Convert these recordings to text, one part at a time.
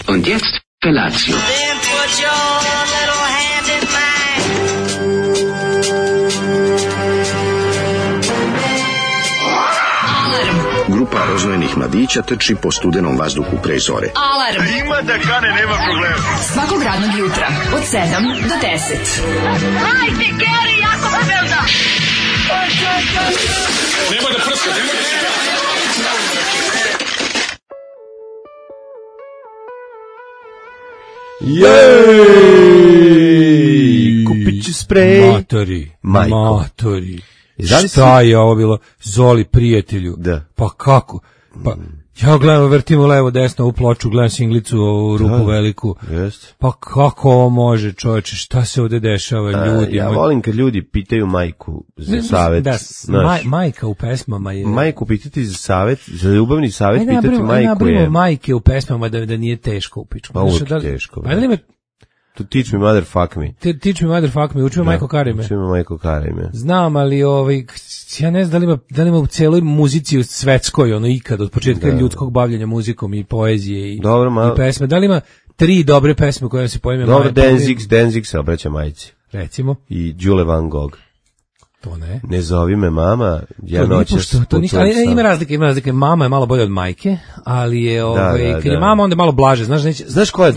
Und jetzt Felatio. Then put your little hand in mine. Grupa rozvojenih mladića trči po studenom vazduhu pre zore. Alarm! Ima da kane, nema problema. Svakog radnog jutra, od 7 do 10. Hajde, Geri, jako se velda! Nemoj da prska, nemoj da prska. Jej! Kupit ću sprej. Matori. Šta je ovo bilo? Zoli, prijatelju. Da. Pa kako? Pa, ja gledam, vrtimo levo, desno u ploču, gledam singlicu, ovu rupu veliku. Jest. Pa kako ovo može, čoveče? Šta se ovde dešava, ljudi? Ja volim kad ljudi pitaju majku za savet. Da, majka u pesmama je... Majku pitati za savet, za ljubavni savet pitati majku je... Majke u pesmama da nije teško u pičku. Pa uvijek teško. Pa da li me... To teach me mother fuck me. Teach me mother fuck me, uči me majko Karime. Uči me majko Karime. Znam, ali ja ne znam da li ima u celoj muzici svetskoj, ikad, od početka ljudskog bavljenja muzikom i poezije i pesme. Da li ima 3 dobre pesme koje se poime Dobro, Danzig se obraća majici. Recimo. I Đule Van Gogh. To ne. Ne zovi me mama, ja noćas putujem sam. Ima razlike. Mama je malo bolje od majke, ali je kad je mama onda malo blaže, Znaš koja je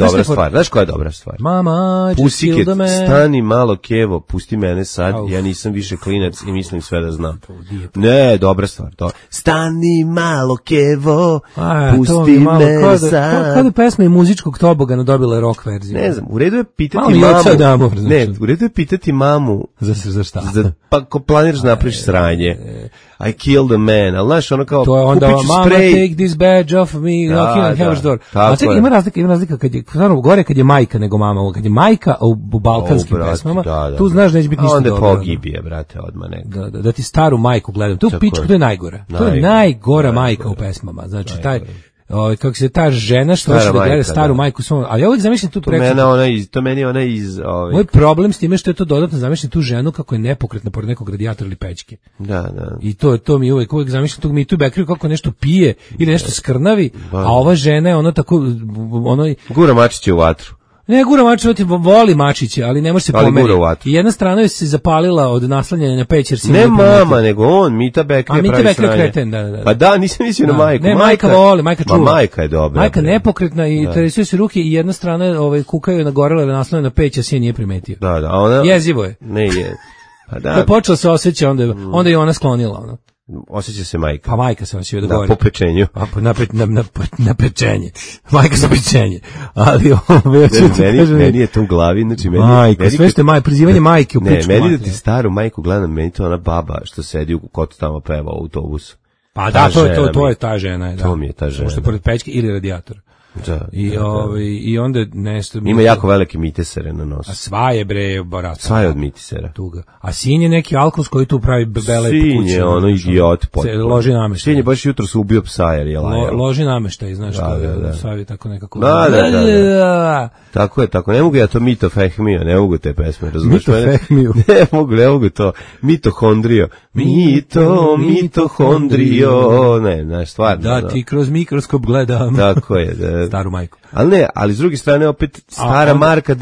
dobra stvar? Mama, Pusiket, stani malo Kevo, pusti mene sad, ja nisam više klinac i mislim sve da znam. Ne, dobra stvar, to. Stani malo Kevo, pusti mene sad. Kada je pesma i muzičkog tobogana dobila rock verziju? Ne znam, u redu je pitati mamu. Ne, u redu je pitati mamu. Za šta? Pa ako planiraš da napraviš sranje, I killed a man, ali znaš, ono kao, to je onda, mama, spray. take this badge off me, knocking on heaven's door. A čekaj, ima razlika kad je, stvarno, gore kad je majka nego mama, kad je majka u balkanskim pesmama, tu znaš neće biti ništa dobro. Onda pogibije, brate, odmah neko. Da ti staru majku gledam, to pičku, to je najgora. To je najgora majka u pesmama, znači taj... kako se ta žena što hoće da gleda staru majku svom, ali ja uvijek zamišljam tu to meni ona iz moj problem s time što je to dodatno zamišljam tu ženu kako je nepokretna pored nekog radijatora ili pećke. Da. I to mi uvijek zamišljam tu mi tu bekri kako nešto pije ili nešto skrnavi, a ova žena je ona tako gura mačiće u vatru. Ne, gura mačiće, voli mačiće, ali ne može se pomeriti. I jedna strana je se zapalila od naslanjanja na peć, jer si ne mama, nego on, Mita Bekri pravi sranje. Kreten, da. Pa da, nisam mislio na majku. Ne, majka voli, majka čuva. Majka je dobra. Majka nepokretna i tresuju se ruke i jedna strana kukaju na gorele naslanjanja na peć, a sin nije primetio. Da, a ona... Jezivo je. Ne je. Pa da. To počelo se osjeća, onda je ona sklonila, ono. Osjeća se majka. Pa majka se osjeća da govori. Po pečenju. Na pečenje. Majka za pečenje. Ali meni je to u glavi, znači majka, sve što je prizivanje majke u pičku. Ne, meni da ti staru majku gledam, meni to ona baba što sedi u kotu tamo peva u autobusu. Pa da, to je ta žena. To mi je ta žena. Možda pored pećke ili radijator. Da, I onda nešto... Ima jako velike mitisere na nosu. A sva je bre barata. Sva je od mitisera. Tuga. A sin je neki alkos koji tu pravi bele po kući. Sin je ono idiot potpuno. Loži nameštaj. Sin je baš jutro se ubio psa jer je lajao. Loži nameštaj, znaš da. Savi tako nekako... Da. Tako je, tako. Ne mogu ja to Mito Fehmio, ne mogu te pesme, razumiješ? Mito Fehmio. Ne mogu to. Mitohondrio. Mitohondrio. Ne, znaš, stvarno. Da, ti kroz mikroskop gledam. Tako je, da. Staru majku. Ali s druge strane opet stara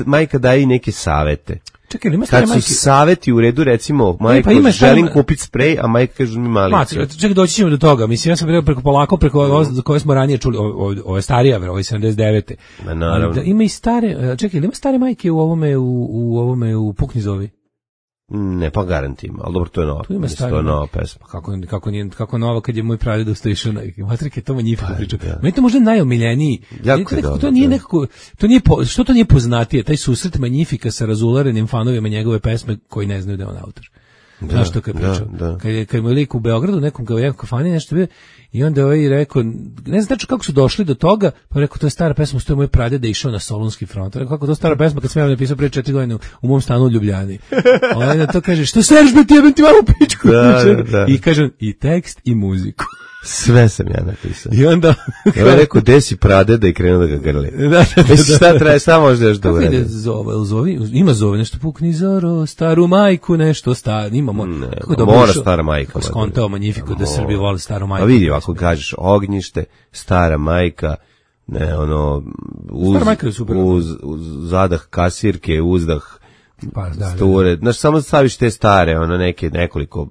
majka daje i neke savete. Čekaj, ima stare majke. Kad su saveti u redu, recimo, majka želim kupiti sprej, a majka kaže mi malicu. Čekaj, doći ćemo do toga. Mislim, ja sam preko koje smo ranije čuli, ovo je starija, ovo je 79. Naravno. Ima i stare, čekaj, ima stare majke u ovome, u Pukni zovi? Ne, pa garantim, ali dobro, to je nova. To je nova pesma. Kako nova kad je moj pradeda ustašao na Matrike, to Magnifico priča. Meni to možda najomiljeniji. To nije nekako, što to nije poznatije, taj susret Magnifica sa razularenim fanovima njegove pesme koji ne znaju da je on autor. Znaš što kad je pričao? Kad je moj lik u Beogradu, nekom kafani nešto bio, i onda ovaj rekao, ne znam kako su došli do toga, pa rekao, to je stara pesma, što je moj pradeda išao na Solunski front. Rekao, kako to stara pesma, kad sam ja napisao pre 4 godine u mom stanu u Ljubljani. Ovaj na to kaže, što seriš be ti, jebem ti malo pičku. I kažem, i tekst i muziku. Sve sam ja napisao. I onda... Ja rekao, desi pradeda i krenuo da ga grli. Šta traje, šta možda još da uredi? Ima zove nešto, Pukni zoro, staru majku, nešto, imamo. Mora stara majka. Kako skontao Magnifico da Srbi vole staru majku. A vidi, ako kažeš ognjište, stara majka, ne, ono, uz zadah kasirke, uzdah sture, znaš, samo staviš te stare, ono, nekoliko,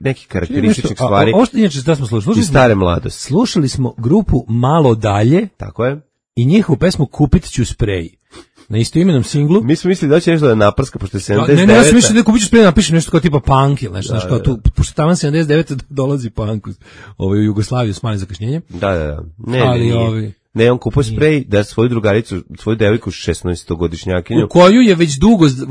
neki karakterističnih stvari. Ovo što inače da smo slušali, stare mladosti. Slušali smo grupu Malo dalje. Tako je. I njihovu pesmu Kupit ću sprej. Na istoimenom singlu. Mi smo mislili da će nešto da naprska, pošto je 79. Ne, ja sam mislio da kupit ću sprej, napišem nešto kao tipa punk ili nešto, znaš, kao tu, pošto tamo 79. dolazi punk u Jugoslaviju s malim zakašnjenjem. Da. Ne, on kupao sprej da svoju drugaricu, svoju devojku 16-godišnjakinju,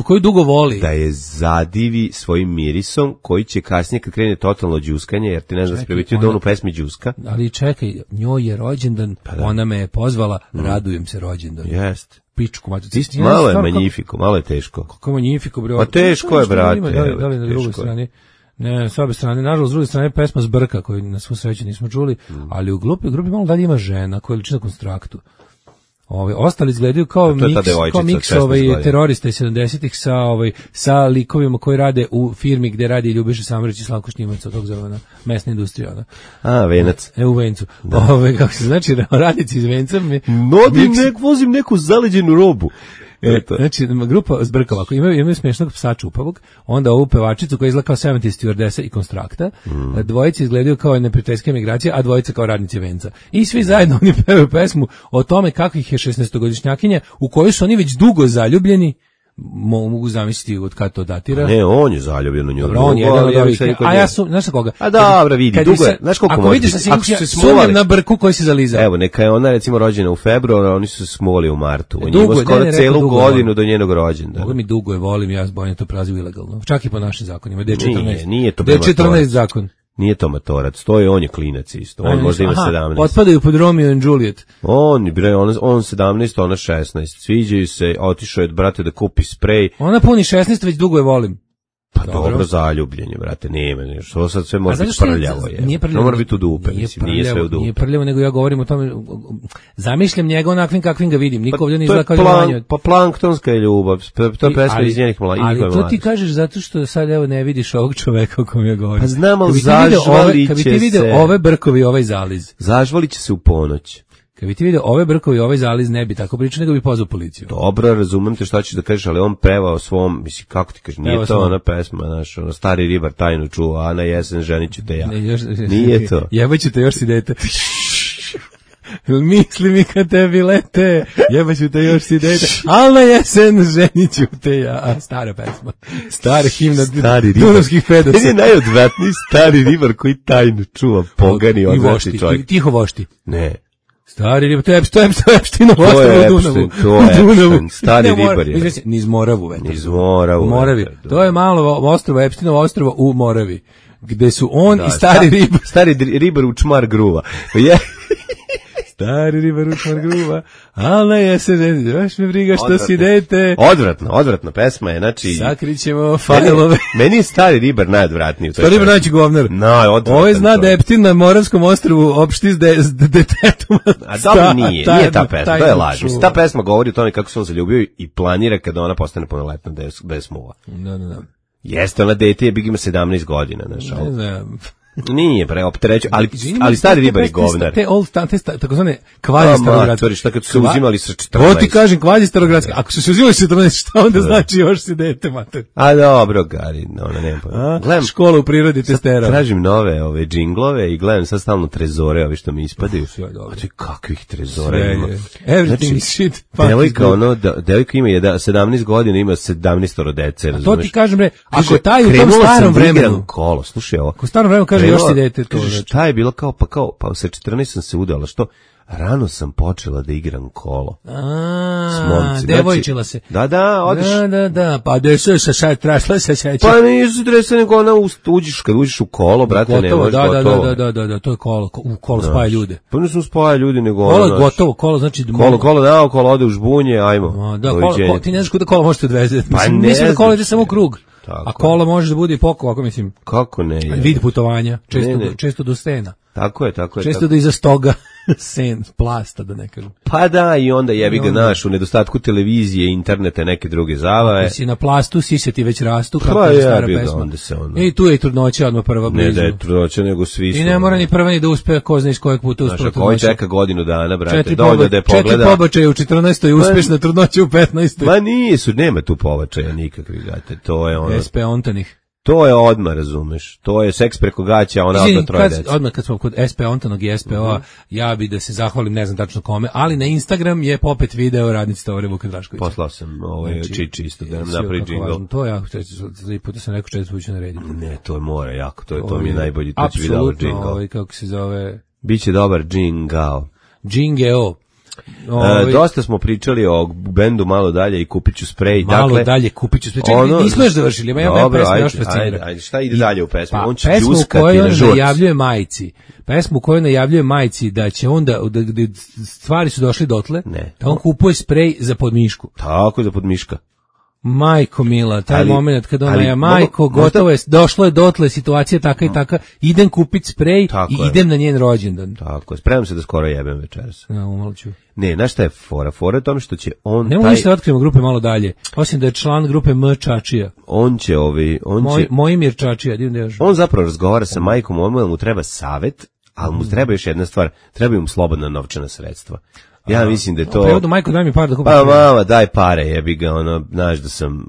koju dugo voli, da je zadivi svojim mirisom, koji će kasnije kad krene totalno đuskanje, jer ti ne znam da se primetio da on u pesmi đuska. Ali čekaj, njoj je rođendan, ona me je pozvala, radujem se rođendanu. Jest. Pičku, malo je Magnifico, malo je teško. Kako je Magnifico, bre? Pa teško je, brate. Da li na drugoj strani? Ne, s obe strane, nažalost, s druge strane pesma Zbrka, koju na svu sreću nismo čuli, ali u grupi malo dalje ima žena koja liči na Konstraktu. Ostali izgledaju kao miks terorista iz 70-ih sa likovima koji rade u firmi gde radi Ljubiša Samarić i Slavko Štimac, od tog zove mesna industrija. Venac. U Vencu. Kako se znači, radnici iz Venca. Vozim neku zaleđenu robu. Znači, grupa Zbrka ovako, imaju smiješnog psa čupavog, onda ovu pevačicu koja izgleda kao 70 stewardesa i Konstrakta, dvojice izgledaju kao neprijateljske emigracije, a dvojica kao radnici Venca. I svi zajedno oni pevaju pesmu o tome kako ih je 16-godišnjakinja, u kojoj su oni već dugo zaljubljeni, mogu zamisliti od kada to datira. Ne, on je zaljubljen u nju. Dobro, on je jedan od ovih. A ja su, znaš koga? A dobro, vidi, dugo je. Znaš koliko može biti? Ako se smuvali na brku koji se zalizao. Evo, neka je ona recimo rođena u februaru, a oni su se smuvali u martu. On ima skoro celu godinu do njenog rođendana. Mogu mi dugo je volim, ja zbojim to prazi ilegalno. Čak i po našim zakonima. Nije to D14 zakon. Nije to matorac, on je klinac isto. On možda ima 17. Otpadaju pod Romeo and Juliet. On 17, ona 16. Sviđaju se, otišao je brate da kupi sprej. Ona puni 16, već dugo je volim. Pa dobro zaljubljenje, brate, nema nešto. Sad sve može biti prljavo je. Nije prljavo. Ne mora biti u dupe, nije sve u dupe. Nije prljavo, nego ja govorim o tome, zamišljam njega onakvim kakvim ga vidim. Niko ovdje ne izgleda kao Jovanju. Pa planktonska je ljubav, to je pesma iz njenih mladih. Ali to ti kažeš zato što sad evo ne vidiš ovog čoveka o kom ja govorim. Pa znamo, zažvalit će se. Kad bi ti vidio ove brkovi, ovaj zaliz. Zažvalit će se u ponoć. Kad bi ti vidio ove brkovi, ovaj zaliz, ne bi tako pričao, nego bi pozvao policiju. Dobro, razumem te šta ćeš da kažeš, ali on pevao svom, mislim, kako ti kažeš, nije to ona pesma, znaš, ono, stari ribar tajnu čuva, a na jesen ženit ću te ja. Nije to. Jebaću te, još si dete. Misli mi kad tebi lete, jebaću te, još si dete, al na jesen ženit ću te ja. A, stara pesma. Stara himna Dunavskih pedaca. Meni je najodvratniji stari ribar koji tajnu čuva, pogani odvrati čovjek. I tiho vošti. Ne. Stari ribar, to je Epštinovo ostrvo u Dunavu. To je Epštin, stari ribar je. Niz Moravu. Niz Moravu. U Moravi. To je malo ostrvo, Epštinovo ostrvo u Moravi. Gde su on i stari ribar. Stari ribar u čmar gruva. Stari ribar u čmar gruva, ali na jesen, baš me briga što si dete. Odvratno, pesma je, znači... Sakrićemo fanelove. Meni je stari ribar najodvratniji. Stari ribar najveći govnar. Ovo je zna da je Ptin na Moravskom ostrvu opšti s detetom. A dobro nije ta pesma, to je laž. Ta pesma govori o tome kako se on zaljubio i planira kada ona postane punoletna da je smuva. Da. Jeste, ona dete je big ima 17 godina, znaš. Ne znam. Nije optereću, ali stari ribar je govnar. Te takozvane kvazi starogradske. Šta kad su uzimali sa 14? To ti kažem, kvazi starogradske. Ako su se uzimali sa 14, šta onda znači još si dete, mater? A dobro, Gari, ona nema pojma. Gledam školu u prirodi testera. Tražim nove džinglove i gledam sad stalno trezore, ovi što mi ispadaju. A ti kakvih trezora ima? Everything is shit. Devojka ima 17 godina, ima 17 dece, razumeš? To ti kažem, bre, ako taj u tom starom vremenu kolo, slušaj ovo. Ako starom vremenu kaže još si dete, to znači. Šta je bilo kao sa 14 sam se udala, što? Rano sam počela da igram kolo. Devojčila se. Da, odeš. Da, pa desu se sad trašla se seća. Pa nisu dresa, nego ona kad uđeš u kolo, brate, ne možeš gotovo. Da, to je kolo, u kolo spaja ljude. Pa nisu spaja ljudi, nego kolo je gotovo, kolo znači... Kolo ode u žbunje, ajmo. Da, ti ne znaš kuda kolo možete odvezeti. Mislim da kolo ide samo u krug. A kola može da bude i poko, ako mislim. Kako ne? Vid putovanja, često do stena. Tako je. Često do iza stoga sen, plasta, da ne kažem. Pa da, i onda jebi ga naš, u nedostatku televizije, interneta, neke druge zabave. Si na plastu, siseti već rastu, kako je stara pesma. I tu je i trudnoća odmah prva blizu. Ne da je trudnoća, nego svi su. I ne mora ni prva ni da uspe, ko zna iz kojeg puta uspe trudnoća. Koji čeka godinu dana, brate, dovoljno da je pogleda. 4 pobačaja u 14. i uspešna trudnoća u 15. Ma nisu, nema tu pobačaja nikakvih, brate, to je ono. SP ontanih. To je odmah, razumeš. To je seks preko gaća, ona odmah troje dece. Odmah kad smo kod SP Ontanog i SPO-a, ja bi da se zahvalim, ne znam tačno kome, ali na Instagram je popet video radnici Tovare Vuka Draškovića. Poslao sam Čiči isto da nam napravi džingl. To ja, 3 puta sam rekao 4 puta ću narediti. Ne, to je mora jako, to mi je najbolji, to ću vidjeti džingl. Apsolutno, kako se zove... Biće dobar džingao. Džingeo. Dosta smo pričali o bendu malo dalje i Kupiću sprej. Malo dalje Kupiću sprej. Čekaj, nismo još završili, ima jedna pesma još fascinira. Ajde, šta ide dalje u pesmi? On će pesmu pljuskati na žurc. Pesmu koju najavljuje majci da će onda, da stvari su došli dotle, da on kupuje sprej za podmišku. Tako, za podmiška. Majko mila, taj moment kad ona je majko, gotovo je, došlo je dotle, situacija taka i taka, idem kupiti sprej i idem na njen rođendan. Tako je, spremam se da skoro jebem večeras. Ja, umolću. Ne, znaš šta je fora? Fora je tome što će on... Nemo ništa otkrivamo grupe malo dalje, osim da je član grupe M. Čačija. On će Mojimir Čačija, divno još. On zapravo razgovara sa majkom, mu treba savet, ali mu treba još jedna stvar, treba mu slobodna novčana sredstva. Ja mislim da je to... Prevodu, majko, daj mi par da kupim. Pa mama, daj pare, jebi ga, znaš da sam,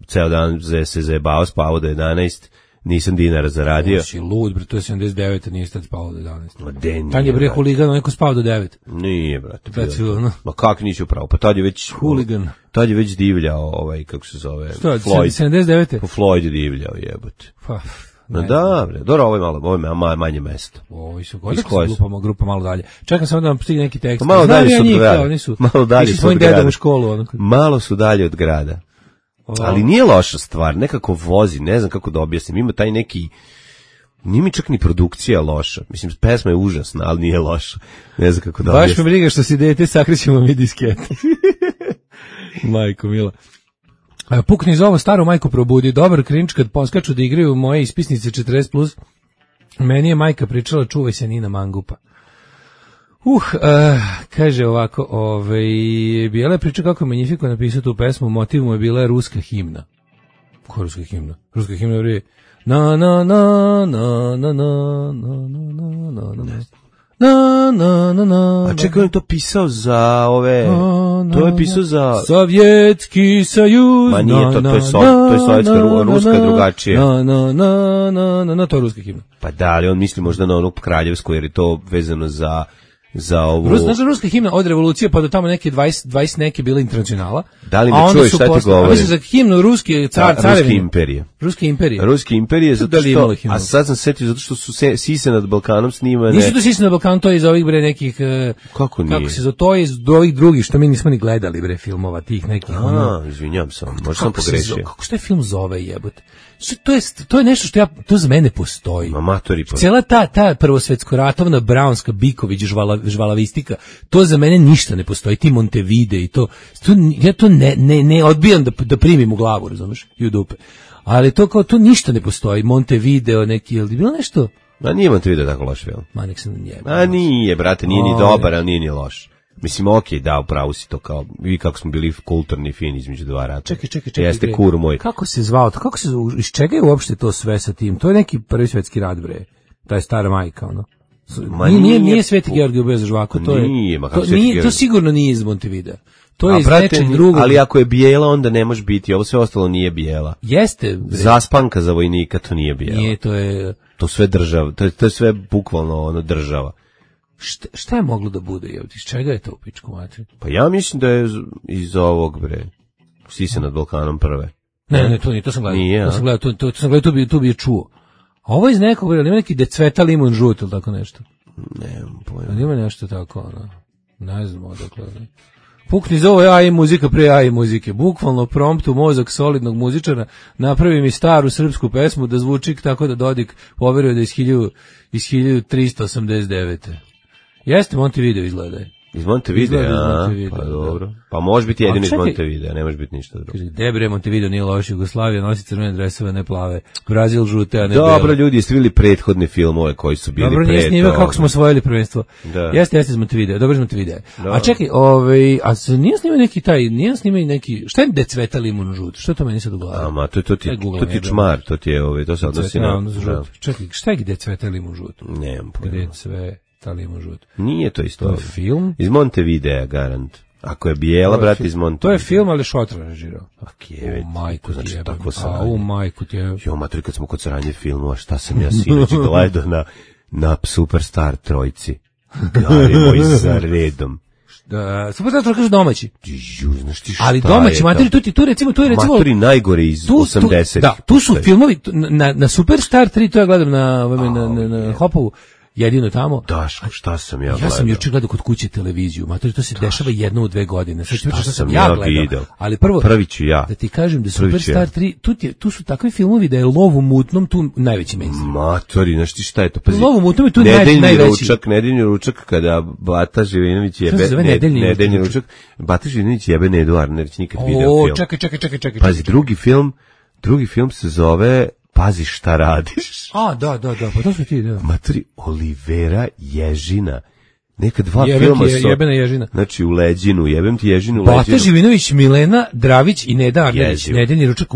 ceo dan se zajebao, spavao do 11, nisam dinara zaradio. Si lud, bre, to je 79, nije tad spao do 11. Ma de nije, tad je bre huligan, neko spao do 9. Nije, brate. No. Ma kak nisi upravo, pa tad je već... Huligan. Tad je već divljao, kako se zove... Što, Floyd. 79? Po Floyd je divljao, jebote. Pa... No da, bre, dobro, ovo je manje mesto. Ovi su grupa malo dalje. Čekam samo da vam stigne neki tekst. Malo dalje su od grada. Malo dalje su od grada. U školu, malo su dalje od grada. Ali nije loša stvar, nekako vozi, ne znam kako da objasnim, ima taj neki, nije mi čak ni produkcija loša, mislim, pesma je užasna, ali nije loša, ne znam kako da objasnim. Baš me briga što si dete, sakrećemo mi diskete. Majko mila. Pukni za ovo staro majku probudi, dobar cringe kad poskaču da igraju moje ispisnice 40+, meni je majka pričala čuvaj se Nina Mangupa. Kaže ovako, Bijela je priča kako je Magnifico napisao tu pesmu, motiv mu je bila ruska himna. Ko je ruska himna? Ruska himna je na na na na na na na na na na A čekaj, on to pisao za ove... To je pisao za... Sovjetski sajuz... Ma nije to, to je sovjetska, ruska drugačije. To je ruska himna. Pa da, ali on misli možda na onu kraljevsku, jer je to vezano za ovu... Znači, ruska himna od revolucije pa do tamo neke 20 neke bila internacionala. Da li me čuješ šta ti govori? Mislim za himnu ruske carevine. Ruske imperije. Ruske imperije, zato što... A sad sam setio zato što su Sise nad Balkanom snimane... Nisu to Sise nad Balkanom, to je iz ovih bre nekih... Kako nije? Kako se zove, to je iz ovih drugih što mi nismo ni gledali bre filmova tih nekih. Izvinjam se, možda sam pogrešio. Kako se taj film zove jebote? To je nešto što to za mene postoji. Amatori. Cela ta prvosvetsko-ratovna braunska Biković žvalavistika, to za mene ništa ne postoji. Ti Montevide i to ja to ne odbijam da primim u glavu, razumeš, i u dupe. Ali to ništa ne postoji. Montevideo neki, je li bilo nešto? Ma nije Montevideo tako loš film. Ma nek se nije. A nije, brate, nije ni dobar, ali nije ni loš. Mislim, okej, da, upravo si to kao, vi kako smo bili kulturni fin između dva rata. Čekaj. Jeste kur moj. Kako se zvao to? Iz čega je uopšte to sve sa tim? To je neki prvi svetski rat, bre. Ta stara majka, ono. Nije Sveti Georgije bez žvako, to je. To sigurno nije iz Montevidea. To je iz nečeg drugog. Ali ako je bijela, onda ne može biti. Ovo sve ostalo nije bijela. Jeste. Zaspanka za vojnika, to nije bijela. Nije, to je... To sve država, to je sve bukvalno ono država. Šta je moglo da bude? Iz čega je to u pičku mater? Pa ja mislim da je iz ovog, bre, Sise nad Balkanom prve. Ne, to nije, to sam gledao. Nije, to sam gledao, to bi je čuo. A ovo iz nekog, bre, ima neki decveta limun žut ili tako nešto? Nemam pojma. Ima nešto tako, ono, ne znam odakle. Pukni za ovo AI muzika pre AI muzike. Bukvalno prompt u mozak solidnog muzičara napravi mi staru srpsku pesmu da zvuči tako da Dodik poveruje da iz 1389. Jeste Montevideo izgleda. Iz Montevidea, pa dobro. Pa može biti jedino iz Montevidea, ne može biti ništa drugo. Gde bre, Montevideo nije loš, Jugoslavija nosi crvene dresove, ne plave, Brazil žute, a ne bele. Dobro, ljudi, jeste vidjeli prethodne filmove koji su bili dobro, nije snimio kako smo osvojili prvenstvo. Jeste iz Montevidea, dobro iz Montevidea. A čekaj, nije snimio neki, šta je decveta limun žut? Što to meni sad u glavi? Ma, to ti čmar, to se odnosi na... Čekaj, šta je decveta limun žut? Nemam pojma. Nije to isto. To je film? Iz Montevidea, garant. Ako je bijela, brat, iz Montevidea. To je film, ali Šotra režirao. Majku ti jebem. Majku ti jebem. Jo, matri, kad smo kod sranje filmova, šta sam ja sinoć gledao na Superstar trojci. Gari moj za redom. Superstar trojka kažu domaći. Znaš ti šta ali domaći, matri, tu je recimo... Matri najgore iz 80-ih. Da, tu su filmovi, na Superstar 3, to ja gledam na Hopovu, jedino tamo. Daško, šta sam ja gledao? Ja sam juče gledao kod kuće televiziju. Matori, to se dešava jedno u 2 godine. Šta sam ja gledao? Ali prvi ću ja. Da ti kažem da Superstar 3, tu su takvi filmovi da je Lov u mutnom tu najveći mainstream. Matori, znaš ti šta je to? Pazi, Lov u mutnom je tu najveći. Nedeljni ručak kada Bata Živinović jebe... Nedeljni ručak. Bata Živinović jebe Nedu Arnerić, nikad video film. Čekaj. Pazi, drugi film se zove... Pazi šta radiš. Da, pa to su ti, da. Matri, Olivera Ježina neka dva filma su... Jebena ježina. Znači, u Leđinu, jebem ti ježinu, Bata Živinović, Milena Dravić i Neda Arnerić. Nedeni ručak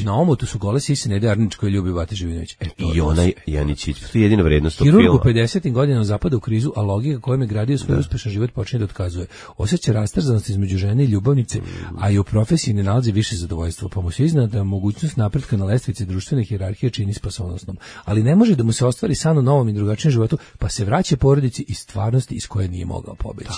na omotu su gole sise Nede Arnerić koji ljubi Bata Živinović. I onaj Janićić, to je jedina vrednost tog filma. Hirurg u 50. godinama zapada u krizu, a logika kojom je gradio svoj uspešan život počinje da otkazuje. Osjeća rastrzanost između žene i ljubavnice, a i u profesiji ne nalazi više zadovoljstva, pa mu se izna da mogućnost napretka na lestvici društvene hijerarhije čini spasonosnom. Ali ne može da mu se ostvari san u novom i drugačijem životu, pa se vraća porodici i stvarnosti iz koje nije mogao pobeći.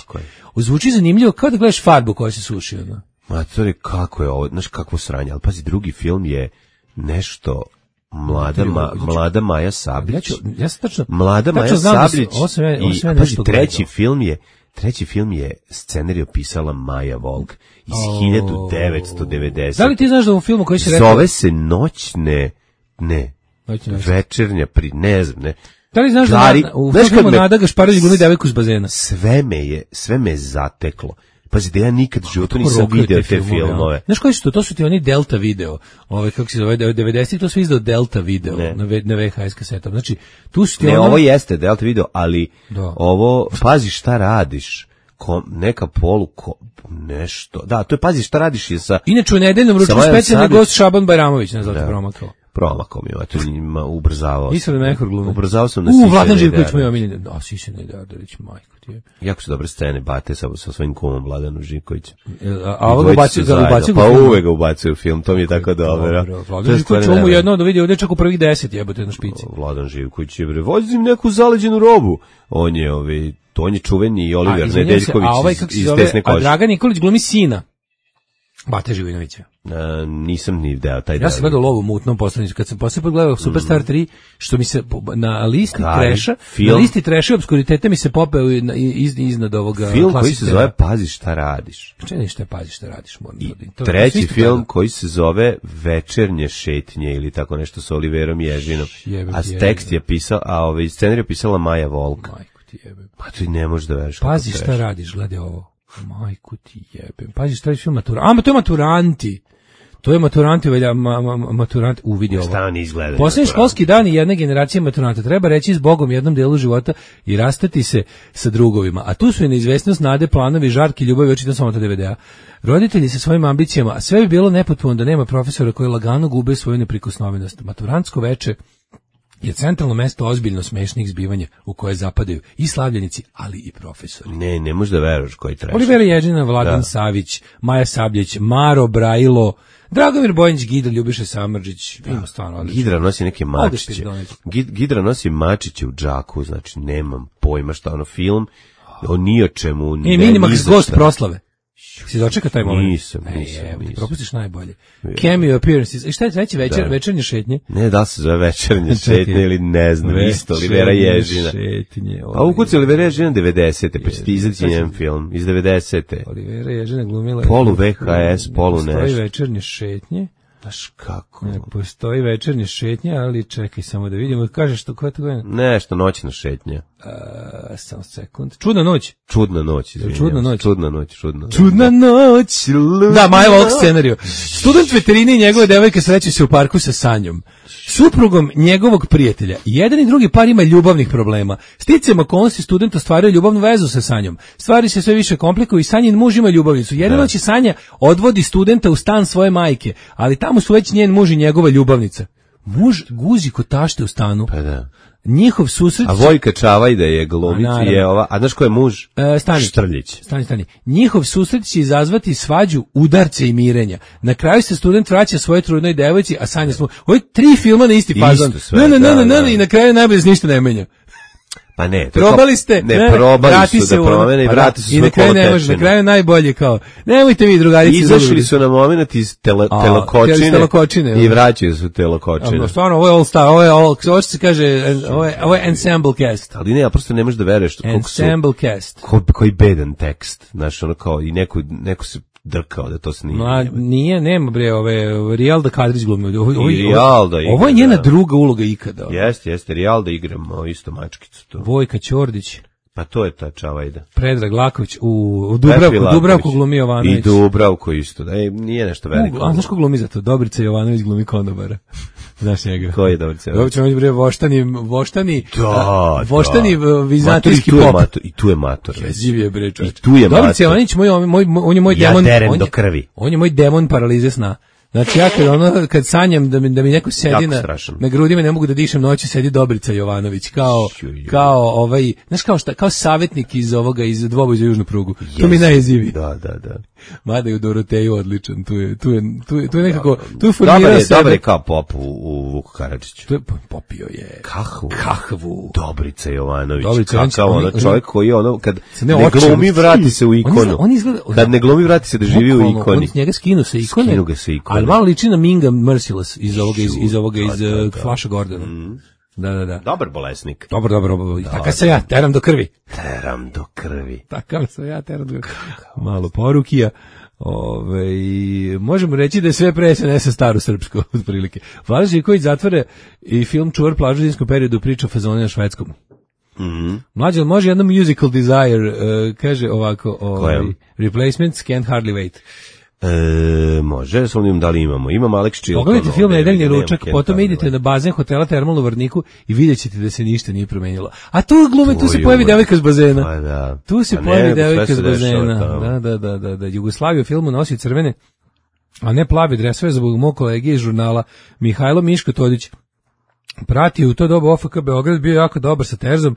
Zvuči zanimljivo kao da gledaš farbu koja se suši. No? Matori, kako je ovo, znaš kakvo sranje, ali pazi, drugi film je nešto mlada Maja Sablić. Ja sam tačno, mlada Maja Sablić i pazi, treći film je scenarij pisala Maja Volk iz 1990. Da li ti znaš da u filmu koji se rekao? Zove se Noćne večernja, ne znam, ne. Da li znaš da u filmu Nada Gašparović glumi devojku s bazena? Sve me zateklo. Pazi, da ja nikad u životu nisam video te filmove. Znaš koji su to? To su ti oni Delta video. Kako se zove, 90-ih to su izdao Delta video na VHS kasetom. Znači, tu su ti ovo jeste Delta video, ali ovo, pazi šta radiš. Neka nešto. Da, to je pazi šta radiš je sa... Inače u nedeljnom ručku specijalni gost Šaban Bajramović, ne znam promakao. Promakao mi je, to njima ubrzavao. Isra Mehur glume. Ubrzavao sam na Sisene. Vladan Živković moj omiljen. Da, Sisene Dardarić, majko ti je. Jako su dobre scene, Bate sa svojim kumom Vladanu Živkovićem. A ovo ga ubacuju pa uvek ga ubacuju u film, to mi je tako dobro. Vladan Živković ovo jedno da vidi ovdje čak u prvih 10 jebote na špici. Vladan Živković je, vozim neku zaleđenu robu. On je čuveni Oliver Nedeljković iz Desne kože. A Dragan Nikolić glumi sina Bate Živinovića. Nisam ni deo taj deo. Ja sam gledao Lovu mutnom poslanicu. Kad sam posle pogledao Superstar 3, što mi se na listi treša i obskuritete mi se popeo iznad ovoga film koji se zove Pazi šta radiš. Čini šta Pazi šta radiš. Treći film koji se zove Večernje šetnje ili tako nešto sa Oliverom Ježinom. A tekst je pisao, scenarij je pisala Maja Volk. Majku ti jebem. Pa ti ne možeš da veriš. Pazi šta radiš, gledaj ovo. Majku ti jebem. Pazi šta je film Maturanti. To je Maturanti. To je Maturanti, Maturanti uvidi ovo. Šta oni izgledaju? Posljednji školski dan i jedne generacije maturanta. Treba reći s Bogom jednom delu života i rastati se sa drugovima. A tu su i neizvesnost, nade, planovi, žarki, ljubavi, očitam samo to DVD-a. Roditelji sa svojim ambicijama, a sve bi bilo nepotpuno da nema profesora koji lagano gube svoju neprikosnovenost. Maturantsko veče je centralno mesto ozbiljno smešnih zbivanja u koje zapadaju i slavljenici, ali i profesori. Ne možeš da veruješ koji treši. Olivera Ježina, Vladan Savić, Maja Sabljić, Maro Brajilo, Dragomir Bojanić, Gidra, Ljubiša Samrđić, ima stvarno odlično. Gidra nosi neke mačiće. Gidra nosi mačiće u džaku, znači nemam pojma šta ono film, o ni o čemu. Minimax gost proslave. Si dočeka taj moment? Nisam. Propustiš najbolje. Cameo appearances. I šta je treći večernje šetnje? Ne, da se zove večernje šetnje ili ne znam, isto Olivera Ježina. A ukuci Olivera Ježina 90. pa će ti izaći njen film iz 90. Olivera Ježina glumila. Polu VHS, polu nešto. Postoji večernje šetnje. Znaš kako? Ne, postoji večernje šetnje, ali čekaj samo da vidimo. Kažeš što koja je to godina? Nešto, noćna šetnja. Samo sekund. Čudna noć. Čudna noć. Čudna noć. Da, Maja Volk scenariju. Student veterine i njegove devojke sreću se u parku sa Sanjom, suprugom njegovog prijatelja. Jedan i drugi par ima ljubavnih problema. Sticajem okolnosti student ostvaruje ljubavnu vezu sa Sanjom. Stvari se sve više komplikuju i Sanjin muž ima ljubavnicu. Jedne noći Sanja odvodi studenta u stan svoje majke, ali tamo su već njen muž i njegova ljubavnica. Muž guzi kod tašte u stanu. Pa da. Njihov susret... A Vojka Čavaj da je glumić je ova... A znaš ko je muž? Štrljić. Stani. Njihov susret će izazvati svađu, udarce i mirenja. Na kraju se student vraća svoje trudnoj devojci, a Sanja smo... Ovo je 3 filma na isti fazon. Ne, i na kraju najbolje se ništa ne menja. Pa ne, probali ste, probali su da promene i vrati su sve kolotečeno. Na kraju najbolje kao, nemojte vi drugarici. Izašli su na moment iz telokočine i vraćaju su telokočine. Stvarno, ovo je all star, ovo se kaže, ovo je ensemble cast. Ali ne, ja prosto ne možeš da veruješ. Ensemble cast. Koji bedan tekst, znaš, ono kao i neko se drkao da to snima. Nije, nema bre, Rijalda Kadrić glumi. Ovo je njena druga uloga ikada. Jeste, Rijalda igramo isto mačkicu. Vojka Ćordić. Pa to je ta Čavajda. Predrag Laković u Dubravku glumi Jovanović. I Dubravku isto, da nije nešto veliko. A znaš ko glumi za to? Dobrica Jovanović glumi konobara. Znaš njega. Ko je Dobrica Jovanović? Dobrica Jovanović, voštani vizantijski pop. I tu je mator. Jeziv je bre čovječ. Dobrica Jovanović, on je moj demon. Ja derem do krvi. On je moj demon paralize sna. Znači ja kad sanjam da mi neko sedi na grudima, ne mogu da dišem noći, sedi Dobrica Jovanović kao znaš kao savjetnik iz Dvoboj za južnu prugu. To mi najjezivije. Da. Mada je u Doroteju odličan, tu je nekako, tu je formirao sebe. Dobar je kao pop u Vuku Karadžiću. Tu je popio je kahvu. Dobrica Jovanović. Kakav čovjek koji je kad ne glumi vrati se u ikonu. Kad ne glumi vrati se da živi u ikoni. Njega skinu se ikone. Ali malo liči na Minga Merciless iz Flasha Gordona. Da. Dobar bolesnik. Dobar. Takav sam ja, teram do krvi. Takav sam ja, teram do krvi. Malo porukija. Možemo reći da je sve pre SNS-a staro srpsko, otprilike. Vlada Živković zatvore i film Čuvar plažu u zimskom periodu priča o fazoni na švedskom. Mlađe, može jedno musical desire, kaže ovako, Replacements can't hardly wait. Može, s onim da li imamo. Imam Alex Chilton. Pogledajte film Nedeljni ručak, potom idete na bazen hotela Termal u Vrniku i vidjet ćete da se ništa nije promenilo. A tu glume, tu se pojavi devojka s bazena. Pa da. Tu se pojavi devojka s bazena. Da. Jugoslavija u filmu nosi crvene, a ne plave dresove zbog mog kolege iz žurnala Mihajlo Miško Todić. Pratio u to doba OFK Beograd, bio jako dobar sa Terzom,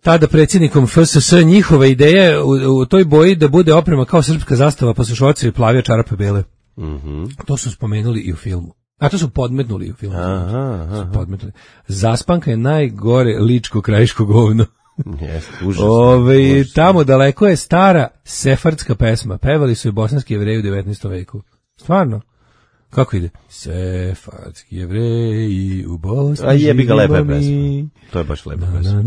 tada predsjednikom FSS. Njihova ideja u toj boji da bude oprema kao srpska zastava, pa su šorcevi plavi, a čarape bele. To su spomenuli i u filmu. A to su podmetnuli i u filmu. Zaspanka je najgore ličko krajiško govno. Tamo daleko je stara sefardska pesma. Pevali su je bosanski Jevreji u 19. veku. Stvarno? Kako ide? Sefardski Jevreji u Bosni. A jebi ga, lepa je pesma. To je baš lepa pesma.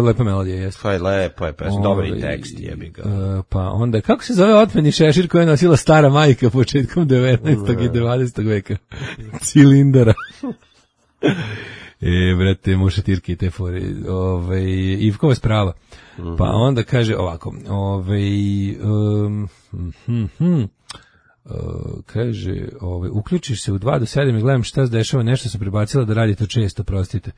Lepa melodija, jeste. Pa je lepa je pesma, dobar i tekst, jebi ga. Pa onda, kako se zove otmeni šešir koja je nosila stara majka početkom 19. i 20. veka? Cilindara. Brate, mušatirke i te fore. Ivkova sprava. Pa onda kaže ovako, kaže, uključiš se u 2 do 7 i gledam šta se dešava, nešto sam prebacila da radite često, prostite.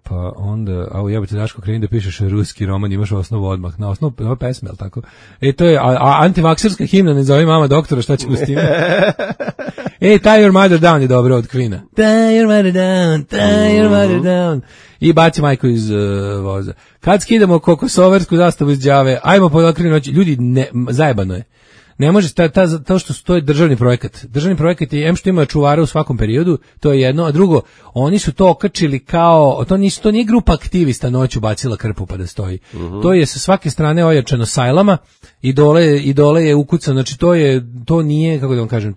Pa onda, jebate Daško, kreni da pišeš ruski roman, imaš osnovu odmah, na osnovu pesme, ali tako? To je antivakserska himna, ne zove mama doktora, šta ćemo s tim? Tie your mother down je dobro od Queen-a. Tie your mother down. I baci majku iz voza. Kad skidamo kokosoversku zastavu iz Đave, ajmo po okrinu noći, ljudi, zajebano je. Ne može, to što to je državni projekat. Državni projekat je, što ima čuvara u svakom periodu, to je jedno, a drugo, oni su to okačili kao, to nije grupa aktivista noću bacila krpu pa da stoji. To je sa svake strane ojačano sajlama i dole je ukucano, znači to nije, kako da vam kažem,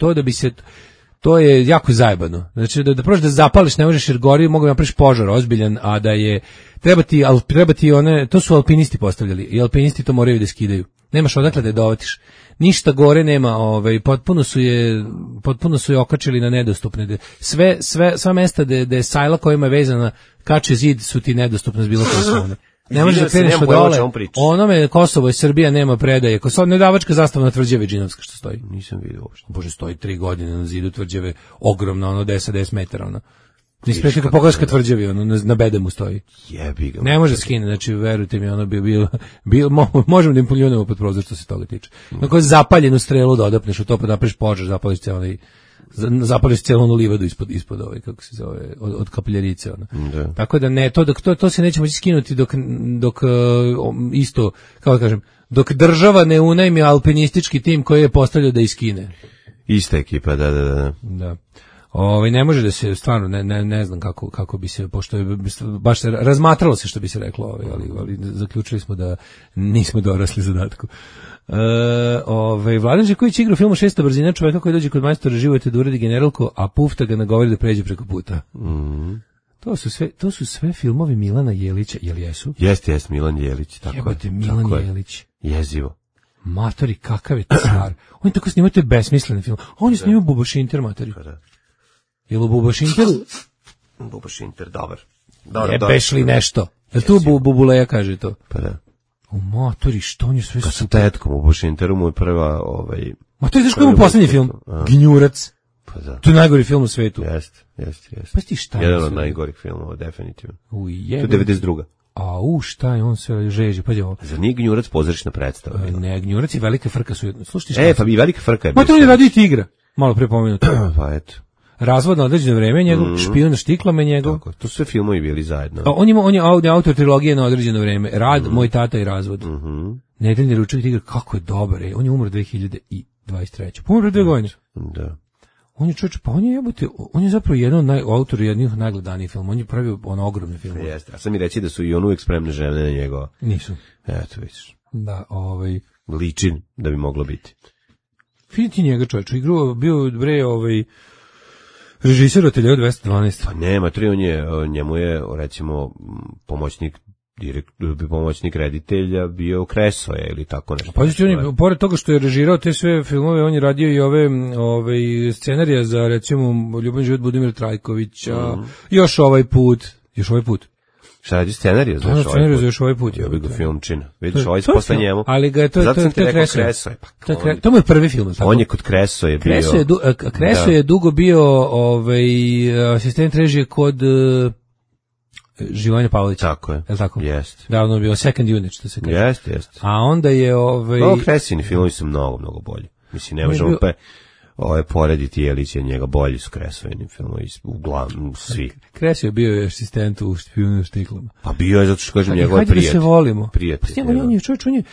to je jako zajebano. Znači da prođeš da zapališ, ne možeš jer gori, mogu napraviš požar ozbiljan, a da je treba ti one, to su alpinisti postavljali i alpinisti to moraju da skidaju. Nemaš odakle da je dovatiš. Ništa gore nema, potpuno su je okačili na nedostupne. Sva mesta da je sajla kojima je vezana kače zid su ti nedostupne s bilo koje strane. Ne možeš da kreneš od dole. Onome Kosovo i Srbija nema predaje. Nedavačka zastava na Tvrđave Džinovska što stoji. Nisam vidio uopšte. Bože, stoji 3 godine na zidu Tvrđave, ogromna, 10 metara, Nisi prešli Pogorska Tvrđavi, na bedemu stoji. Jebi ga. Ne može skine, znači verujte mi, možemo da im poljunemo pod prozor što se toga tiče. Kako zapaljenu strelu da odapneš u to, pa napraviš požar, zapališ cijelu onu livadu ispod kako se zove, od kapljarice. Tako da ne, to se neće moći skinuti dok isto, kako kažem, dok država ne unajmi alpinistički tim koji je postavljao da iskine. Ista ekipa, da. Ne može da se, stvarno, ne znam kako bi se, pošto je, baš se razmatralo se što bi se reklo, ali zaključili smo da nismo dorasli zadatku. Vladan Živković igra u filmu 600 brzina čoveka koji dođe kod majstora živote da uredi generalko, a Pufta ga nagovori da pređe preko puta. To su sve filmovi Milana Jelića, jel jesu? Jeste, Milan Jelić, tako je. Jebate, Milan Jelić. Jezivo. Matori, kakav je to stvar. On tako snimao te besmislene film. On je snimao Bubošinter, matori. Jel u Bubošinteru? Bubošinter, dobar. Jebeš li nešto? Jel tu Bubuleja kaže to? Pa da. U motori, što on je sve super. Sa tetkom u Washingtonu mu je prva... Ma to je znaš koji mu poslednji film? Gnjurac. Pa da. To je najgori film u svetu. Jeste. Pa ti šta je? Jedan od najgorih filmova, definitivno. To je 92. Šta je on sve žeđe, pa je ovo. Za nije Gnjurac pozorišna predstava. Ne, Gnjurac i Velika frka su jedno. Slušajte šta? Pa i Velika frka je bio. Ma to je radio i Tigra. Malo pre pomenuto. Pa eto. Razvod na određeno vreme, njegov špijun na štiklama, njegov. Tako, to su sve filmovi bili zajedno. On je autor trilogije na određeno vreme. Rad, Moj tata i razvod. Nedeljni ručak Tigra, kako je dobar. On je umro 2023. Umro 2 godine. Da. On je čovječ, pa on je zapravo jedan od autora jednih najgledanijih filmova. On je pravio ogromne filmove. Jeste. A sam mi reći da su i on uvijek spremne žene na njegova. Nisu. Eto, vidiš. Da, ličin da bi moglo biti. Vidite njega čovječ, bio režiser Ateljea 212. Pa nema, njemu je, recimo, pomoćnik reditelja bio Kresoje ili tako nešto. Pa on pored toga što je režirao te sve filmove, on je radio i ove scenarija za, recimo, Ljubav život Budimira Trajkovića, još ovaj put. Šta radi scenariju za još ovaj put? Ja bih ga filmčina. Vidiš, ovaj posle njemu. Ali ga je to Kresoje. To mu je prvi film. On je kod Kresoje bio. Kresoje je dugo bio asistent režije kod Živojina Pavlovića. Tako je. Je tako? Jeste. Davno je bio second unit, što se kaže. Jeste. A onda je Kresini filmovi su mnogo bolji. Mislim, ne možemo porediti Jelić je njega bolji su Kresovini filmovi, uglavnom svi. Kresio je bio asistent u špijunu štiklama. Pa bio je zato što kažem njegove prijatelje. Hajde da se volimo. Prijatelje.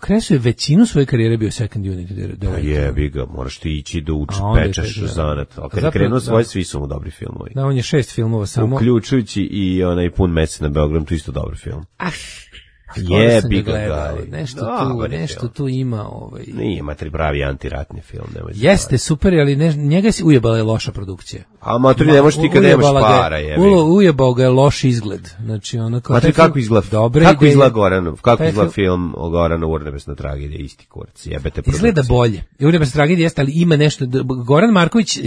Kresio je većinu svoje karijere bio second unit. Pa jebi ga, moraš ti ići da pečeš zanat. Ali kad je krenuo svoje, svi su mu dobri filmovi. Da, on je 6 filmova samo. Uključujući i onaj Pun mesec na Beogradu, to isto dobar film. Jebi ga. Nešto tu ima. Nije, matri pravi antiratni film. Jeste, super, ali njega si ujebala je loša produkcija. A matri ne možeš ti kad nemaš para. Ujebao ga je loš izgled. Znači, matri kako izgleda? Kako izgleda Goranov? Kako izgleda film o Goranu Urnebesna tragedija? Isti kurac, jebete produkcije. Izgleda bolje. Urnebesna tragedija jeste, ali ima nešto. Goran Marković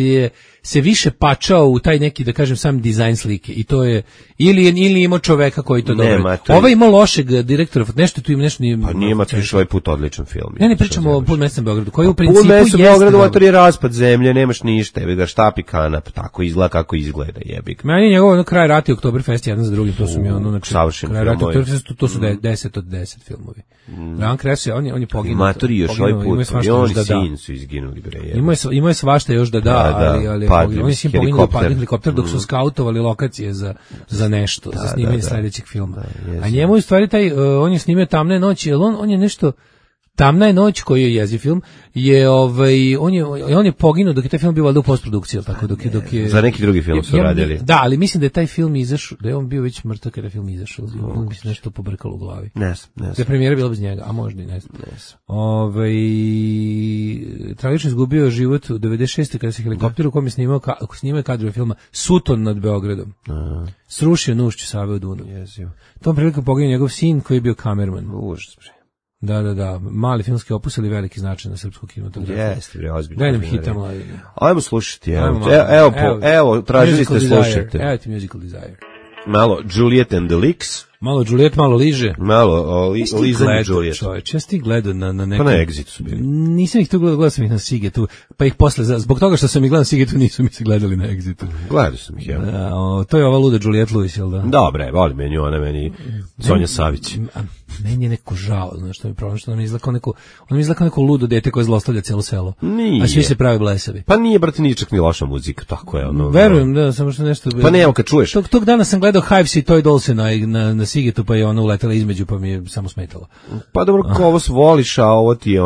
se više pačao u taj neki, da kažem, sam dizajn slike. I to je, ili imao čoveka koji to dobro. Ovaj ima lošeg direktora, nešto tu ima nešto nije. Pa nije Matriš ovaj put odličan film. Ne pričamo o Pun mesec na Beogradu, koji u principu Pun mesec na Beogradu, to je raspad zemlje, nemaš ništa, jebi ga štapi kanap, tako izgleda kako izgleda, jebi ga. Meni je njegov kraj rata i Oktoberfest jedan za drugim, to su mi kraj rata Oktoberfest, to su 10 od 10 filmovi. Leon Kresio, on je poginuo. Matori još ovaj put, i on sin su izginuli, bre. Imao je svašta još da ali on je sin poginuo padne helikopter dok su skautovali lokacije za nešto, za snimanje sledećeg filma. A njemu u stvari on je snimio Tamne noći, jer on je nešto Tamna je noć, koji je jeziv film, je on je poginuo dok je taj film bio valjda u postprodukciji, tako dok je za neki drugi film su radili. Da, ali mislim da je taj film izašao, da je on bio već mrtav kada je film izašao, on bi se nešto pobrkalo u glavi. Ne. Da premijera bila bez njega, a možda i ne znam. Tragično izgubio život u 96. kada se helikopter u kom je snimao kadrove filma Sutton nad Beogradom. Srušio Nušću Save u Dunav. Tom prilikom poginuo njegov sin koji je bio kamerman. Užas. Da, mali filmski opus ili veliki značaj na srpsku kinematografiju. Jeste, bre, ozbiljno. Daj nam hita mladi. Ajmo slušati, evo, tražili ste, slušajte. Evo ti Musical Desire. Malo Juliet and the Leaks. Malo Juliet, malo liže. Malo lizanje Juliet. Čovječ, ja sam ti gledao na nekom... Pa na Exitu su bili. Nisam ih tu gledao sam ih na Sigetu, pa ih posle, zbog toga što sam ih gledao na Sigetu, nisu mi se gledali na Exitu. Gledao sam ih, ja. To je ova luda Juliet Lewis, jel da? Dobre, volim meni Sonja Savić. Meni je neko žao, znaš što mi je problem, što nam izgleda kao neko ludo dete koje zlostavlja cijelo selo. Nije. A svi se pravi blesavi. Pa nije, brate, ničak ni loša muzika, tako je. Verujem, da, samo što nešto... Pa ne, kad čuješ. Tog dana sam gledao Hives i Toy Dolls na Sigetu, pa je ona uletela između, pa mi je samo smetala. Pa dobro, ko ovo voliš, a ovo ti je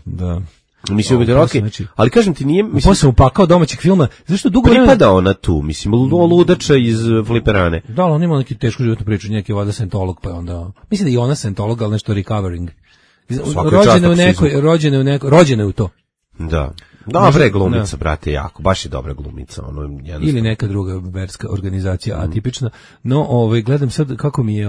Da. Mislim, ali kažem ti nije... Posle sam upakao domaćeg filma, zašto dugo pripada ona tu, mislim, ludača iz Fliperane. Da, ali on ima neki tešku životnu priču, neki vada scientolog, pa onda... Mislim da i ona scientolog, ali nešto recovering. Rođena je u to. Da. Dobre glumica, brate, jako, baš je dobra glumica. Ili neka druga verska organizacija, atipična. No, gledam sad kako mi je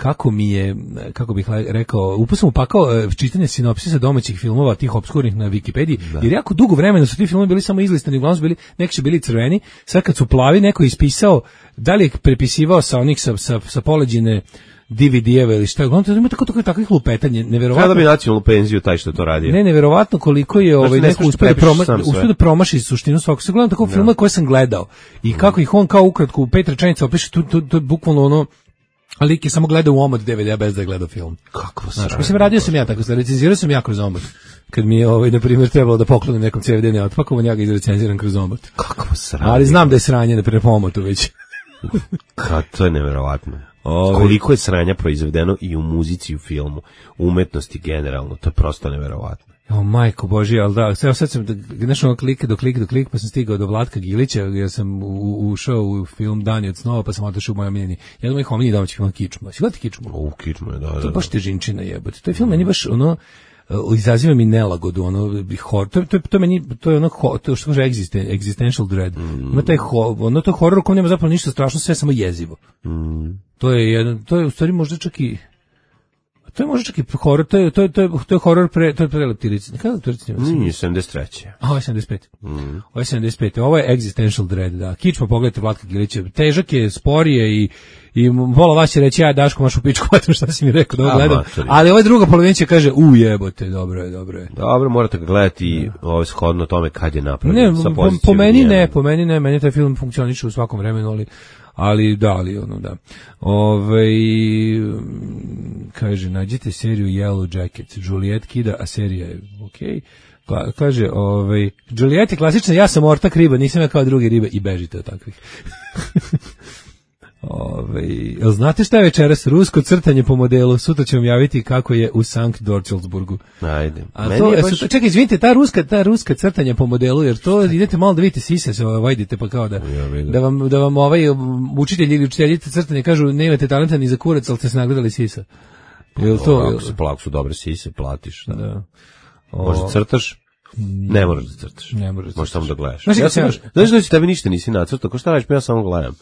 kako mi je, kako bih rekao, upao sam upakao čitanje sinopsisa domaćih filmova, tih opskurnih na Wikipediji, jer jako dugo vremena su ti filmovi bili samo izlistani, uglavnom su bili, neki su bili crveni, sad kad su plavi, neko je ispisao, da li je prepisivao sa onih sa poleđine DVD-eve ili šta, uglavnom ima takvih lupetanja, neverovatno. Kada bi nacionalnu penziju taj što to radio? Ne, neverovatno koliko je neko uspio da promaši suštinu svakog. Se gledam tako filmove koje sam gledao i kako ih on kao ukratko u 5 rečenica opiše, to je bukvalno ono, a lik je samo gledao u omot DVD-a bez da je gledao film. Kako sranje. Mislim, radio sam ja tako, recenzirao sam ja kroz omot. Kad mi je, na primjer, trebalo da poklonim nekom CVD neotpakovan, ja ga izrecenziram kroz omot. Kako sranje. Ali znam da je sranje, na primjer, po omotu već. To je neverovatno. Koliko je sranja proizvedeno i u muzici i u filmu, umetnosti generalno, to je prosto neverovatno. Majko Božje, ali da, sad sam, znaš ono klik, pa sam stigao do Vlatka Gilića, jer sam ušao u film Dani od snova, pa sam otišao u moj omiljeni, jedan od mojih omiljenih domaćih filma Kičma. Si gledati Kičmu? Kičmu je, da. To je baš težinčina jebote. To je film meni baš ono, izaziva mi nelagodu, ono, to meni, to je ono, to što kaže existential dread. Ima taj to je horor u kojem nema zapravo ništa strašno, sve samo jezivo. To je u stvari možda čak i horor, to je horor to je pre Leptirici. Kada Leptirici? Nije 73. Ovo je 75. Ovo je 75. Ovo je existential dread, da. Kičma, pogledajte Vlatka Gilića. Težak je, sporije i pola vas će reći, ja Daško, maš u pičku, šta si mi rekao da ovo gledam. Ali ova druga polovina će kaže, jebote, dobro je. Dobro, morate ga gledati shodno tome kad je napravljen. Ne, po meni ne, meni taj film funkcioniše u svakom vremenu, ali da. Kaže, nađite seriju Yellow Jacket, Juliet kida, a serija je okej. Kaže, Juliet je klasična, ja sam ortak riba, nisam ja kao drugi ribe i bežite od takvih. Jel znate šta je večeras? Rusko crtanje po modelu. Sutra ću vam javiti kako je u Sankt Dorčelsburgu. Ajde. Čekaj, izvinite, ta ruska crtanja po modelu, jer to idete malo da vidite sise, se vajdite pa kao da vam učitelji ili učiteljice crtanje kažu ne imate talenta ni za kurac, ali ste se nagledali sisa. Ako su dobre sise, platiš. Da. Možda crtaš? Ne moraš da crtaš. Možeš samo da gledaš. Znaš da tebi ništa nisi nacrtao, ko šta radiš, pa ja samo gledam.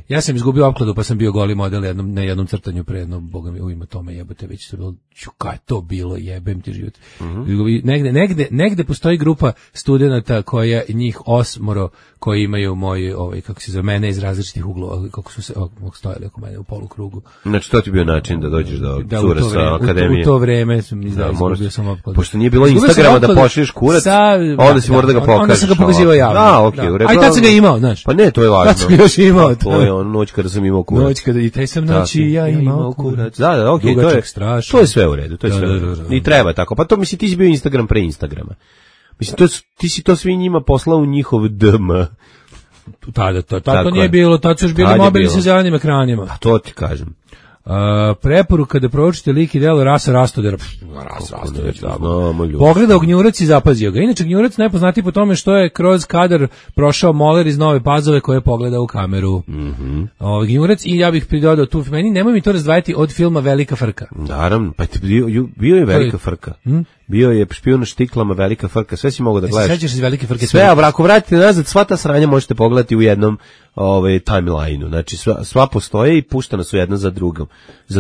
Ja sam izgubio opkladu, pa sam bio goli model na jednom crtanju pre jedno, boga mi, u ime tome jebote, već to bilo, kaj je to bilo, jebem ti život. Negde postoji grupa studenata koja njih 8 koji imaju moj, kako se zove, mene iz različitih uglova, kako su se stojali oko mene u polukrugu. Znači, to ti bio način da dođeš do cure sa akademije? U to vreme sam izgubio sam opkladu. Pošto nije bilo Instagrama da pošliješ kurac, onda si mora da ga pokažeš. Onda sam ga pokazivao javno. A i tad sam ga imao, znaš. Pa ne, to je važno. Tad sam ga još imao. To je ono noć kada sam imao kurac. Noć kada i taj sam noći ja imao kurac. Da, okej, to je sve u redu, to je sve u redu. I treba tako. Pa to misli, ti si bio Instagram pre Instagrama. Mislim, ti si to svi njima poslao u njihov DM. Tada to nije bilo, tad su još bili mobilni sa zelenim ekranima. A to ti kažem. Preporuka da proučite lik i delo Rasa Rastodera. Pogledao Gnjurac i zapazio ga. Inače, Gnjurac najpoznatiji po tome što je kroz kadar prošao moler iz Nove Pazove koje je pogledao u kameru. Gnjurac, i ja bih pridodao tu, nemoj mi to razdvajati od filma Velika frka. Naravno, pa bio je Velika frka. Bio je špijun na štiklama, Velika frka, sve si mogao da gledaš. Sećaš se Velike frke? Sve, ako vratite nazad, sva ta sranja možete pogledati u jednom timeline-u. Znači, sva postoje i puštana su jedna za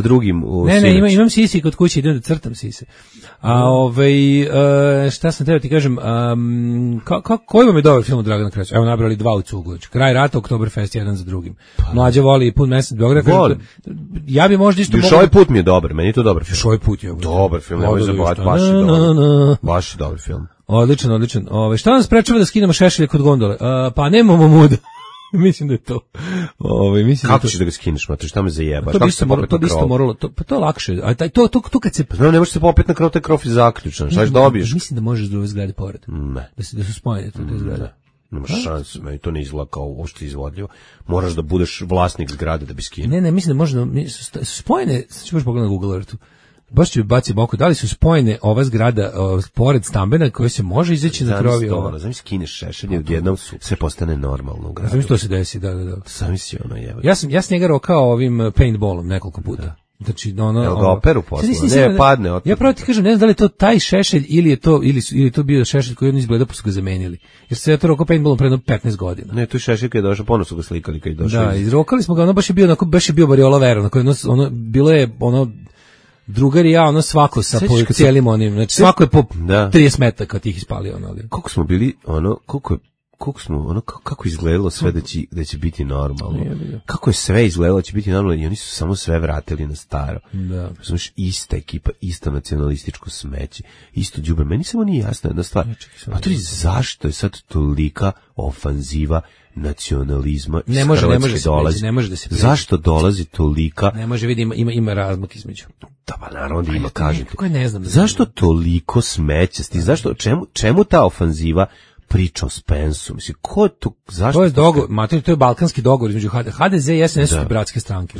drugim. Ne, imam sisi kod kuće, idem da crtam sise. Šta sam teo ti kažem, koji vam je dobar film od Dragana Krasića? Evo, nabrali 2 u cugu. Kraj rata, Oktoberfest, jedan za drugim. Mlađa voli Pun mesec Beograda. Ja bi možda isto mogao... Ovaj put mi je dobar, meni je to dobar film. Još ovaj put je dobar film, nemoj zabavati, baš je dobar film. Odličan. Šta nas sprečava da skinemo šešelje kod gondole? Pa nemamo muda. Mislim da je to. Kako ćeš da ga skineš, mater, šta me zajebaš? To bi isto moralo, to je lakše. A to kad se... Znam, ne možeš se popet na krov, taj krov je zaključan, šta ćeš dobiješ? Mislim da možeš druge zgrade pored. Ne. Da su spojene te zgrade. Nemaš šanse, meni to ne izgleda kao uopšte izvodljivo. Moraš da budeš vlasnik zgrade da bi skinuo. Ne, mislim da možda spojene, ću baš pogledati na Google Earthu. Baš ću baciti oko, da li su spojene ova zgrada pored stambena koje se može izaći na krovi ova? Zamisli skineš šešelje, odjednom sve postane normalno u gradu. Zamisli to se desi, da. Zamisli ono, Ja sam njega rokao ovim paintballom nekoliko puta. Znači, ga operu posle, ne padne. Ja pravo ti kažem, ne znam da li je to taj šešelj ili je to bio šešelj koji on izgleda pa su ga zamenili. Jer se je to rokao paintballom pre 15 godina. Ne, to je šešelj kad je došao, ponosno ga slikali kad je došao. Da, izrokali smo ga, ono baš je bio Variola Vera, bilo je drugar i ja, svako sa cijelim onim, znači svako je po 30 metaka tih ispalio. Koliko smo bili, kako izgledalo sve da će biti normalno. Kako je sve izgledalo da će biti normalno i oni su samo sve vratili na staro. Da. Znaš, ista ekipa, isto nacionalističko smeće, isto đubre. Meni samo nije jasna jedna stvar. Zašto je sad tolika ofanziva nacionalizma iz Hrvatske dolazi? Ne može da se prijeći. Zašto dolazi tolika? Ne može, vidi, ima razmak između. Da, pa naravno da ima, kažete. Ne znam. Zašto toliko smećasti? Zašto, čemu ta ofanziva? Priča o Spensu, mislim, ko je tu, zašto? To je dogovor, to je balkanski dogovor između HDZ i SNS su bratske stranke.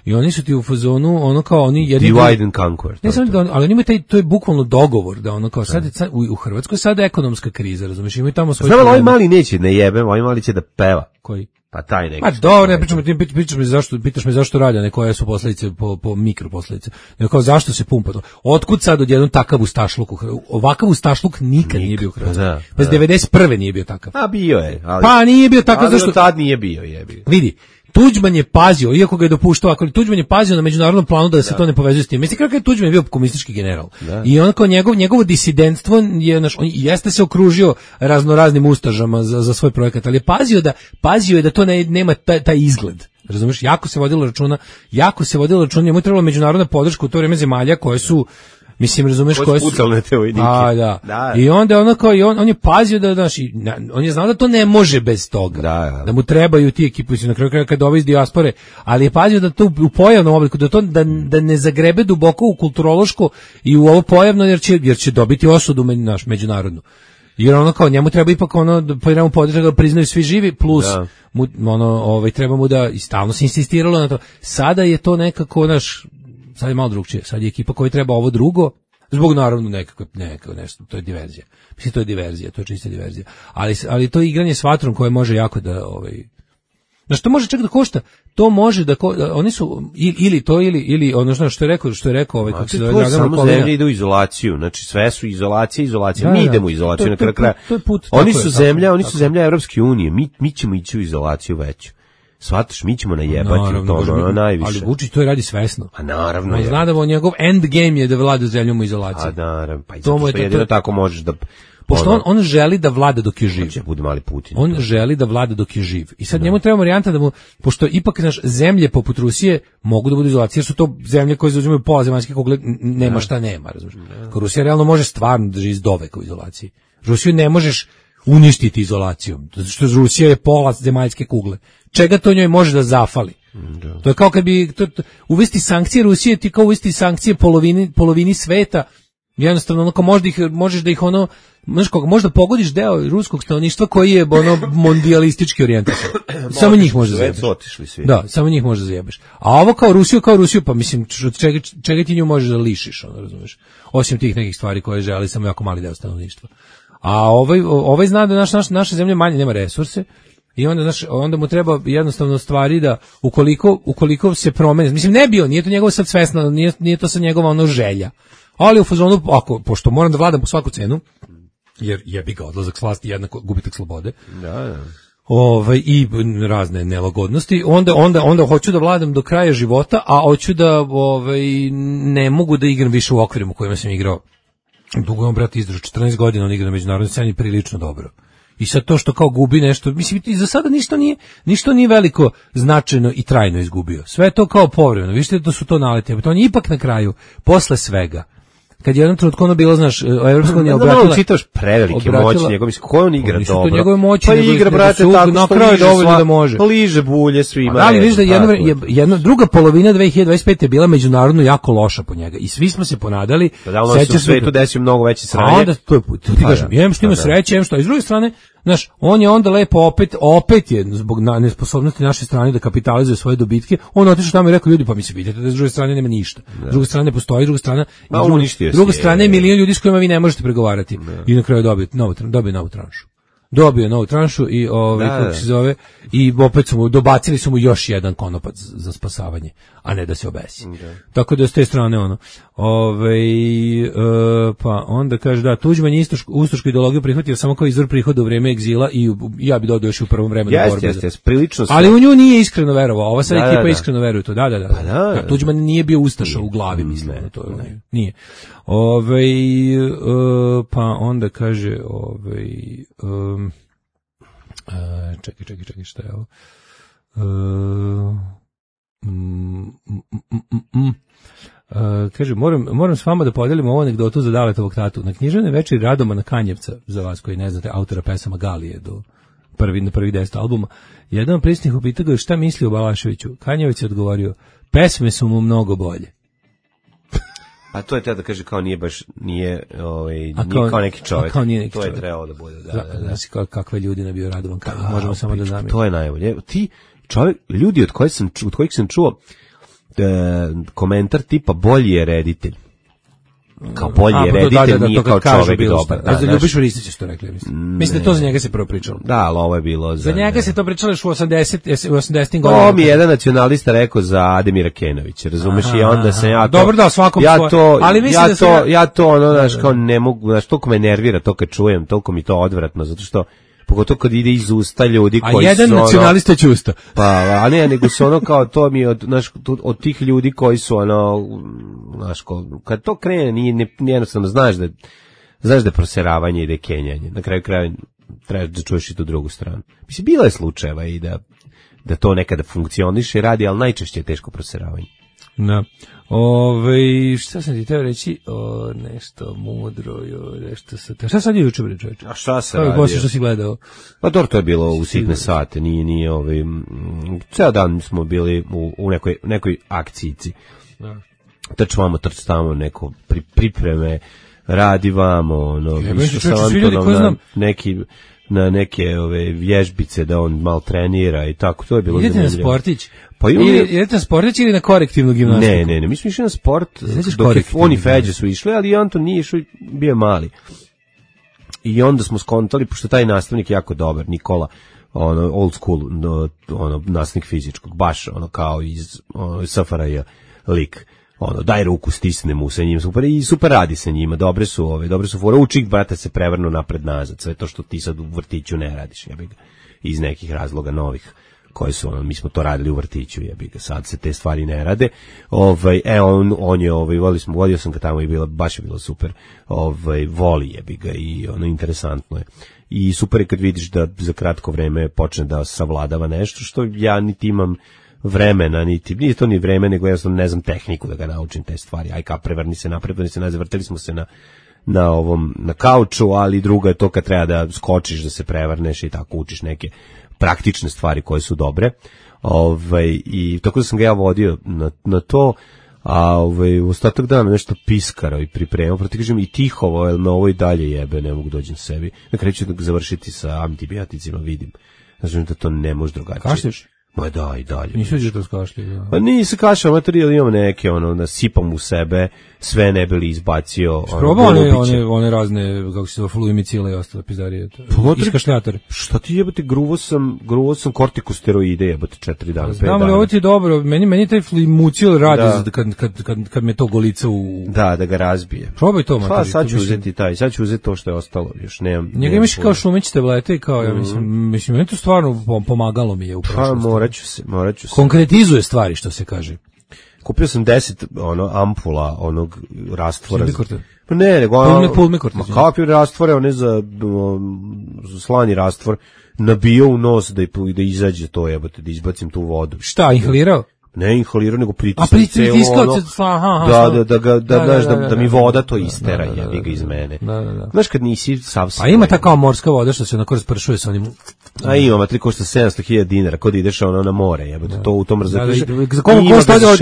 I oni su ti u fazonu, kao oni jedni... Divide and conquer. Ne samo ali oni imaju to je bukvalno dogovor, da kao sad u Hrvatskoj sada je ekonomska kriza, razumiješ, imaju tamo svoj... Znam, ovaj mali neće ne jebem, ovaj mali će da peva. Koji? Pa taj neki. Ma dobro, ne pitaš me zašto radi, a ne koje su posljedice po mikroposljedice. Nego kao zašto se pumpa to? Otkud sad odjednom takav ustašluk? Ovakav ustašluk nikad nije bio u Hrvatskoj. Bez 91. nije bio takav. A bio je. Pa nije bio takav zašto... tad nije bio, jebi. Vidi, Tuđman je pazio, iako ga je dopuštao, ako Tuđman je pazio na međunarodnom planu da se to ne povezuje s tim. Mislim kako je Tuđman bio komunistički general. Da. I on kao njegovo disidentstvo je on jeste se okružio raznoraznim ustažama za svoj projekat, ali je pazio je da to nema taj izgled. Razumeš? Jako se vodilo računa, njemu je trebala međunarodna podrška u to vrijeme zemalja koje su, mislim, razumeš, koje su pucalne te vojnike. Da. I onda on je pazio da, znaš, on je znao da to ne može bez toga. Da mu trebaju ti ekipi, na kraju kraja kad dolazi iz dijaspore, ali je pazio da to u pojavnom obliku, da ne zagrebe duboko u kulturološko i u ovo pojavno, jer će dobiti osudu međunarodnu. Jer kao njemu treba ipak da podržati da priznaju svi živi, plus treba mu da, i stalno se insistiralo na to. Sada je to nekako sad je malo drugčije. Sad je ekipa koja treba ovo drugo, zbog naravno nekako nešto, to je diverzija. Mislim, to je diverzija, to je čista diverzija. Ali to je igranje s vatrom koje može jako da, znaš, to može čak da košta, to može da oni su, ili ono što je rekao kako se zove Dragan Samo zemlje ide u izolaciju, znači sve su izolacija, mi idemo u izolaciju na kraju kraja. Oni su zemlja Evropske unije, mi ćemo ići u izolaciju veću. Shvataš, mi ćemo najebati to, najviše. Ali Vučić to radi svesno. A naravno. On zna da njegov end game je da vlada zemljom u izolaciji. A naravno, pa jedino tako možeš da... Pošto on želi da vlada dok je živ. Bude mali Putin. On želi da vlada dok je živ. I sad njemu treba varijanta da mu, pošto ipak zemlje poput Rusije mogu da budu izolacije, jer su to zemlje koje zauzimaju pola zemaljske kugle, nema šta nema, razumiješ. Rusija realno može stvarno da živi iz doveka u izolaciji. Rusiju ne možeš uništiti izolacijom, zato što Rusija je pola zemaljske kugle. Čega to njoj može da zafali? Da. To je kao kad bi uvesti sankcije Rusije, ti kao uvesti sankcije polovini sveta, jednostavno možeš da ih možda pogodiš deo ruskog stanovništva koji je mondijalistički orijentisan. Samo njih može da zajebeš. Da, samo njih može da zajebeš. A ovo kao Rusiju, pa mislim, čega ti nju možeš da lišiš, razumeš? Osim tih nekih stvari koje želi samo jako mali deo stanovništva. A ovaj zna da naša zemlja manje nema resurse i onda mu treba jednostavno stvari da ukoliko se promeni, mislim nije to njegovo sad svesno, nije to sad njegova želja, ali u fazonu, pošto moram da vladam po svaku cenu, jer jebi ga odlazak s vlasti jednako gubitak slobode. Da. I razne nelagodnosti, onda hoću da vladam do kraja života, a hoću da ne mogu da igram više u okvirima u kojima sam igrao. Dugo je brat izdržao 14 godina, on igra na međunarodnoj sceni prilično dobro. I sad to što kao gubi nešto, mislim, za sada ništa nije veliko, značajno i trajno izgubio. Sve je to kao povremeno, vidite da su to naleti, to on je ipak na kraju, posle svega. Kad je jednom trenutku bilo, znaš, Evropska unija obratila... Da, čitaš prevelike moći njegov, mislim, koje on igra dobro? To njegove moći, pa igra, brate, tako što liže bulje svima. Ali vidiš da druga polovina 2025. je bila međunarodno jako loša po njega. I svi smo se ponadali... Da li se u svetu desio mnogo veće sranje? A onda, to je put, ti kažem, jem što ima sreće, jem što. I s druge strane, znaš, on je onda lepo opet je, zbog nesposobnosti naše strane da kapitalizuje svoje dobitke, on otišao tamo i rekao, ljudi, pa mi se vidite da s druge strane nema ništa. S druge strane postoji, druga strana je milion ljudi s kojima vi ne možete pregovarati. I na kraju dobije novu tranšu. Dobio novu tranšu i kako se zove, i opet dobacili su mu još jedan konopac za spasavanje, a ne da se obesi. Tako da s te strane pa onda kaže da Tuđman je ustašku ideologiju prihvatio samo kao izvor prihoda u vreme egzila i ja bi dodao još u prvom vremenu borbe. Prilično. Ali u nju nije iskreno verovao. Ova sad ekipa iskreno veruje to. Da. Tuđman nije bio ustaša u glavi, mislim, to nije. Pa onda kaže čekaj, šta je ovo? Kaže, moram s vama da podelim ovu anegdotu za Daletovog tatu. Na književnoj večeri Radomana Kanjevca, za vas koji ne znate, autora pesama Galije na prvi 10 albuma, jedan od prisutnih upitao ga šta misli o Balaševiću. Kanjevac je odgovorio, pesme su mu mnogo bolje. A to je te da kaže kao nije kao neki čovjek. To je trebalo da bude. Znači kakve ljudi nabio Radovan Kanjevac, možemo samo da zamislimo. To je najbolje. Ti ljudi od kojih sam čuo komentar tipa bolji je reditelj. Kao bolji je reditelj, nije kao čovjek dobar. Da, Ljubiš Ristić što rekli, mislim da to za njega se prvo pričalo. Da, ali ovo je bilo za njega se to pričalo još u 80. godinama. To mi je jedan nacionalista rekao za Ademira Kenovića, razumeš, i onda sam ja to... Dobro, da, svakom ja to, znaš, kao ne mogu, znaš, toliko me nervira to kad čujem, toliko mi to odvratno, zato što pogotovo kad ide iz usta ljudi koji su... A jedan nacionalista će usta. Pa, a ne, nego su kao to mi od tih ljudi koji su znaš, kad to krene, nije jednostavno, znaš da je proseravanje i da je kenjanje. Na kraju kraja trebaš da čuješ i tu drugu stranu. Mislim, bilo je slučajeva i da to nekada funkcioniše i radi, ali najčešće je teško proseravanje. Da. Šta sam ti teo reći? Nešto mudro, nešto sa... Šta sad je juče, bre, čovječe? A šta se radio? Poslije što si gledao? Pa dobro, to je bilo u sitne sate, nije ceo dan smo bili u nekoj akcijici. Da. Trčvamo, trčtamo neko pripreme, radi vamo, išao sa Antonom na neke vježbice da on malo trenira i tako, to je bilo zanimljivo. Idete na sportić? Idete na sportić ili na korektivnu gimnastiku? Ne, mi smo išli na sport, dok on i Feđe su išli, ali Anton nije išao, bio je mali. I onda smo skontali, pošto taj nastavnik je jako dobar, Nikola, old school, nastavnik fizičkog, baš kao iz SFRJ lik. Daj ruku, stisne mu sa njim, super radi sa njima, dobre su fore, učik, brate, se prevrnu napred nazad, sve to što ti sad u vrtiću ne radiš, ja bih ga, iz nekih razloga novih, koji su, mi smo to radili u vrtiću, ja bih ga, sad se te stvari ne rade, on je, vodio sam ga tamo i baš je bilo super, voli je bih ga i interesantno je. I super je kad vidiš da za kratko vreme počne da savladava nešto, što ja niti imam vremena, nije to ni vreme, nego jednostavno ne znam tehniku da ga naučim te stvari. Aj ka prevrni se napred, vrteli smo se na kauču, ali drugo je to kad treba da skočiš, da se prevrneš i tako učiš neke praktične stvari koje su dobre. I tako da sam ga ja vodio na to, a u ostatak dana nešto piskarao i pripremao, proti kažem i tihovo, jer me ovo i dalje jebe, ne mogu dođem sebi. Na kraju ću da završiti sa antibioticima, vidim. Znači da to ne može drugačije. Kašlješ? Ma da, i dalje. Nisu da to kašlje. Pa nisi kašao, materijal imam neke, nasipam u sebe, sve ne bi li izbacio. Probao one razne, kako se zove, fluimicile i ostale pizdarije. Iskašljatore. Šta ti jebate, gruvo sam kortikosteroide, jebate 4 dana, 5 dana. Znam li, ovo ti je dobro, meni taj fluimicil radi kad me to golica u... Da ga razbije. Probaj to, materijal. Pa sad ću uzeti to što je ostalo, još nemam. Njega imaš kao šumeć tablete i kao, ja mislim, meni to stvarno pomagalo mi je u prošlosti. Morat ću se. Konkretizuje stvari, što se kaže. Kupio sam 10 ampula onog rastvora. Pa ne, nego Pulmikorta. Kakvi rastvore, one za slani rastvor, nabio u nos da izađe to, jebote, da izbacim tu vodu. Šta, inhalirao? Ne inhalirao, nego pritiskao. A pritiskao da mi voda to istera, jebi ga iz mene. Znaš kad nisi sav... A ima ta kao morska voda što se onako raspršuje sa onim... A ima, matri košta 700.000 dinara, kod ideš na more, jebote, to u tom razredu.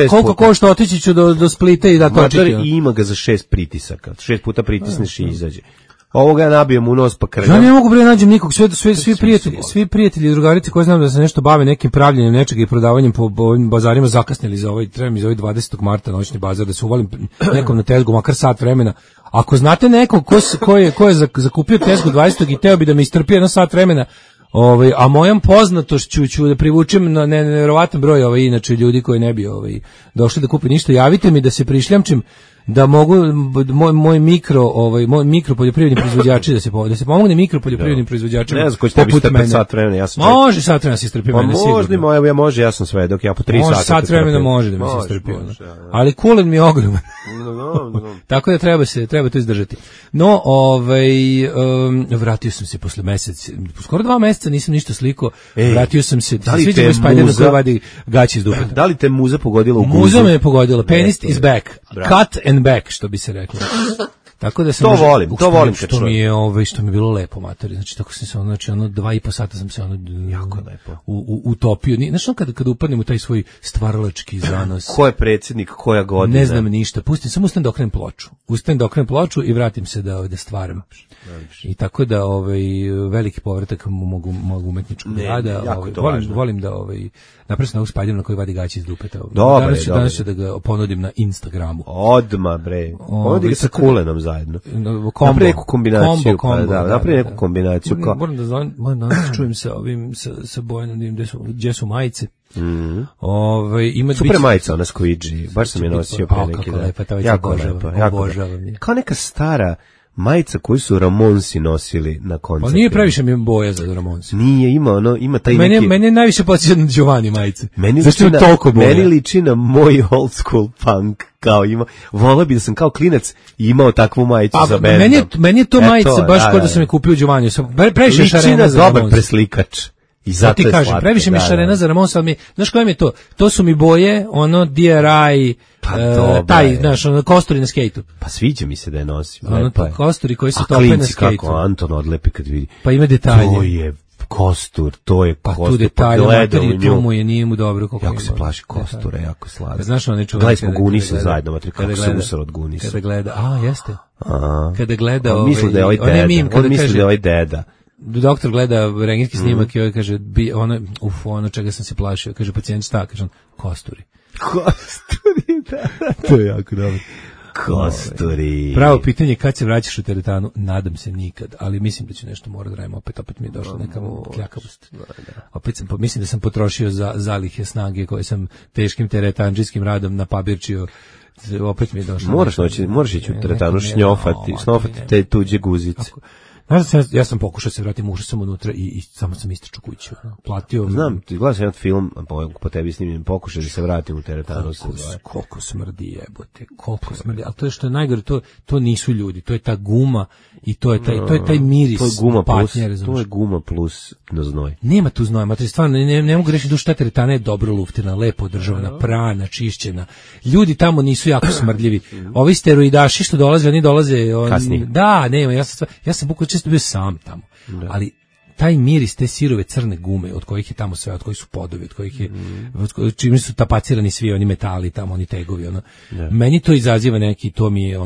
Koliko košta otići ću do Splita i da točiti? I ima ga za 6 pritisaka, 6 puta pritisneš i izađe. Ovoga nabijem u nos pa krljam. Ja ne mogu bre nađem nikog, svi prijatelji i drugarice koji znam da se nešto bave nekim pravljenjem nečega i prodavanjem po ovim bazarima zakasnili za ovaj, treba mi za ovaj 20. marta noćni bazar da se uvalim nekom na tezgu, makar sat vremena. Ako znate nekog ko je zakupio tezgu 20. i teo bi da me istrpi jedno sat vremena, a mojom poznatošću ću da privučem na nevjerovatan broj inače ljudi koji ne bi došli da kupe ništa, javite mi da se prišljamčim da mogu moj mikro poljoprivredni proizvođači da se pomogne mikro poljoprivrednim proizvođačima. Ne znam ko će tebi strpeti sat vremena, ja sam može sat vremena se strpi mene sigurno. Može, ja sam sve dok ja po 3 sata. Može sat vremena može da mi se strpi. Ali kulen mi je ogroman. Tako da treba to izdržati. No, vratio sam se posle skoro 2 meseca nisam ništa sliko. Vratio sam se. Sviđa mi Spider-Man koji vadi gaće iz dupeta. Da li te muza pogodila u guzu? Muza me je pogodila. Penis is back. Cut and back, što bi se reklo. Tako da sam to volim kad što mi je što mi je bilo lepo matori. Znači tako sam se 2,5 sata sam se jako lepo utopio. Znaš kad upadnem u taj svoj stvaralački zanos. Ko je predsjednik, koja godina? Ne znam ništa. Samo ustanem da okrenem ploču. Ustanem da okrenem ploču i vratim se da stvaram. I tako da veliki povratak mog umetničkog rada. Volim da napravim na Spider-Man koji vadi gaće iz dupeta. Danas ću da ga ponudim na Instagramu. Odma bre. Ponudi ga sa Kulenom zajedno. Napravi neku kombinaciju. Napravi neku kombinaciju. Moram da čujem sa Bojanom gdje su majice. Super majica, ona Squidgy. Baš sam je nosio pre neki dan. Jako lepa. Kao neka stara majica koju su Ramonsi nosili na koncertu. Pa nije previše mi boja za Ramonsi. Nije, ima taj neki... Meni je najviše podsjeća na Giovanni majice. Meni liči na moj old school punk. Kao volao bi da sam kao klinac imao takvu majicu za bendom. Meni je to majica baš kao da sam je kupio Giovanni. Previše šarena za Ramonsi. Dobar preslikač. I zato ti kažem, previše mi šarena za Ramonsa, ali znaš koje mi je to? To su mi boje, DRI, taj, znaš, kosturi na skejtu. Pa sviđa mi se da je nosim. Kosturi koji se tope na skejtu. Kako Anton odlepi kad vidi. Pa ima detalje. To je kostur, Pa tu detalje, materije, tu mu je, nije mu dobro. Jako se plaši kostura, jako slavno. Znaš ono neću... Gledali smo Gunisa zajedno, matri, kako se usar od Gunisa. Kada gleda, jeste. Kada gleda... On misli da je ovaj deda. Doktor gleda rengijski snimak i ovaj kaže, ono čega sam se plašio, kaže pacijent šta, kaže on, kosturi. Kosturi, da. To je jako dobro. Kosturi. Pravo pitanje, kad se vraćaš u teretanu? Nadam se nikad, ali mislim da ću nešto morati da radim, opet mi je došla neka kljakavost. Opet mislim da sam potrošio zalihe snage koje sam teškim teretanđijskim radom napabirčio. Opet mi je došlo. Moraš ići u teretanu snofati te tuđe guzice. Znaš, ja sam pokušao se vratiti, ušao sam unutra i samo sam istračao kuću. Platio... Znam, ti gledaš jedan film, po tebi snimljen, pokušaj da se vratim u teretanu. Koliko smrdi jebote, koliko smrdi. Ali to je što je najgore, to nisu ljudi, to je ta guma i to je taj miris. To je guma patnje, to je guma plus na znoj. Nema tu znoja, matri, stvarno, ne mogu reći duš, ta teretana je dobro luftirana, lepo održavana, prana, čišćena. Ljudi tamo nisu jako smrdljivi. Ovi steroidaši što dolaze, oni dolaze... Kasnije. Da, nema, ja sam bukvalno često bio sam tamo, ali taj miris te sirove crne gume od kojih je tamo sve, od kojih su podovi, od kojih je čim su tapacirani svi oni metali tamo, oni tegovi, meni to izaziva neki, to mi je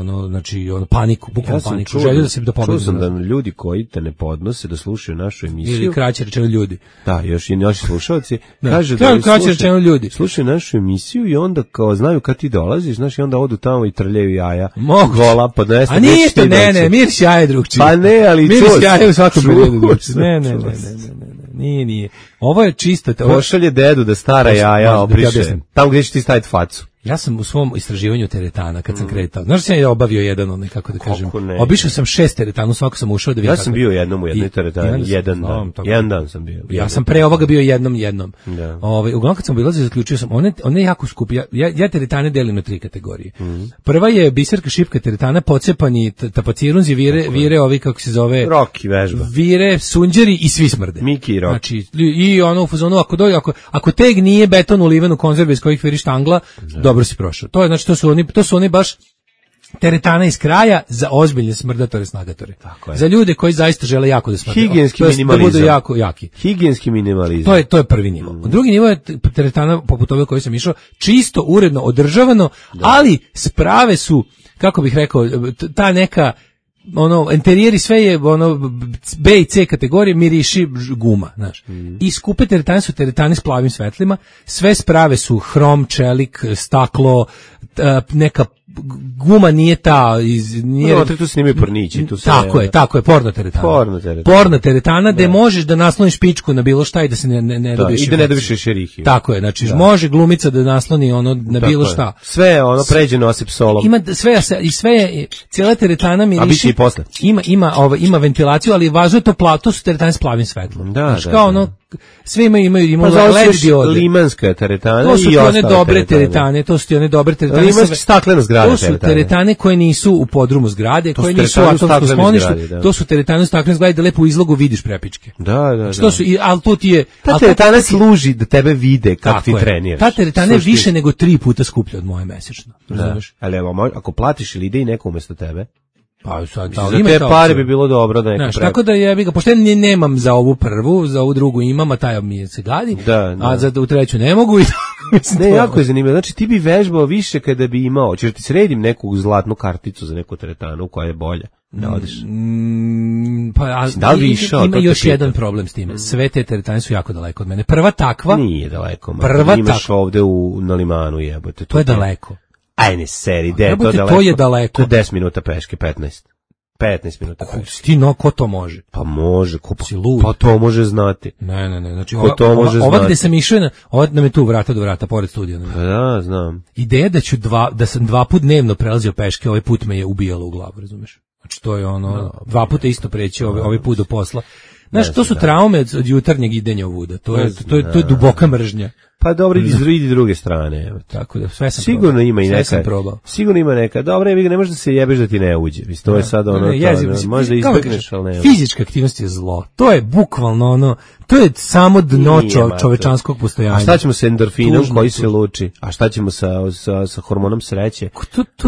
paniku, bukvalno paniku, želju da se čuo sam da ljudi koji te ne podnose da slušaju našu emisiju, ili kraće rečeno ljudi, da, još i naši slušalci kaže da kraće rečeno ljudi slušaju našu emisiju i onda kao znaju kad ti dolaziš, znaš, i onda odu tamo i trljaju jaja, gola podneste, a ništa, ne, miris jaja drugčiji, pa ne, ali miris jaja u svakom pogledu drugčiji, ne, nije. Ovo je čisto... Pošalje dedu da stara jaja obriše. Tamo gdje ćeš ti staviti facu. Ja sam u svom istraživanju teretana, kad sam kretao, znaš sam ja obavio jedan, kako da kažem, obišao sam 6 teretana, u svako sam ušao da vidim. Ja sam bio jednom u jednoj teretani, jedan dan sam bio. Ja sam pre ovoga bio jednom. Uglavnom kad sam obilazio, zaključio sam, one jako skupi, ja teretane delim na 3 kategorije. Prva je biserka šipka teretana, pocepani tapacirunzi, vire ovi, kako se zove, Roki vežba, vire, sunđeri i svi smrde. Miki i Roki. Znači, i ono u fazonu, ako teg nije beton uliven u konzerve iz kojih viri štangla, dobro si prošao. To je, znači, to su oni baš teretana iz kraja za ozbiljne smrdatore, snagatore. Za ljude koji zaista žele jako da smrde. Higijenski minimalizam. Da budu jako jaki. Higijenski minimalizam. To je prvi nivo. Drugi nivo je teretana poput ove koji sam išao, čisto, uredno, održavano, ali sprave su, kako bih rekao, ta neka ono, interijeri sve je, ono, B i C kategorije, miriši guma, znaš. I skupe teretane su teretane s plavim svetlima, sve sprave su hrom, čelik, staklo, neka guma nije ta nije no, tu se nimaju pornići, tu se tako je porno teretana gde možeš da nasloniš pičku na bilo šta i da se ne dobiješ i da ne dobiješ šerihiju. Tako je, znači može glumica da nasloni ono na bilo šta. Sve ono pređeno osip solom. Ima sve je cijela teretana miriši. Ima ventilaciju, ali važno je to plato su teretane s plavim svetlom. Znači kao ono sve imaju LED diode. Limanska teretana to su one dobre teretane, to su one dobre teretane. Limanska staklena zgrada. To su teretane koje nisu u podrumu zgrade, koje nisu u atomskom skloništu. To su teretane u staklenoj zgradi da lepo u izlogu vidiš prepičke. Da. Što su, ali to ti je... Ta teretana služi da tebe vide kako ti treniraš. Ta teretana je više nego 3 puta skuplja od moje mesečno. Razumeš? Ali ako platiš ili ide i neko umesto tebe, pa sad za te pare bi bilo dobro da neko tako da jebi ga, pošto ja nemam za ovu prvu, za ovu drugu imam, a taj mi se gadi, a za u treću ne mogu i ne, jako je zanimljivo. Znači ti bi vežbao više kada bi imao, ćeš ti sredim neku zlatnu karticu za neku teretanu koja je bolja. Da odeš. Da li išao? Ima još jedan problem s time. Sve te teretane su jako daleko od mene. Prva takva nije daleko. Imaš ovde na Limanu, jebote. To je daleko. Ajne, seri, to je daleko. To je 10 minuta peške, 15 minuta peške. Ti ko to može? Pa može, pa to može znati. Ne, znači ova gde sam išao, ova nam je tu vrata do vrata, pored studija. Pa da, znam. Ideja da sam 2 puta dnevno prelazio peške, ovaj put me je ubijalo u glavu, razumeš? Znači to je ono, 2 puta isto preći ovaj put do posla. Znaš, to su traume od jutarnjeg idenja ovuda, to je duboka mržnja. Pa dobro, idi druge strane, evo. Tako da sve sam sigurno probao. Ima i neka. Sigurno ima neka. Dobro, ne možeš da se jebeš da ti ne uđe. Mislim to je sad ono, možda izbegneš, al ne. Fizička aktivnost je zlo. To je bukvalno ono, to je samo dno čovečanskog postojanja. A šta ćemo sa endorfinom koji se luči? A šta ćemo sa hormonom sreće?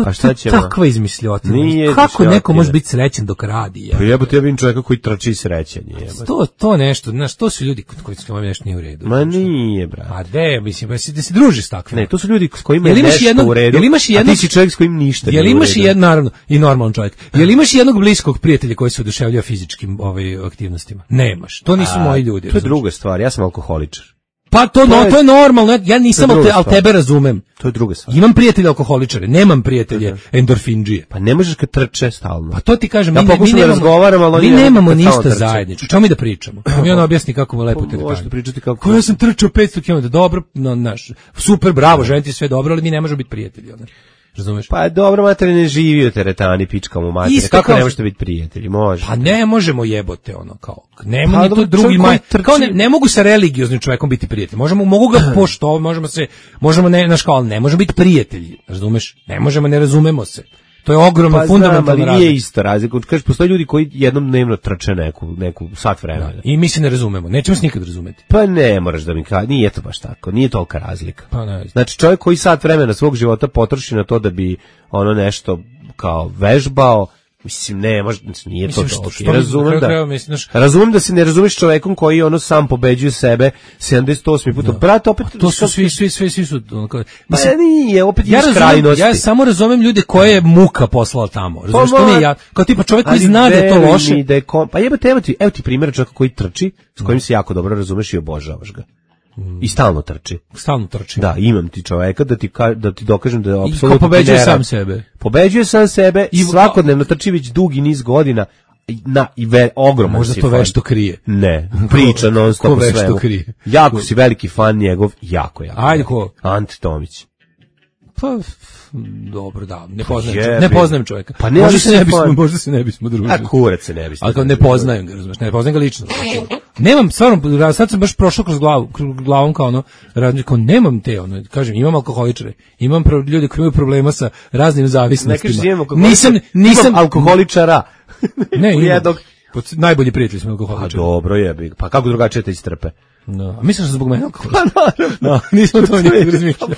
A šta ćemo? Takva izmišljotina. Kako neko može biti srećan dok radi? Pa jebote, ja vidim čovjeka koji trči srećan, jebote. To nešto, znaš, to su ljudi koji su vam nešto nije u redu. Ma nije, brate. Mislim, da se družiš takvim. Ne, to su ljudi s kojima je nešto u redu, a ti si čovjek s kojim ništa nije u redu. Imaš naravno, i normalan čovjek. Jel imaš jednog bliskog prijatelja koji se oduševljava fizičkim aktivnostima? Nemaš, to nisu moji ljudi. To je druga stvar, ja sam alkoholičar. Pa to je normalno, ja nisam, ali tebe razumem. To je druga stvar. Imam prijatelje alkoholičare, nemam prijatelje endorfindžije. Pa ne možeš kad trče stalno. Pa to ti kažem, mi nemamo ništa zajedničko. Čemu mi da pričamo? Mi on objasni kako mu lepo teretanje. Možete pričati kako. Ko ja sam trčao 500 km, dobro, super, bravo, želim ti sve dobro, ali mi ne možemo biti prijatelji, razumeš? Pa dobro, mater, ne živi u teretani, pička mu mater. Kako ne možete biti prijatelji? Može. Pa ne možemo jebote kao. Nema ni to drugi kao ne mogu sa religioznim čovjekom biti prijatelji. Mogu ga poštovati, možemo ne školu, ne možemo biti prijatelji, razumeš? Ne možemo, ne razumemo se. To je ogromno fundamentalna razlika. Ali nije isto razlika. Kažeš, postoje ljudi koji jednom dnevno trče neku sat vremena. I mi se ne razumemo. Nećemo se nikad razumeti. Pa ne moraš da mi kaže. Nije to baš tako. Nije tolika razlika. Pa ne. Znači, čovjek koji sat vremena svog života potroši na to da bi ono nešto kao vežbao, mislim, ne, nije to to. Razumem da se ne razumeš čovekom koji ono sam pobeđuje sebe 78 puta. Brate, opet... To su svi su... Pa nije, opet iz krajnosti. Ja samo razumem ljude koje je muka poslala tamo. Razumeš, to nije ja. Kao tipa čovjek koji zna da je to loše. Pa jebate, evo ti primjer čovjeka koji trči, s kojim se jako dobro razumeš i obožavaš ga. I stalno trči. Da, imam ti čoveka da ti dokažem da je apsolutno pobeđuje sam sebe. Pobeđuje sam sebe i svakodnevno trči već dugi niz godina i ogroman možda si to fan. Vešto krije. Ne, priča non stop o svemu. Jako si veliki fan njegov, jako. Ajde ko? Ante Tomić. Pa dobro, da, ne poznajem čovjeka. Pa možda se ne bismo družili. A kurac se ne bismo. Ali kao ne poznajem ga, razumiješ, ne poznajem ga lično. Nemam, stvarno, sad sam baš prošao kroz glavom kao ono, kao nemam te, kažem, imam alkoholičare, imam ljudi koji imaju problema sa raznim zavisnostima. Nisam alkoholičara. Ne, najbolji prijatelji smo alkoholičari. A dobro je, pa kako drugačije te istrpe? No, a misliš da zbog mene alkoholičara? Pa naravno. Nismo to nikad razmišljali.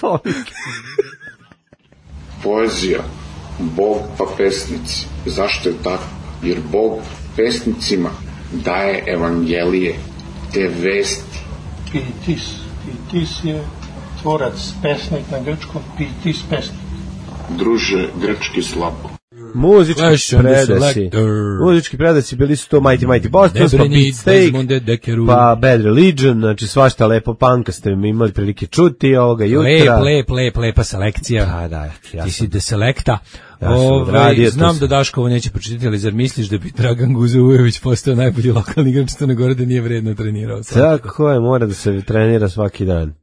Poezija, Bog pa pesnici. Zašto je tako? Jer Bog pesnicima daje evangelije, te vesti. Pitis je tvorac, pesnik na grčkom, pitis pesnik. Druže, grčki slabo. Muzički predasi bili su to Mighty Boston, pa Beatsteak, pa Bad Religion, znači svašta lepo panka ste imali prilike čuti ovoga jutra. Lepa selekcija. Da, ti si de selekta. Ja znam da Daškovo neće pročitati, ali zar misliš da bi Dragan Guzovujević postao najbolji lokalni igrač Crne Gore da nije vredno trenirao? Tako je, mora da se trenira svaki dan.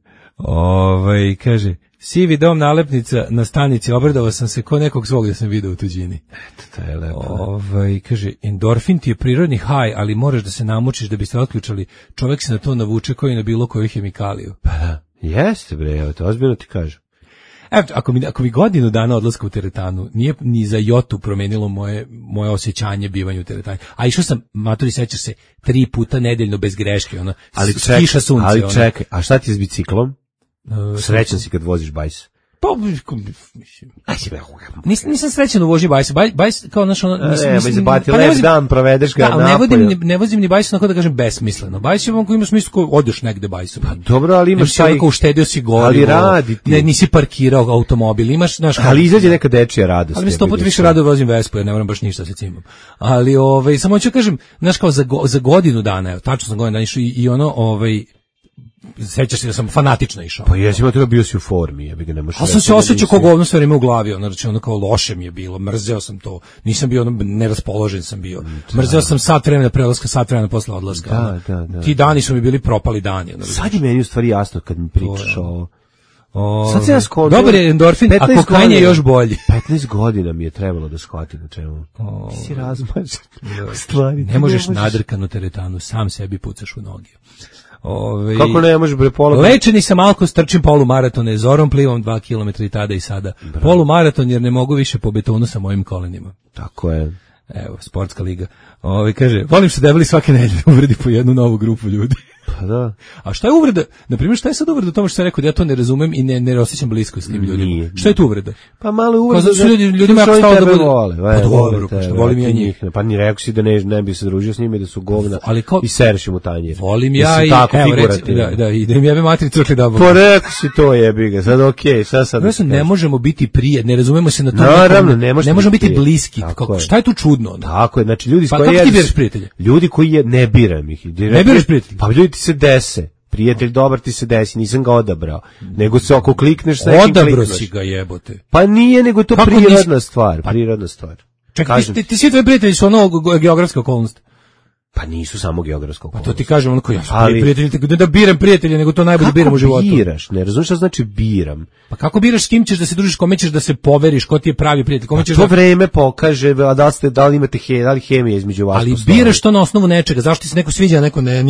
Kaže, sivi dom nalepnica na stanici, obradovao sam se ko nekog svog da sam video u tuđini. Eto, to je lepo. Kaže, endorfin ti je prirodni haj, ali moraš da se namučiš da biste otključali. Čovjek se na to navuče koji na bilo koju hemikaliju. Pa da, jeste bre, evo te, ozbiljno ti kažem. Evo, ako mi godinu dana odlaska u teretanu nije ni za jotu promenilo moje osjećanje bivanja u teretani. A išao sam, matori, sećaš se, 3 puta nedeljno bez greške, kiša sunce. Ali čekaj, a šta ti je s biciklom? Srećan si kad voziš bajs. Pa, nisam srećan u vožnji bajsa. Bajs kao naš dan provedeš ga napolju. Ne vozim ni bajs, onako da kažem besmisleno. Bajs je onako ima smislu ko odeš negde bajsom. Pa dobro, ali imaš taj... uštedio si gorivo, ali nisi parkirao automobil, imaš... Ali izađe neka dečija radost. Ali mi 100 puta više rado vozim Vespu, jer ne moram baš ništa se cimam. Ali, samo ću kažem, znaš kao za godinu dana, tačno sam godinu dana išao i sećaš se da sam fanatično išao. Pa jesi ima bio si u formi, ja bih ga ne možeš. A sam se osjećao kao govno sve vreme u glavi, znači ono kao loše mi je bilo, mrzeo sam to, nisam bio neraspoložen sam bio, mrzeo sam sat vremena prelaska, sat vremena posle odlaska. Da. Ti dani su mi bili propali dani. Sad je meni u stvari jasno kad mi pričaš sad se ja skonto. Dobar je endorfin, a kokain je još bolji. 15 godina mi je trebalo da shvatim na čemu. Ti si razmažen. Stvari. Ne možeš nadrkanu teretanu, sam sebi pucaš u noge. Kako ne možeš bre pola? Lečeni sam alkos, trčim polumaraton, zorom plivam 2 km i tada i sada. Bravo. Polumaraton jer ne mogu više po betonu sa mojim kolenima. Tako je. Evo, sportska liga. Kaže, volim što debeli svake nedelje uvredi po jednu novu grupu ljudi. Pa da. A šta je uvreda? Na primjer, šta je sad uvreda u tome što sam rekao da ja to ne razumem i ne osjećam blisko s tim ljudima? Šta je tu uvreda? Pa malo uvreda. Kao zato ljudima jako stalo da bude. Pa dobro, što volim ja njih. Pa ni rekao si da ne bi se družio s njima i da su govna i sereš im u tanjir. Volim ja i da im jebe materi crkli da Pa rekao si to jebi ga, sad okej, sad. Ne možemo biti prijatelji, ne razumemo se na to. Naravno, ne možemo biti bliski. Šta je tu čudno? Tako je, znači ljudi koji kako ti biraš prijatelje? Ljudi koji ne biram ih. Ne biraš prijatelje? Pa ljudi ti se dese. Prijatelj dobar ti se desi, nisam ga odabrao. Nego se ako klikneš sa nekim odabrao si ga jebote. Pa nije, nego to prirodna stvar, prirodna stvar. Čekaj, ti svi tvoji prijatelji su geografska okolnost. Pa nisu samo geografska okolnost. Pa to ti kažem onako ja prijatelji, da biram prijatelje, nego to najbolje biram u životu. Kako biraš? Ne razumiješ šta znači biram? Pa kako biraš s kim ćeš da se družiš, kome ćeš da se poveriš, ko ti je pravi prijatelj, kome ćeš to vreme pokaže, da li imate hemije između vas. Ali biraš to na osnovu nečega, zašto ti se neko sviđa, neko ne,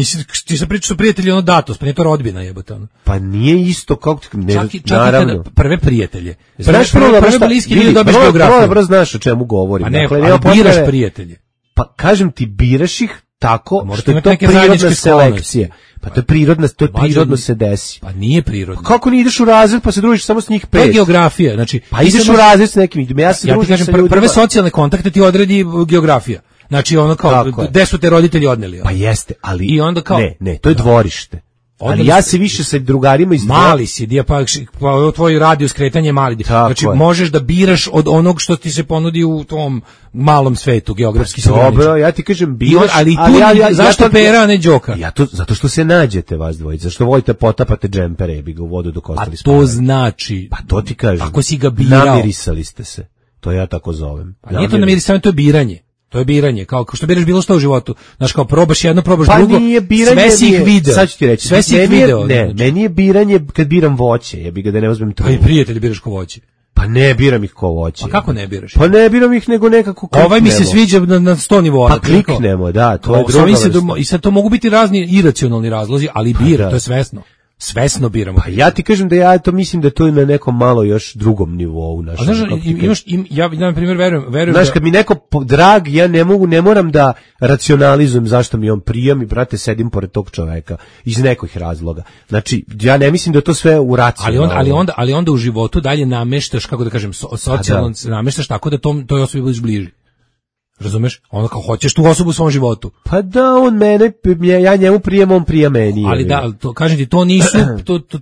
ti se pričaš su prijatelji datos, pa nije to rodbina jebote ono. Pa nije isto kako naravno. Prve prijatelje. Znaš prve bliski ljudi dobiješ geografiju. Dobro znaš o čemu govorim. Pa ne, biraš prijatelje. Pa kažem ti biraš ih tako što je to prirodna selekcija. Pa to je prirodno se desi. Pa nije prirodno. Pa kako ne ideš u razred pa se družiš samo s njih 5? To je geografija, znači pa ideš u razred s nekim ljudima. Ja ti kažem prve socijalne kontakte ti odredi geografija. Znači ono kao gde su te roditelji odneli. Pa jeste, ali i onda kao ne, to je dvorište. Ali ja se više sa drugarima mali si, pa tvoj radijus kretanje je mali. Znači možeš da biraš od onog što ti se ponudi u tom malom svetu, geografski se ograničen. Dobro, ja ti kažem biraš, ali zašto pera, a ne đoka? Zato što se nađete vas dvojica, zašto volite potapate džempere, jebi ga u vodu dok ostali spavaju. A to znači, pa to ti kažem, ako si ga birao, namirisali ste se, to ja tako zovem. Pa nije to namirisavanje, to je biranje. To je biranje, kao što biraš bilo što u životu. Znaš, kao probaš jedno, probaš drugo, sve si ih video. Sad ću ti reći, sve si ih video. Ne, meni je biranje kad biram voće, jebi ga da ne uzmem to. Pa i prijatelji biraš ko voće. Pa ne biram ih ko voće. Pa kako ne biraš? Pa ne biram ih nego nekako kliknemo. Ovaj mi se sviđa na 100 nivoa. Pa kliknemo, da, to je druga vrsta. I sad to mogu biti razni iracionalni razlozi, ali bira, to je svesno. Svesno biramo. Pa ja ti kažem da ja to mislim da to je na nekom malo još drugom nivou našem. A znaš, ja na primjer verujem. Znaš, kad mi neko drag, ja ne moram da racionalizujem zašto mi on prijam i brate sedim pored tog čoveka iz nekih razloga. Znači, ja ne mislim da to sve u racionalno. Ali onda u životu dalje nameštaš, kako da kažem, socijalno nameštaš tako da toj osobi budeš bliži. Razumeš? Ono kao hoćeš tu osobu u svom životu. Pa da, on mene, ja njemu prijem, on prija meni. Ali da, to, kažem ti, to nisu,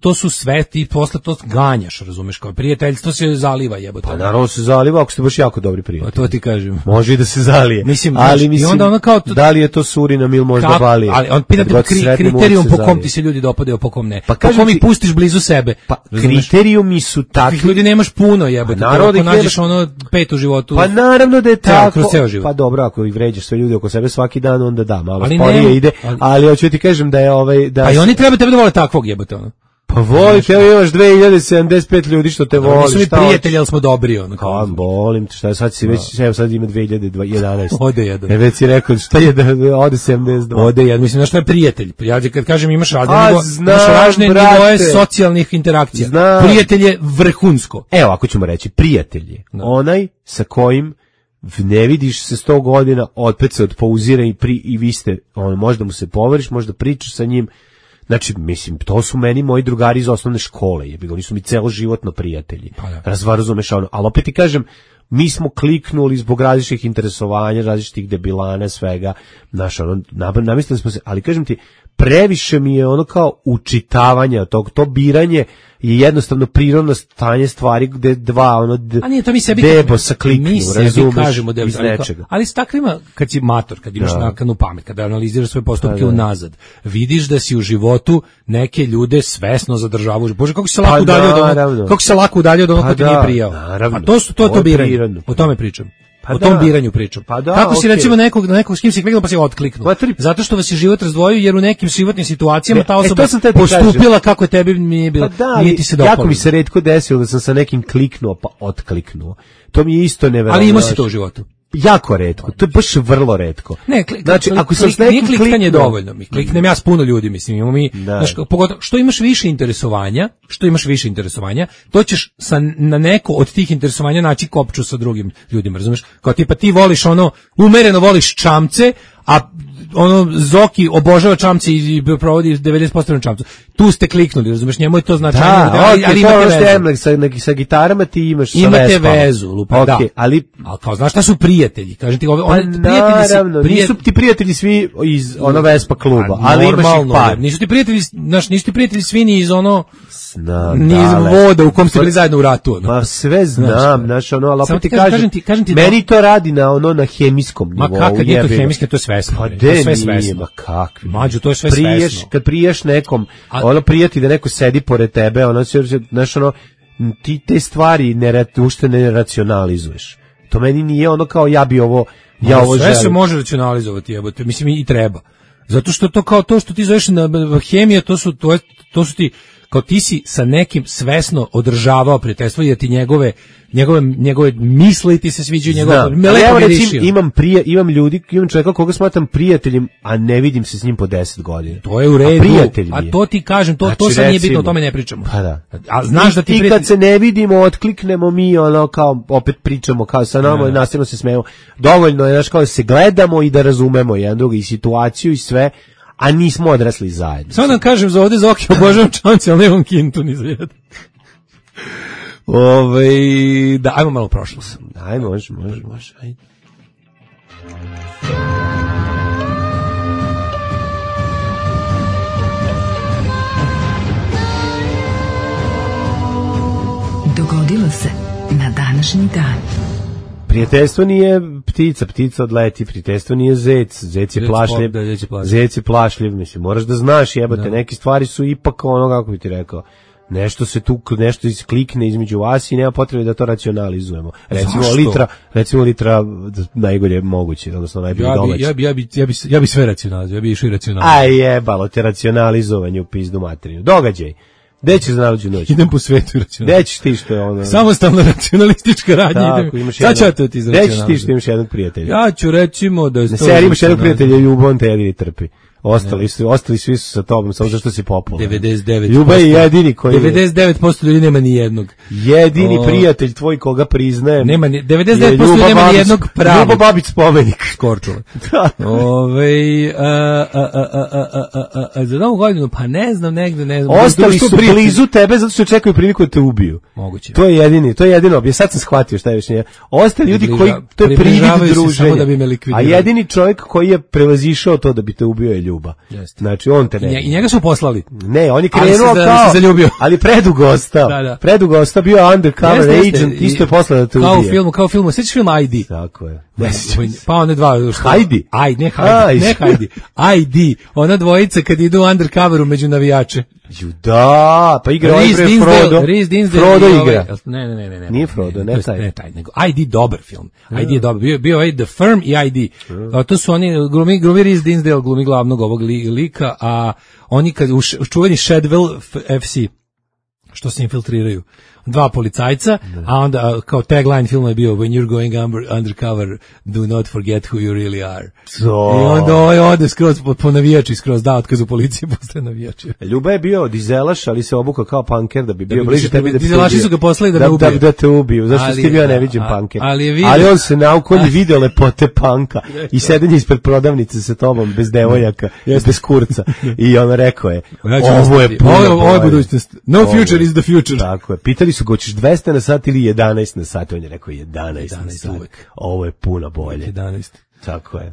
to su sve, ti posle to ganjaš, razumeš, kao prijateljstvo se zaliva, jebote. Pa naravno se zaliva ako ste baš jako dobri prijatelji. To ti kažem. Može i da se zalije. Mislim, ali i onda ono kao da li je to Surinam ili možda Balije? Ali on pita kriterijum po kom ti se ljudi dopadaju, po kom ne. Pa po kom ih pustiš blizu sebe. Pa kriterijumi su takvi. Ljudi nemaš puno, jebote. Ako nađeš ono 5 u životu. Pa naravno da je tako. Kroz ceo život. Pa dobro, ako ih vređaš sve ljude oko sebe svaki dan, onda da, malo sporije ide, ali hoću ti kažem da je da. Pa i oni treba tebe da vole takvog, jebote, ono. Pa volite, evo imaš 2075 ljudi što te voli. Nisu mi prijatelji, ali smo dobri, ono. Kao, volim te, šta sad si već, evo sad ima 2011. Ode jedan. Već si rekao, šta je da ode 72. Ode jedan, mislim, znaš što je prijatelj? Ja kad kažem imaš razne nivoe socijalnih interakcija. Prijatelj je vrhunsko. Evo, ako ćemo reći, prijatelj je onaj sa kojim ne vidiš se 100 godina, opet se odpouzira i vi ste, možda mu se poveriš, možda pričaš sa njim. Znači, mislim, to su meni moji drugari iz osnovne škole, oni su mi celoživotno prijatelji. Razumeš, ali opet ti kažem, mi smo kliknuli zbog različitih interesovanja, različitih debilana, svega, znaš, namislili smo se, ali kažem ti, previše mi je ono kao učitavanja tog, to biranje je jednostavno prirodno stanje stvari gde dva debo sa kliknu, razumeš, iz nečega. Ali s takvima, kad si mator, kad imaš nakanu pamet, kada analiziraš svoje postupke unazad, vidiš da si u životu neke ljude svesno zadržavaš. Bože, kako se lako udaljio od onog ko ti nije prijao. A to je to biranje, o tome pričam. O tom biranju pričam. Kako si recimo nekog s kim si kliknuo pa si otkliknuo? Zato što vas je život razdvojio jer u nekim životnim situacijama ta osoba postupila kako je tebi nije bilo. Nije ti se dopalo. Jako mi se retko desilo da sam sa nekim kliknuo pa otkliknuo. To mi je isto neverovatno. Ali ima si to u životu. Jako retko, to je baš vrlo retko. Znači, ako sam s nekim klikanje dovoljno, kliknem ja s puno ljudi, mislim, imamo mi, pogotovo, što imaš više interesovanja, to ćeš na neko od tih interesovanja naći kopču sa drugim ljudima, razumeš? Kao tipa ti voliš umereno voliš čamce, a Zoki obožava čamce i provodi 90% na čamcu. Tu ste kliknuli, razumeš, njemu je to značajno. Ali imate vezu. Sa gitarama ti imaš sa Vespama. Imate vezu, lupa, da. Ali kao, znaš šta su prijatelji? Kažem ti, naravno, nisu ti prijatelji svi iz Vespa kluba, ali imaš ih par. Nisu ti prijatelji svi ni iz ni iz voda u kom ste bili zajedno u ratu. Ma sve znam, znaš, ali opet ti kažem ti, meni to radi na hemijskom nivou. Ma kakav je to hemijski, to je svesno. Pa de nije, ma kakvi. Mađo, to je sve svesno. Kad prijaš nekom, prijati da neko sedi pored tebe, znaš, ti te stvari ušte ne racionalizuješ. To meni nije kao ja bi ovo želim. Sve se može racionalizovati, jebote, mislim i treba. Zato što to kao to što ti zoveš na hemija, to su ti, kao ti si sa nekim svesno održavao prijateljstvo jer ti njegove misli ti se sviđaju, evo recimo imam čovjeka koga smatram prijateljem, a ne vidim se s njim po 10 godina. To je u redu, a to ti kažem, to sad nije bitno, o tome ne pričamo. Pa da. A znaš da ti kad se ne vidimo, otkliknemo mi, kao opet pričamo kao sa nama i nastavno se smejemo. Dovoljno je, kao da se gledamo i da razumemo jedan drugi i situaciju i sve, a nismo odrasli zajedno. Samo da kažem za ovdje Zoki obožavam čamce, ali nemam kintu ni za jedan. Da, ajmo malo prošlost. Ajmo, može, ajde. Dogodilo se na današnji dan. Prijateljstvo nije ptica odleti, prijateljstvo nije zec je plašljiv, mislim, moraš da znaš, jebate, neke stvari su ipak kako bi ti rekao, nešto se klikne između vas i nema potrebe da to racionalizujemo. Recimo litra najgolje moguće, odnosno najbolje domaće. Ja bi sve racionalizovao, ja bi išao i racionalizovao. Aj jebalo te racionalizovanje u pizdu materinu. Događaj. Gde ćeš za najluđu noć? Idem po svetu i racionalizam. Gde ćeš ti što je samostalna racionalistička radnja. Sad ću to ti izracionalizam. Gde ćeš ti što imaš jednog prijatelja? Ja ću recimo da je to... Na seriji imaš jednog prijatelja i ljubav te jedini trpi. Ostali svi su sa tobom, samo zašto si popularan. 99%. Ljuba je jedini koji 99% ljudi nema ni jednog. Jedini prijatelj tvoj koga priznajem. Nema 99% ljudi nema ni jednog pravog. Ljubo Babić spomenik. Skorčula. Za novu godinu, pa ne znam, negde, ne znam. Ostali su blizu tebe zato što čekaju priliku da te ubiju. Moguće. To je jedino. Ja sad sam shvatio šta je još nije. Ostali ljudi koji, to je privid druženja. Da bi me a jedini čovjek koji je prevazišao to da bi te ubio je Ljuba. Jeste. Znači on te ne. I njega su poslali. Ne, on je krenuo kao zaljubio. Ali predugo ostao. Da. Predugo ostao, bio undercover agent, isto je poslao da te ubije. Kao u filmu, sećaš film ID? Tako je. Pa one dva. Heidi. Ne Heidi. ID. Ona dvojica kad idu undercoveru među navijače. Da, pa igra Frodo. Frodo igra. Ne. Nije Frodo, ne taj, nego ID dobar film. ID je dobar. Bio je The Firm i ID. To su oni glumi Reese Dinsdale, glumi glavnog ovog lika, a oni kad čuveni Shadwell FC što se infiltriraju. Dva policajca, a onda kao tagline filma je bio When you're going undercover, do not forget who you really are. I onda ode skroz po navijači, skroz da otkaz u policiji, postaje navijači. Ljuba je bio dizelaš, ali se obukao kao punker da bi bio bliže tebi da dizelaši su ga poslali da me ubiju. Da te ubiju, zašto si ti bio neviđen punker. Ali on se naukon video lepote punka i sedenje ispred prodavnice sa tobom, bez devojaka, bez kurca. I on rekao je, ovo je budućnost. No future is the future. Tako je. Pitali su ga, hoćeš 200 na sat ili 11 na sat? On je rekao 11 na sat. Ovo je puno bolje. 11. Tako je.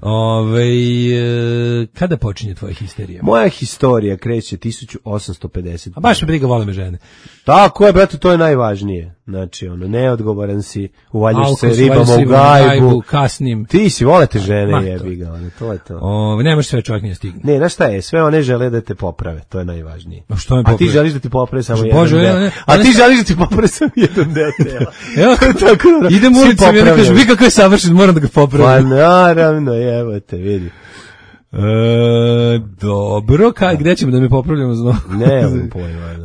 Kada počinje tvoja histerija? Moja historija kreće 1850. A baš me briga, vole me žene. Tako je, brate, to je najvažnije. Znači, neodgovoran si, uvaljuješ se ribama u gajbu. Kasnim. Ti si, volete žene, jebi ga, to je to. Nemaš sve čovjek nije stigne. Ne, znaš šta je, sve one žele da te poprave, to je najvažnije. A ti želiš da ti poprave samo jedan deo. A ti želiš da ti poprave samo jedan deo tela. Evo, tako, idem ulicom i onda kažem, vi kako je savršen, moram da ga popravim. Pa naravno, evo te, vidi. Dobro, gde ćemo da mi popravljamo znovu? Ne, pojma.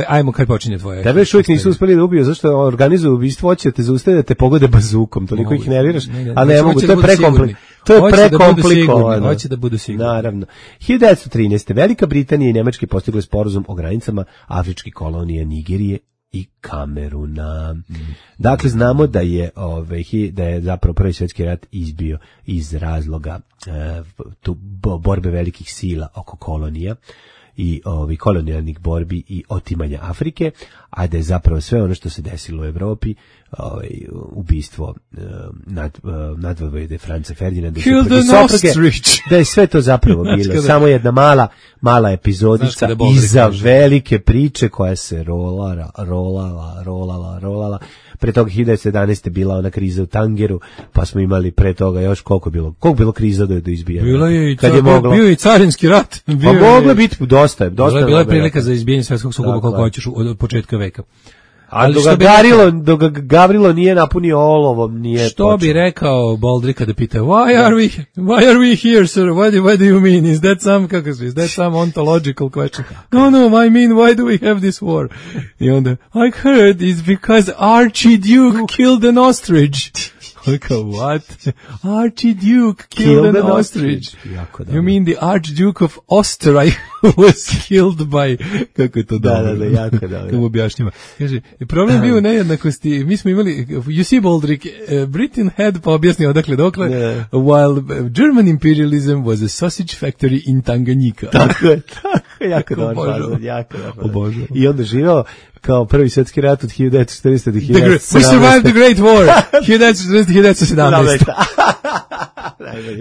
Ajmo, kad počinje tvoje? Tebe još uvijek nisu uspeli da ubiju, zašto organizuju ubistvo, hoće te zaustaviti da te pogode bazukom, toliko ih nerviraš, a ne mogu, to je prekomplikovano. Hoće da budu sigurni. Naravno. 1913. Velika Britanija i Nemačke postigle sporazum o granicama afričkih kolonija Nigerije i Kameruna. Dakle, znamo da je zapravo Prvi svjetski rat izbio iz razloga borbe velikih sila oko kolonija i kolonijalnih borbi i otimanja Afrike, a da je zapravo sve ono što se desilo u Evropi, ubistvo nadvojvode Franca Ferdinanda da je sve to zapravo bilo samo jedna mala epizodica iza velike priče koja se rolala. Pre toga 1911. bila ona kriza u Tangeru, pa smo imali pre toga još koliko bilo kriza do izbijanja. Bio je i carinski rat. Pa moglo biti dosta. Bila je prilika za izbijanje svjetskog sukoba koliko hoćeš od početka veka. Ali dok ga Gavrilo nije napunio olovom, nije što bi rekao Baldry kada pita why are we here, sir? What do you mean? Is that some ontological question? No, I mean, why do we have this war? I onda, I heard it's because Archduke killed an ostrich. What? Archduke killed an ostrich. You mean the Archduke of Österreich was killed by... Kako je to dobro? Da, jako dobro. Kako objašnjava. Kaže, problem bio u nejednakosti. Mi smo imali, you see, Baldrick, Britain had, pa objasnio odakle dokle, while German imperialism was a sausage factory in Tanganyika. Tako je, jako dobro. Obožavam. I onda živao kao Prvi svjetski rat od 1940. do 1917. We survived the Great War. 1917.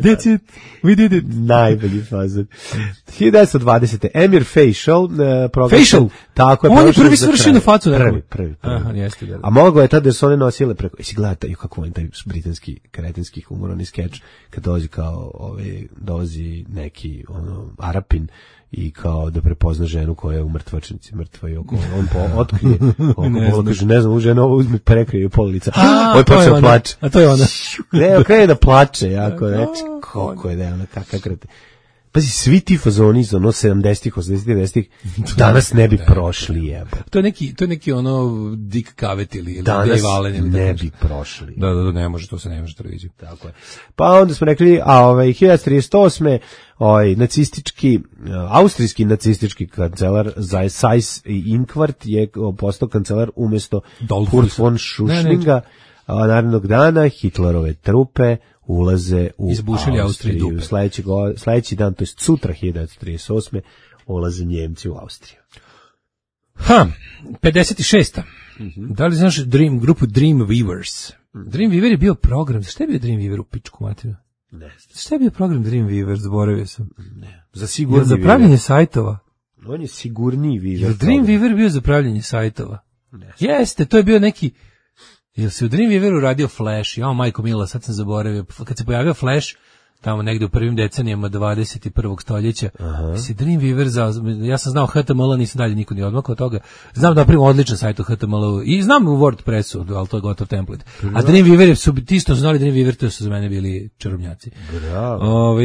That's it. We did it. Najbolji fazon. 1920. Emir Faisal. Faisal? Tako je. On je prvi svršio na facu. Prvi. Aha, jeste. A moglo je tada da su one nosile preko... Jesi gledate kako je taj britanski kretenski humorni skeč kad dolazi neki Arapin i kao da prepozna ženu koja je u mrtvačnici, mrtva i on otkrije, kaže, ne znam, žena ovo uzme, prekrije u pola lica. Ovo je počeo da plače. A to je ona. Ne, krene da plače, jako, reći, koliko je da je ona, kakav krete. Pazi, svi ti fazoni iz ono 70-ih, 80-ih, 90-ih danas ne bi prošli, jebo. To je neki ono Dick Cavett ili Dave Allen ili ne bi prošli. Da, ne može, to se ne može televiziju. Tako je. Pa onda smo rekli, 1938. Austrijski nacistički kancelar Seyss-Inquart je postao kancelar umjesto Kurt von Schuschninga. Narednog dana Hitlerove trupe ulaze u Austriju. Sljedeći dan, to je sutra 1938. ulaze Njemci u Austriju. 56. Da li znaš grupu Dreamweavers? Dreamweaver je bio program. Šta je bio Dreamweaver u pičku materiju? Ne. Šta je bio program Dreamweaver? Zaboravio sam. Ne. Za pravljenje sajtova. On je sigurniji Weaver. Je Dreamweaver bio za pravljenje sajtova? Ne. Jeste, to je bio neki... Jel se u Dreamweaveru radio Flash? Jao, majko mila, sad sam zaboravio. Kad se pojavio Flash, tamo negde u prvim decenijama 21. stoljeća, se Dreamweaver, ja sam znao HTML, nisam dalje niko ni odmakao od toga. Znam da napravim odličan sajt u HTML-u i znam u WordPressu, ali to je gotov template. A Dreamweaver su, ti što su znali Dreamweaver, to su za mene bili čarobnjaci.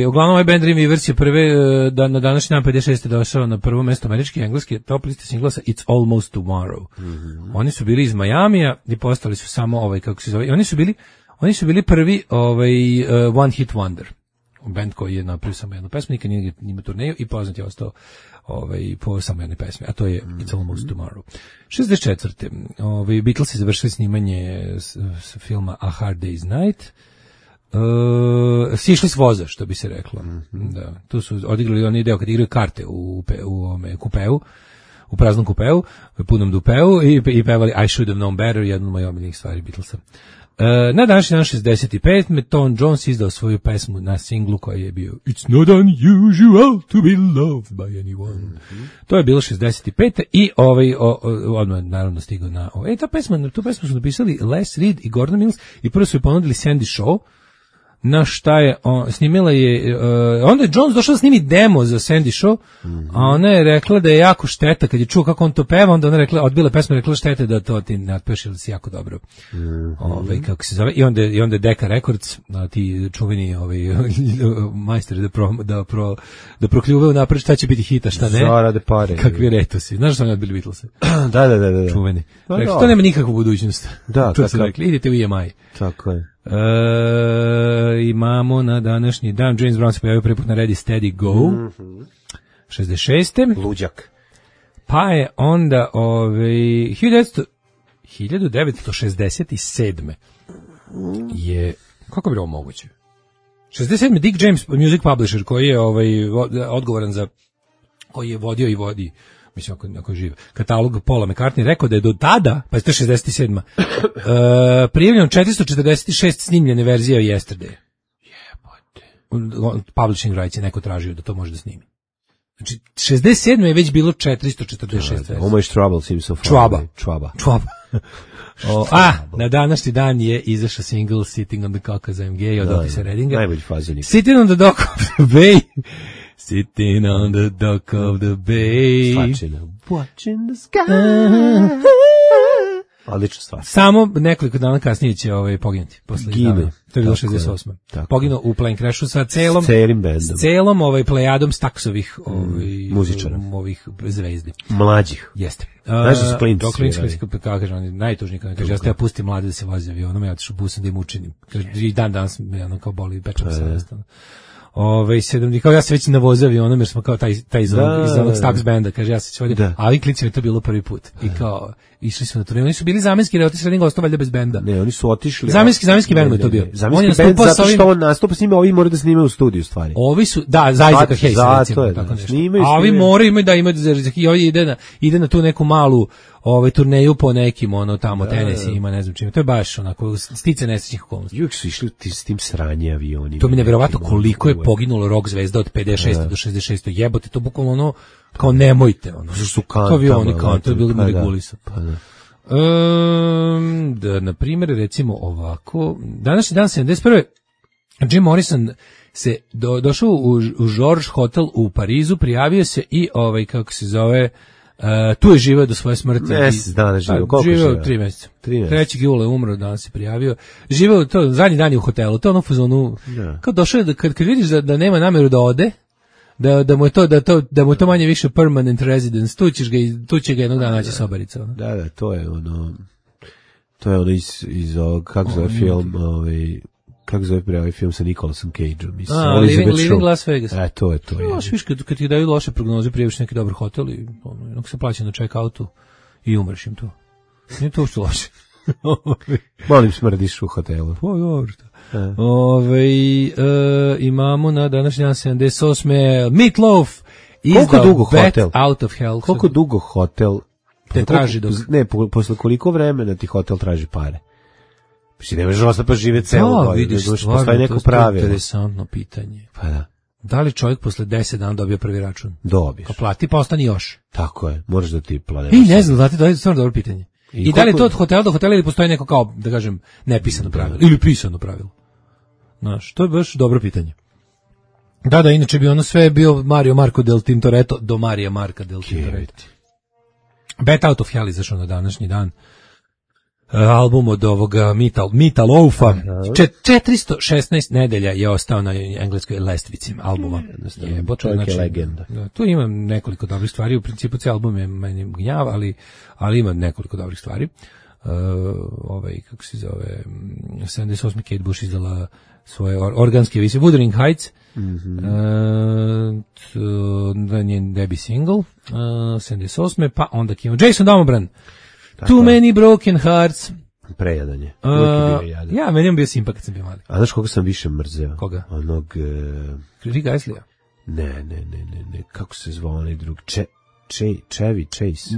Uglavnom, ovaj band Dreamweavers je prve, na današnji dan 56. došao na prvo mesto američki i engleski top liste singlasa It's Almost Tomorrow. Oni su bili iz Majamija i postali su samo, kako se zove, oni su bili prvi one hit wonder. Band koji je napravio samo jednu pesmu, nikad nije njima turneju i poznat je ostao po samo jednoj pesmi, a to je It's Almost Tomorrow. 64. Beatlesi završili snimanje s filma A Hard Day's Night. Sišli s voza, što bi se reklo. Da, tu su odigrali onaj deo kad igraju karte u kupeu, u praznom kupeu, u punom dupeu i pevali I Should Have Known Better, jednu od mojih omiljenih stvari Beatlesa. Na današnji dan 65. Tom Jones izdao svoju pesmu na singlu koji je bio It's not unusual to be loved by anyone. To je bilo 65. I odmah naravno stigao na tu pesmu su napisali Les Reed i Gordon Mills i prvo su je ponudili Sandy Shaw, na šta je snimila je onda je Jones došao da snimi demo za Sandy Shaw, a ona je rekla da je jako šteta kad je čuo kako on to peva, onda ona rekla, odbila pesmu, rekla šteta da to ti ne otpeš, ili si jako dobro. Kako se zove, i onda je Decca Records, ti čuveni majstori da prokljuvaju napred šta će biti hita, šta ne. Zarade pare. Kakvi retosi. Znaš što oni odbili Beatlese? Da. Čuveni. Rekli, to nema nikakvu budućnost. Da, to su rekli, idite u EMI. Tako je. Imamo na današnji dan James Brown se pojavio prvi put na Ready Steady Go 66. Luđak. Pa je onda 1967. je, kako bi ovo moguće? 67. Dick James Music Publisher koji je odgovoran za, koji je vodio i vodi, mislim ako je živ, katalog Paula McCartney, rekao da je do tada, pa je to 67. Prijavljeno 446 snimljene verzije Yesterday. Publishing rights je neko tražio da to može da snimi. Znači, 67. je već bilo 446 verzija. Oh my trouble seems so far. Čvaba. Na današnji dan je izašao single Sitting on the Dock of the Bay od Otisa Reddinga. Najbolji fazenik. Sitting on the Dock of the Bay. Sitting on the dock of the bay. Watching the sky. Odlična stvar. Samo nekoliko dana kasnije će poginuti. Gine. To je bilo 68. Poginuo u plane crashu sa celom bandom. Celom plejadom staksovih muzičara. Ovih zvezdi. Mlađih. Jeste. Znaš da su klinci kako kaže, on je najtužniji. Kaže, ja pustim mlade da se vozi avionom, ja otišu busom da im učinim. Kaže, i dan danas me kao boli, pečem se jednostavno. Kao ja se već navozavio onom jer smo kao taj iz onog Stax benda, kaže ja se vodio, a ovi klicima je to bilo prvi put i kao išli su na turneju, oni su bili zamenski, jer Otis Redding ostao valjda bez benda. Ne, oni su otišli. Zamenski bend je to bio. Zamenski bend zato što on nastupa s njima, ovi moraju da snimaju u studiju stvari. Ovi su, da, Isaac Hayes recimo, tako nešto. A ovi moraju da imaju, i ovi ide na tu neku malu turneju po nekim, tamo, Tennessee ima, ne znam čime. To je baš onako, stice nesrećnih okolnosti. Uvijek su išli s tim sranje avionima. To mi nevjerovatno koliko je poginulo rock zvezda od 56. do 66. Jebote, to bukvalno kao nemojte. Su kantama. To avioni kantama, to je bilo regulisa. Na primjer, recimo ovako, današnji dan 71. Jim Morrison se došao u George Hotel u Parizu, prijavio se i kako se zove, tu je živeo do svoje smrti. Mjesec dana živeo. Koliko živeo? 3 mjeseca. 3. jula je umro, danas se prijavio. Živeo to, zadnji dan je u hotelu, to je ono fazonu, kao došao je, kad vidiš da nema namjeru da ode, da mu je to manje više permanent residence, tu će ga jednog dana naći sobarica. Ono. Da, to je ono iz ovog, kako zove film, kako zove ovaj film sa Nicolasom Cageom, Living Las Vegas. To je. Viš, kad ti daju loše prognoze, prijaviš neki dobar hotel i ono se plaća na check-outu i umreš im to. Nije to uopšte loše. Molim, smrdiš u hotelu. Pa dobro. Imamo na današnji dan 78. Meatloaf izdao Bat Out of Hell. Koliko dugo hotel te traži dok... Ne, posle koliko vremena ti hotel traži pare? Mislim, ne možeš ostati pa živjeti celu godinu. Vidiš, stvarno, to je interesantno pitanje. Pa da. Da li čovjek posle 10 dana dobio prvi račun? Dobiješ. Ko plati, pa ostani još. Tako je, možeš da ti planeš. Ne znam, znate, to je stvarno dobro pitanje. I da li je to od hotela do hotela ili postoji neko kao, da kažem, nepisano pravilo? Ili pisano pravilo? Znaš, to je baš dobro pitanje. Da, inače bi ono sve bio Mario Marco del Tintoretto do Marija Marka del Tintoretto. Bat Out of Hell izašao na današnji dan. Album od ovoga Meatloafa. 416 nedelja je ostao na engleskoj lestvici albuma. Čovjek je legenda. Tu ima nekoliko dobrih stvari. U principu cijel album je meni gnjav, ali ima nekoliko dobrih stvari. Kako se zove, 78. Kate Bush izdala svoje organske emisije Wuthering Heights, njen debut single, 78. Pa onda kimo Jason Domobran, Too Many Broken Hearts. Prejadan je. Ja, meni je bio simpa kad sam bio mali. A znaš koga sam više mrzeo? Koga? Onog... Rick Astley-a? Ne. Kako se zvao onaj drug? Chevy Chase.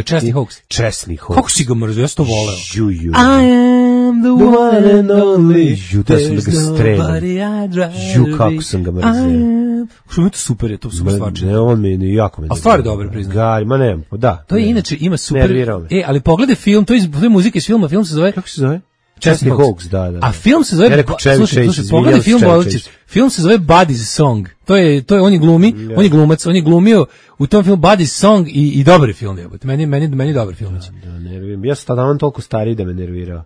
Chesney Hawkes. Chesney Hawkes. Kako si ga mrzio? Ja sam to voleo. I am the one and only. Da sam da ga strelim. Kako sam ga mrzio. Što mi je to super, je to super stvarčine. Ne, on mi je jako me. A stvar je dobro, priznam. Gari, ma ne, da. To je inače, ima super. Ali pogledaj film, to je muzika iz filma, film se zove... Kako se zove? Chesney Hawkes, da. A film se zove... Slušaj, pogledaj film, film se zove Buddy's Song. To je, on je glumi, on je glumac, on je glumio u tom filmu Buddy's Song i dobar je film, jebote. Meni dobar film. Da, nerviram. Ja sam tada toliko stariji da me nervirao.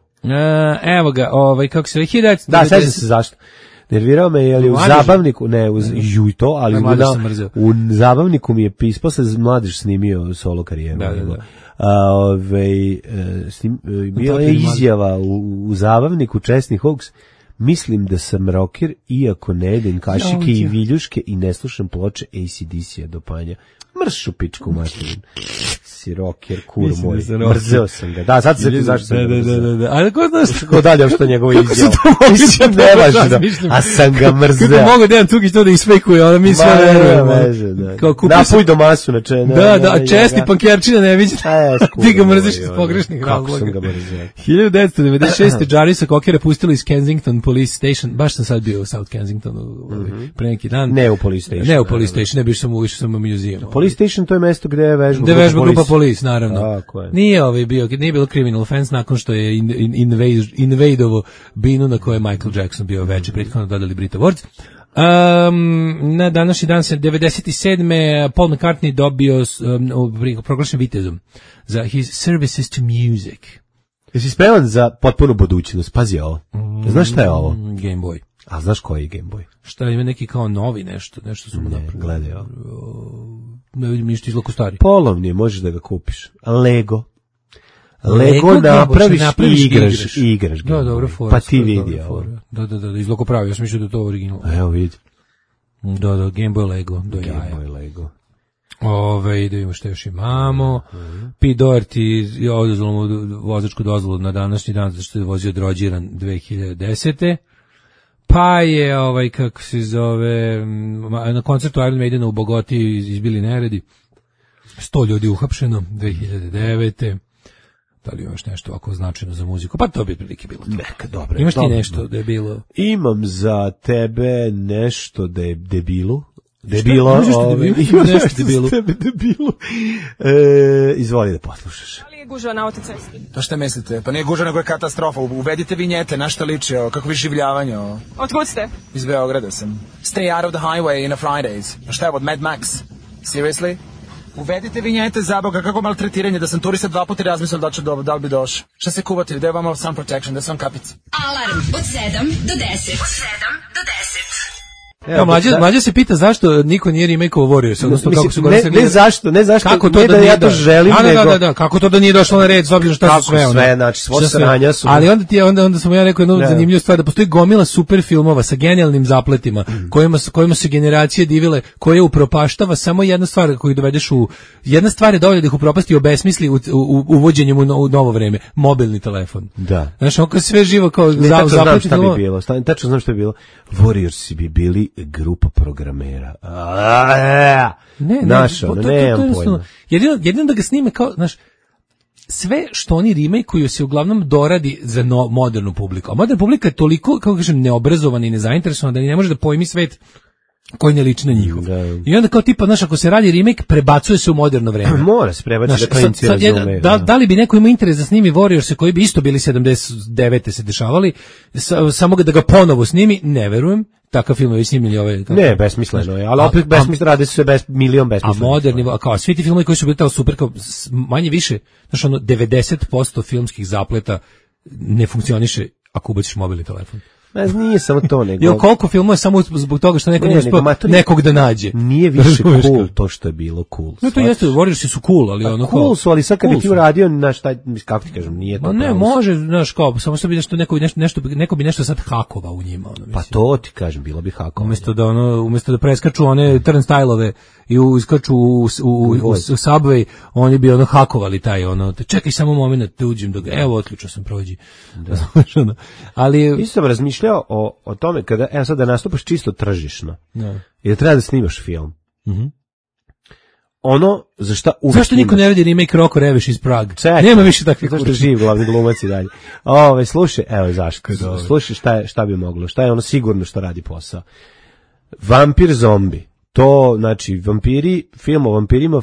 Evo ga, kako se zove, Da, sećam se zašto. Nervirao me, jer je u zabavniku, ne, ali u zabavniku mi je posle Mladež snimio solo karijeru. Bila je izjava u zabavniku Chesney Hawkes, mislim da sam rocker, iako ne jedem kašike i viljuške i ne slušam ploče AC/DC-a do panja. Mršu pičku materinu. Si rocker, kur moj. Mrzeo sam ga. Da, sad se zašto sam ga mrzeo. Da. Ali ko znaš? Ko dalje što njegova izjava? Mislim, nevažno. A sam ga mrzeo. Kako mogu Dejan Cukić to da isfejkuje, ono mi sve verujemo. Napuj do masu na čene. Da, česti pankerčina ne viđe. Ti ga mrziš iz pogrešnih razloga. Kako sam ga mrzeo. 1996. Jarvisa Cockera pustili iz Kensington Police Station. Baš sam sad bio u South Kensingtonu pre neki dan. Ne u Police Station. Ne u Police Station, ne biš sam u muzeum. Police Station to je mesto gde je vežba grupa Police, naravno. Nije nije bilo criminal offense nakon što je invadovo binu na kojoj je Michael Jackson bio veče prethodno dodali Brit Awards. Na današnji dan se 97. Paul McCartney dobio proglašen vitezom za his services to music. Jesi spreman za potpunu budućnost? Pazi ovo. Znaš šta je ovo? Game Boy. A znaš koji je Game Boy? Šta ima neki kao novi nešto su mu napravili. Gledaj ovo. Ne vidim ništa izlako stari. Polovni, možeš da ga kupiš. Lego napraviš i igraš. Da, dobro, fora. Pa ti vidi ovo. Da, izlako pravi, ja sam mislio da je to original. Evo vidi. Da, Game Boy Lego. Game Boy Lego. Da vidimo što još imamo. Pete Doherty je oduzelo mu vozačku dozvolu na današnji dan zato što je vozio drođiran 2010. Pa je, kako se zove, na koncertu Iron Maidena u Bogoti izbili neredi. 100 ljudi uhapšeno, 2009. Da li imaš nešto ovako značajno za muziku? Pa to bi prilike bilo. Neka, dobro. Imaš ti nešto da je bilo? Imam za tebe nešto da je debilo. Imaš nešto debilo. Izvoli da poslušaš. Da li je gužva na autocesti? To šta mislite? Pa nije gužva, nego je katastrofa. Uvedite vinjete, na šta liči, kako vi življavanje. Otkud ste? Iz Beograda sam. Stay out of the highway in a Fridays. A šta je od Mad Max? Seriously? Uvedite vinjete, za Boga, kako maltretiranje, da sam turista 2 puta razmislio da li bi došao. Šta se kuvate, gde je vama sun protection, da sam kapic? Alarm od 7 do 10. Mlađa se pita zašto niko nije remake-ovo Warriors, odnosno kako su ne zašto, kako to da ja to želim, nego... Da, kako to da nije došlo na red, s obzirom šta su sve, ono. Sve, znači, svo sranja su... Ali onda sam ja rekao jednu zanimljivu stvar, da postoji gomila super filmova sa genijalnim zapletima, kojima se generacije divile, koje upropaštava samo jedna stvar koju dovedeš jedna stvar je dovoljna da ih upropasti i obesmisli uvođenjem u novo vreme, mobilni telefon. Da. Znaš, oko sve živo kao zapleti. Tačno znam šta bi bilo. Warriorsi bi bili grupa programera. Nemam pojma. Jedino da ga snime kao, znaš, sve što oni remake-uju se uglavnom doradi za modernu publiku. A moderna publika je toliko, kako kažem, neobrazovana i nezainteresovana da ni ne može da pojmi svet koji ne liči na njihov. I onda kao tipa, znaš, ako se radi remake, prebacuje se u moderno vreme. Mora se prebaciti da klinci razumeju. Da li bi neko imao interes da snimi Warriors koji bi isto bili 79. se dešavali, samo da ga ponovo snimi, ne verujem. Takav film je snimljeni ove... Ne, besmisleno je, ali opet besmisleno, rade se milion besmisleno. A moderni, kao svi ti filmovi koji su bili tamo super, kao manje više, znaš, 90% filmskih zapleta ne funkcioniše ako ubaciš mobilni telefon. Nije samo to, nego... I koliko filmova je samo zbog toga što neko nije uspio nekog da nađe. Nije više cool to što je bilo cool. No to jeste, Warriorsi su cool, ali ono cool su, ali sad kad bi ti uradio, znaš, kako ti kažem, nije to. Ne, može, znaš, kao, samo što bi neko bi nešto sad hakovao u njima. Pa to ti kažem, bilo bi hakovao. Umesto da preskaču one turnstile-ove i iskaču u Subway, oni bi hakovali taj, čekaj samo moment da uđem, evo, otključao sam, prođi. Ali... Isto sam razmišljao o tome kada, sad da nastupaš čisto tržišno i da treba da snimaš film. Ono za šta uvijek zašto niko ne radi remake Roko Reveš iz Praga? Nema više takvih zašto živ glavni glumac i dalje. Slušaj, evo zašto. Slušaj šta bi moglo, šta je ono sigurno što radi posao. Vampir zombi. To, znači, film o vampirima,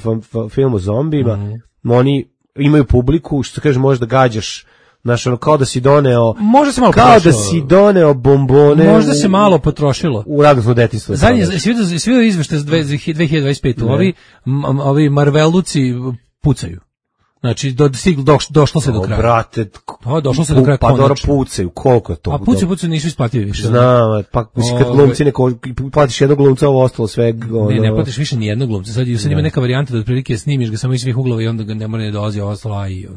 film o zombijima, oni imaju publiku, što kaže, možda gađaš. Znaš, kao da si doneo... Možda se malo kao potrošilo. Da si doneo bombone... Možda se malo potrošilo. U radosno detinjstvo. Svi izvešte za 2025. Ovi Marveluci pucaju. Znači, došlo se do kraja. Brate, došlo se do kraja konačno. Pa dobro pucaju, koliko je to? A pucaju nisu isplativi više. Znam, pa kad glumci platiš jednog glumca, ovo ostalo sve... Ne platiš više ni jednog glumca. Sad ima neka varijanta da otprilike snimiš ga samo iz svih uglova i onda ga ne mora ne dolazi ostalo, a i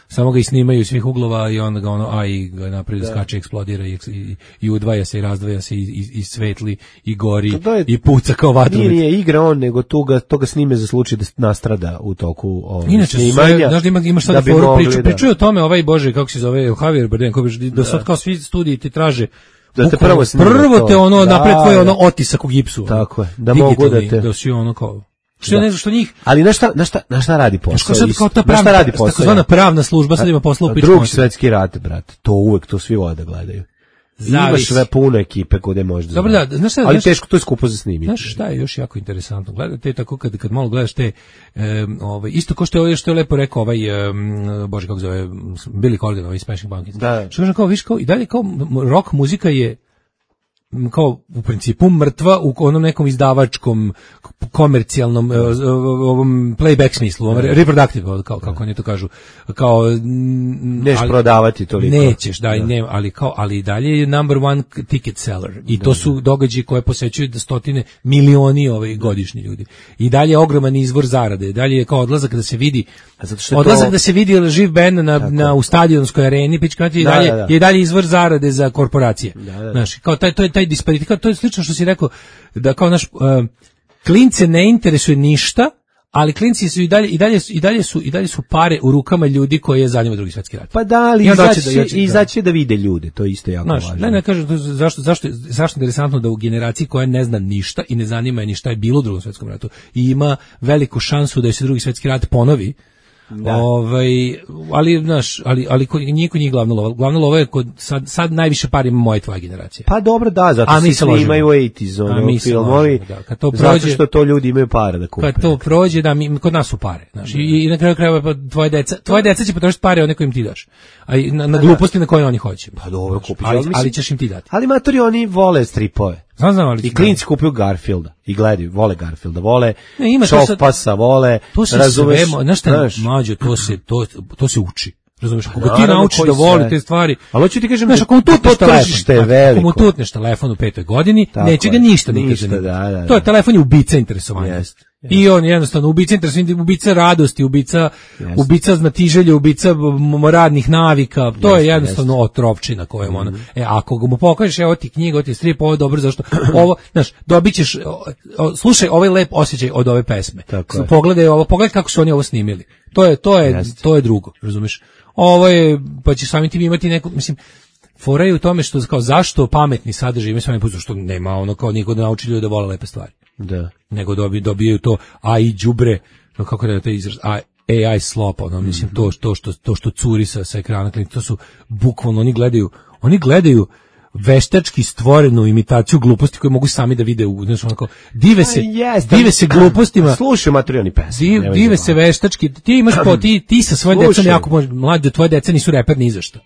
samo ga i snimaju iz svih uglova i onda ga i ga napravi da skače, eksplodira i udvaja se i razdvaja se i svetli i gori i puca kao vatrovec. Nije igra on, nego to ga snime za slučaj da nastrada u toku inače, snimanja. Znaš da imaš sad foru pričaju o tome, Bože, kako se zove, Javier Bardem, da sad kao svi studiji ti traže da te prvo te napred tvoj otisak u gipsu. Tako je, da mogu da te... Da si kao... Što njih... Ali na šta radi posao? Na šta radi posao? Takozvana pravna služba sad ima posla u pičku. Drugi svetski rat, brate. To svi vode gledaju. Imaš sve puno ekipe kode možeš da znaš. Ali teško, to je skupo za snimiti. Znaš šta je još jako interesantno? Gledate tako kad malo gledaš te... isto ko što je lepo rekao Bože, kako zove, Billy Corgan, Smashing Pumpkins. Što kažem, kao, viš, kao, i dalje kao rock muzika je kao u principu mrtva u onom nekom izdavačkom komercijalnom ovom playback smislu, reproductive, kako oni to kažu, kao neš prodavati toliko. Nećeš, ali dalje je number one ticket seller i to su događaji koje posećuju stotine milioni godišnji ljudi. I dalje je ogroman izvor zarade. Dalje je kao odlazak da se vidi da se vidi živ bend u stadionskoj areni, je dalje izvor zarade za korporacije. Znaš, kao taj disparitet, to je slično što si rekao, da kao naš klince ne interesuje ništa, ali klinci su i dalje su pare u rukama ljudi koji je zanima Drugi svjetski rat. Pa da, ali izaći da vide ljude, to je isto jako važno. Ne kažem, zašto je interesantno da u generaciji koja ne zna ništa i ne zanima je ni šta je bilo u Drugom svjetskom ratu i ima veliku šansu da se Drugi svjetski rat ponovi. Ali znaš, ali niko nije glavna lova je kod sad najviše par ima moja tvoja generacija. Pa dobro, da, zato se svi imaju 80s filmovi, zato što to ljudi imaju para da kupe. Kad to prođe, da, kod nas su pare, znaš, i na kraju krajeva tvoje deca će potrošiti pare od nekom im ti daš, a na gluposti na koje oni hoće. Pa dobro, kupiš, ali ćeš im ti dati. Ali matori, oni vole stripove. Znam, ali i klinci kupuju Garfielda i gledaju, vole Garfielda, vole Šofpasa, vole, razumeš, znaš šta, mlađo, to se uči. Razumeš, ako ti naučiš da voli te stvari, ali hoću ti kažem, znaš, ako mu tutneš telefon u 5. godini, neće ga ništa nikad. To je telefon je ubica interesovanja. I on jednostavno ubica interesovanja, ubica radosti, ubica znatiželje, ubica radnih navika, to je jednostavno otrovčina kojom ono. Ako mu pokažeš, evo ti knjiga, ovo ti strip, ovo je dobro, zašto ovo, znaš, dobićeš, slušaj ovaj lep osjećaj od ove pesme. Pogledaj kako su oni ovo snimili. To je drugo, razumeš? Ovo je, pa će samim tim imati neku, mislim, fora je u tome što, kao, zašto pametni sadržaj imaju svojim putem, što nema ono kao niko da nauči ljudi da vole lepe stvari. Da. Nego dobijaju to AI đubre, kako da je to izraz, AI slop, ono, mislim, to što curi sa ekrana, to su bukvalno, oni gledaju veštački stvorenu imitaciju gluposti koje mogu sami da vide, znaš, onako, dive se glupostima. Slušaj materijani pesme. Dive se veštački, ti imaš ti sa svojim decom jako mlađe, tvoje deca nisu reper ni za šta.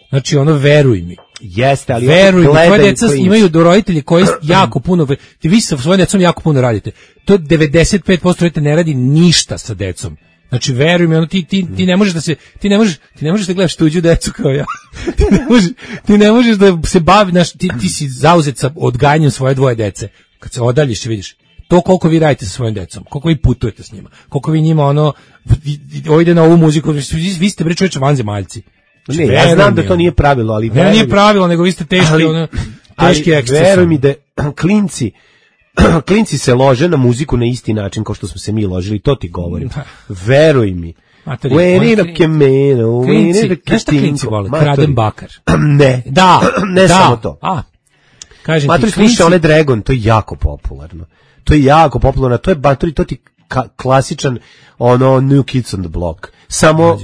Znači, ono, veruj mi. Jeste, ali veruj mi, tvoje deca imaju roditelji koji jako puno, vi sa svojim decom jako puno radite. To 95% roditelja ne radi ništa sa decom. Znači, veruj mi, ono, ti ne možeš da gledaš tuđu decu kao ja. ti ne možeš da se bavi, znaš, ti si zauzet sa odgajanjem svoje dvoje dece. Kad se odaljiš, vidiš to koliko vi radite sa svojim decom, koliko vi putujete s njima, koliko vi njima, ono, ide na ovu muziku, vi ste, bre, čovječe, vanzemaljci. Ne, ja znam da to nije pravilo, ali ne, nije pravilo, nego vi ste teški eksces. Veruj mi da klinci se lože na muziku na isti način kao što smo se mi ložili, to ti govorim. Veruj mi. Klinci vole, Kraden Bakar. Ne, ne samo to. Matori, slušaj, onaj Dragon, to je jako popularno. To je ti klasičan, ono, New Kids on the Block.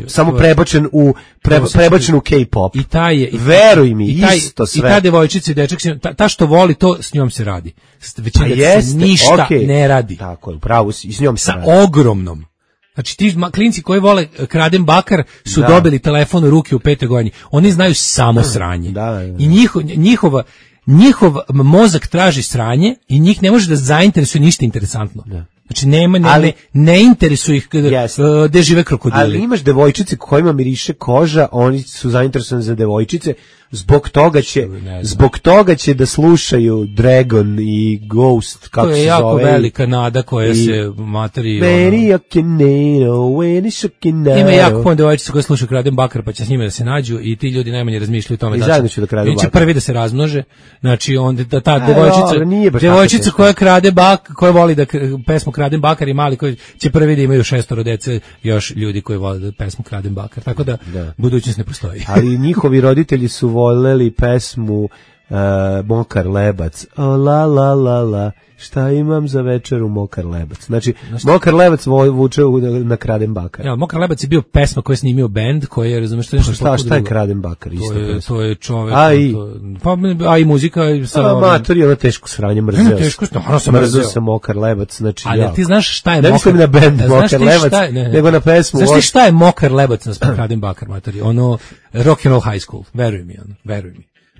Samo prebačen u K-pop. I taj je, veruj mi, isto sve. I ta devojčica i dečak, ta što voli, to s njom se radi. Većina se ništa ne radi. Tako je, pravo si, i s njom se radi. Sa ogromnom. Znači, ti klinci koji vole Kraden Bakar su dobili telefon u ruke u 5. godini. Oni znaju samo sranje. I njihov mozak traži sranje i njih ne može da zainteresuje ništa interesantno. Znači, ne interesuje ih gde žive krokodili. Ali imaš devojčice kojima miriše koža, oni su zainteresovani za devojčice, zbog toga će da slušaju Dragon i Ghost, kako se zove. To je jako velika nada koja se materi... Ima jako puno devojčice koje slušaju Kraden Bakar, pa će s njima da se nađu i ti ljudi najmanje razmišljaju o tome da će prvi da se razmnože. Znači, onda ta devojčica koja krade koja voli da pesmu Kraden Bakar i mali koji će prvi da imaju 6 dece, još ljudi koji vole da pesmu Kraden Bakar. Tako da budućnost ne postoji. Ali njihovi roditelji su voljeli pesmu Mokar lebac. O la la la la, šta imam za večeru Mokar lebac. Znači, Mokar lebac vuče na Kraden Bakar. Ja, Mokar lebac je bio pesma koju je snimio bend, koji je, razumeš, što nešto šta je Kraden Bakar? To je čovek. A i muzika. Amator je ono teško sranje, mrzeo sam Mokar lebac. Znači, ali ti znaš šta je Mokar? Ne mislim na bend Mokar lebac, nego na pesmu. Znaš ti šta je Mokar lebac na Kraden Bakar, matori? Ono, Rock and Roll High School, veruj mi.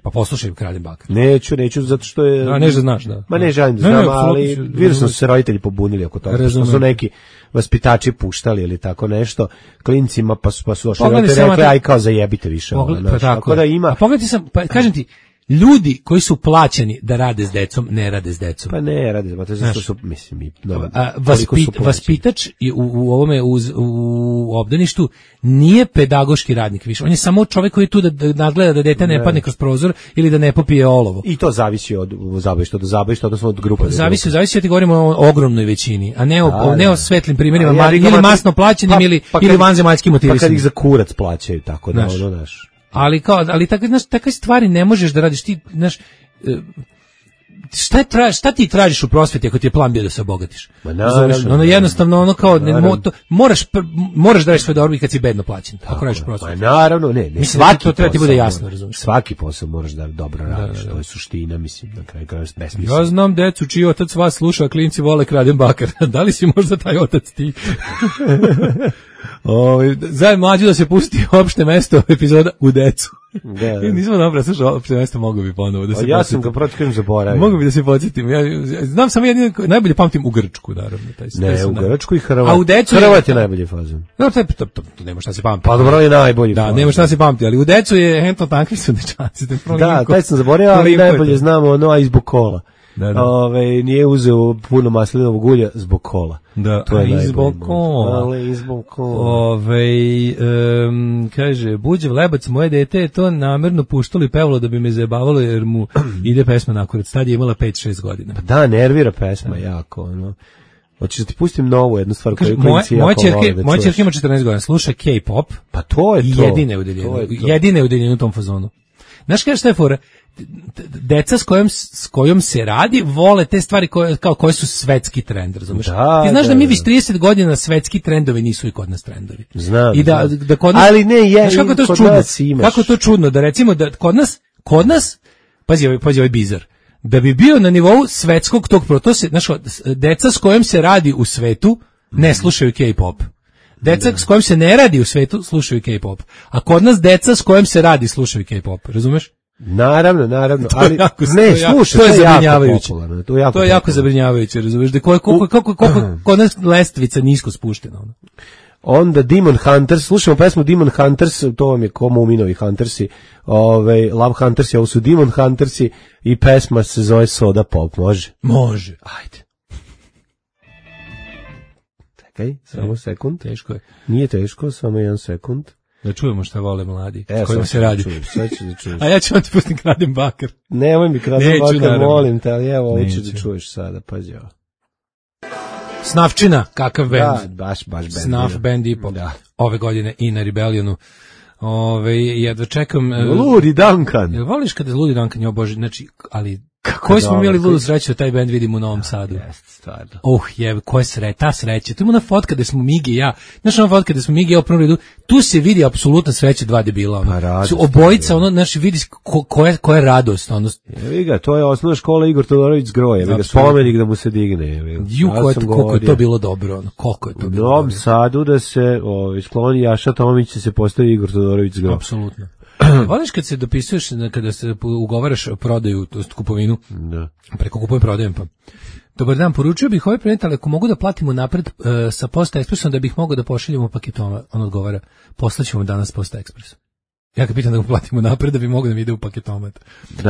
Pa poslušaj Kraden Bakar. Neću, zato što je... Neću da znaš, da. Ma ne želim da znam, ali vidio sam se roditelji pobunili oko toga. Što su neki vaspitači puštali ili tako nešto klincima, pa su došli roditelji rekli, aj kao zajebite više. Tako da ima... A pogledaj sam, kažem ti, ljudi koji su plaćeni da rade s decom, ne rade s decom. Pa ne rade, zato su, mislim, vaspitač u ovome, u obdaništu, nije pedagoški radnik više. On je samo čovjek koji je tu da nadgleda da dete ne padne kroz prozor ili da ne popije olovo. I to zavisi od zabavišta do zabavišta, odnosno od grupe. Zavisi, ja ti govorimo o ogromnoj većini, a ne o svetlim primjerima, ili masno plaćenim ili vanzemaljskim motivisanjem. Pa kad ih za kurac plaćaju, tako da ono, znaš. Ali takve stvari ne možeš da radiš ti, znaš, šta ti tražiš u prosveti ako ti je plan bio da se obogatiš? Ono jednostavno, ono kao, moraš da radiš sve dobro i kad si bedno plaćen, ako radiš u prosveti. Naravno, ne. Svaki to treba ti bude jasno, razumiješ. Svaki posao moraš da dobro radiš, to je suština, mislim, na kraju besmisla. Ja znam decu čiji otac vas sluša, a klinci vole Kraden Bakar. Da li si možda taj otac ti? Zajedno mlađu da se pusti opšte mesto epizoda u decu. Da. Nismo dobro, slušaj, opšte mjesto mogu bi ponovo da se ja sam ga protiv zaboravio. Mogu bi da se podsjetim. Ja znam samo jedino, najbolje pamtim u Grčku, naravno. Ne, u Grčku i Hrvat. A u Decu Hrvat je najbolji fazon. No, to nema šta se pamti. Pa dobro je najbolji fazon. Da, nema šta se pamti, ali u Decu je Hento Tanki su dečaci. Da, taj sam zaboravio, ali najbolje znamo ono zbog kola. Da. Nije uzeo puno maslinovog ulja zbog kola. Da, to je zbog kola. Ali izbog kola. Kaže, Buđev Lebac, moje dete je to namerno puštalo i pevalo da bi me zajebavalo jer mu ide pesma nakurat. Tad je imala 5-6 godina. Pa da, nervira pesma jako. Ono. Hoćeš da ti pustim novu jednu stvar koju klinci jako vole da moja ćerka ima 14 godina, sluša K-pop. Pa to je to. Jedine udeljenje u tom fazonu. Znaš kada šta je fora? Deca s kojom se radi vole te stvari koje su svetski trend, razumeš? Ti znaš da mi već 30 godina svetski trendovi nisu i kod nas trendovi. Znam. I da kod nas, ali ne, znaš kako to čudno? Kako je to čudno da recimo da kod nas pazi ovaj bizar. Da bi bio na nivou svetskog tog protosa, znaš, deca s kojom se radi u svetu ne slušaju K-pop. Deca s kojim se ne radi u svetu slušaju K-pop. A kod nas deca s kojim se radi slušaju K-pop. Razumeš? Naravno, ali ne, slušaj, to je zabrinjavajuće. To je jako zabrinjavajuće, razumeš? Da koliko kod nas lestvica nisko spuštena. Onda Demon Hunters, slušamo pesmu Demon Hunters, to vam je ko Muminovi Huntersi, Love Huntersi, ovo su Demon Huntersi i pesma se zove Soda Pop, može? Može, ajde. Čekaj, samo sekund. Teško je. Nije teško, samo 1 sekund. Da čujemo šta vole mladi, s kojima se radi. Sad ću da čuješ. A ja ću vam ti pustim Kradem bakar. Nemoj mi Kradem bakar, molim te, ali evo, ovo ću da čuješ sada, pazi ovo. Snafčina, kakav bend. Da, baš bend. Snaf bend i pop. Ove godine i na Rebellionu. Jedva čekam. Ludi Duncan. Jel voliš kada Ludi Duncan je oboži, znači, ali koji smo imali ludu sreću da taj bend vidimo u Novom Sadu. Jeste, stvarno. Koja ta sreća. Tu ima ona fotka gde smo Migi i ja. Znaš ona fotka gde smo Migi i ja u prvom redu. Tu se vidi apsolutna sreća dva debila. Pa su obojica, znači vidi koja je radost. Evi ga, to je osnovna škola Igor Todorović Zgroje. Evi ga, spomenik da mu se digne. Koliko je to bilo dobro. Koliko je to bilo dobro. U Novom Sadu da se skloni Jaša Tomić se postavi Igor Todorović Zgroje. Apsolutno. Voliš kad se dopisuješ, kada se ugovaraš prodaju, to jest kupovinu, preko kupujem prodajem pa. Dobar dan, poručio bih ovaj predmet, ali ako mogu da platimo napred sa Posta Ekspresom da bih mogao da pošaljemo paketoma, on odgovara, poslaćemo danas Posta Ekspres. Ja ga pitam da ga platimo napred da bi mogao da mi ide u paketomat.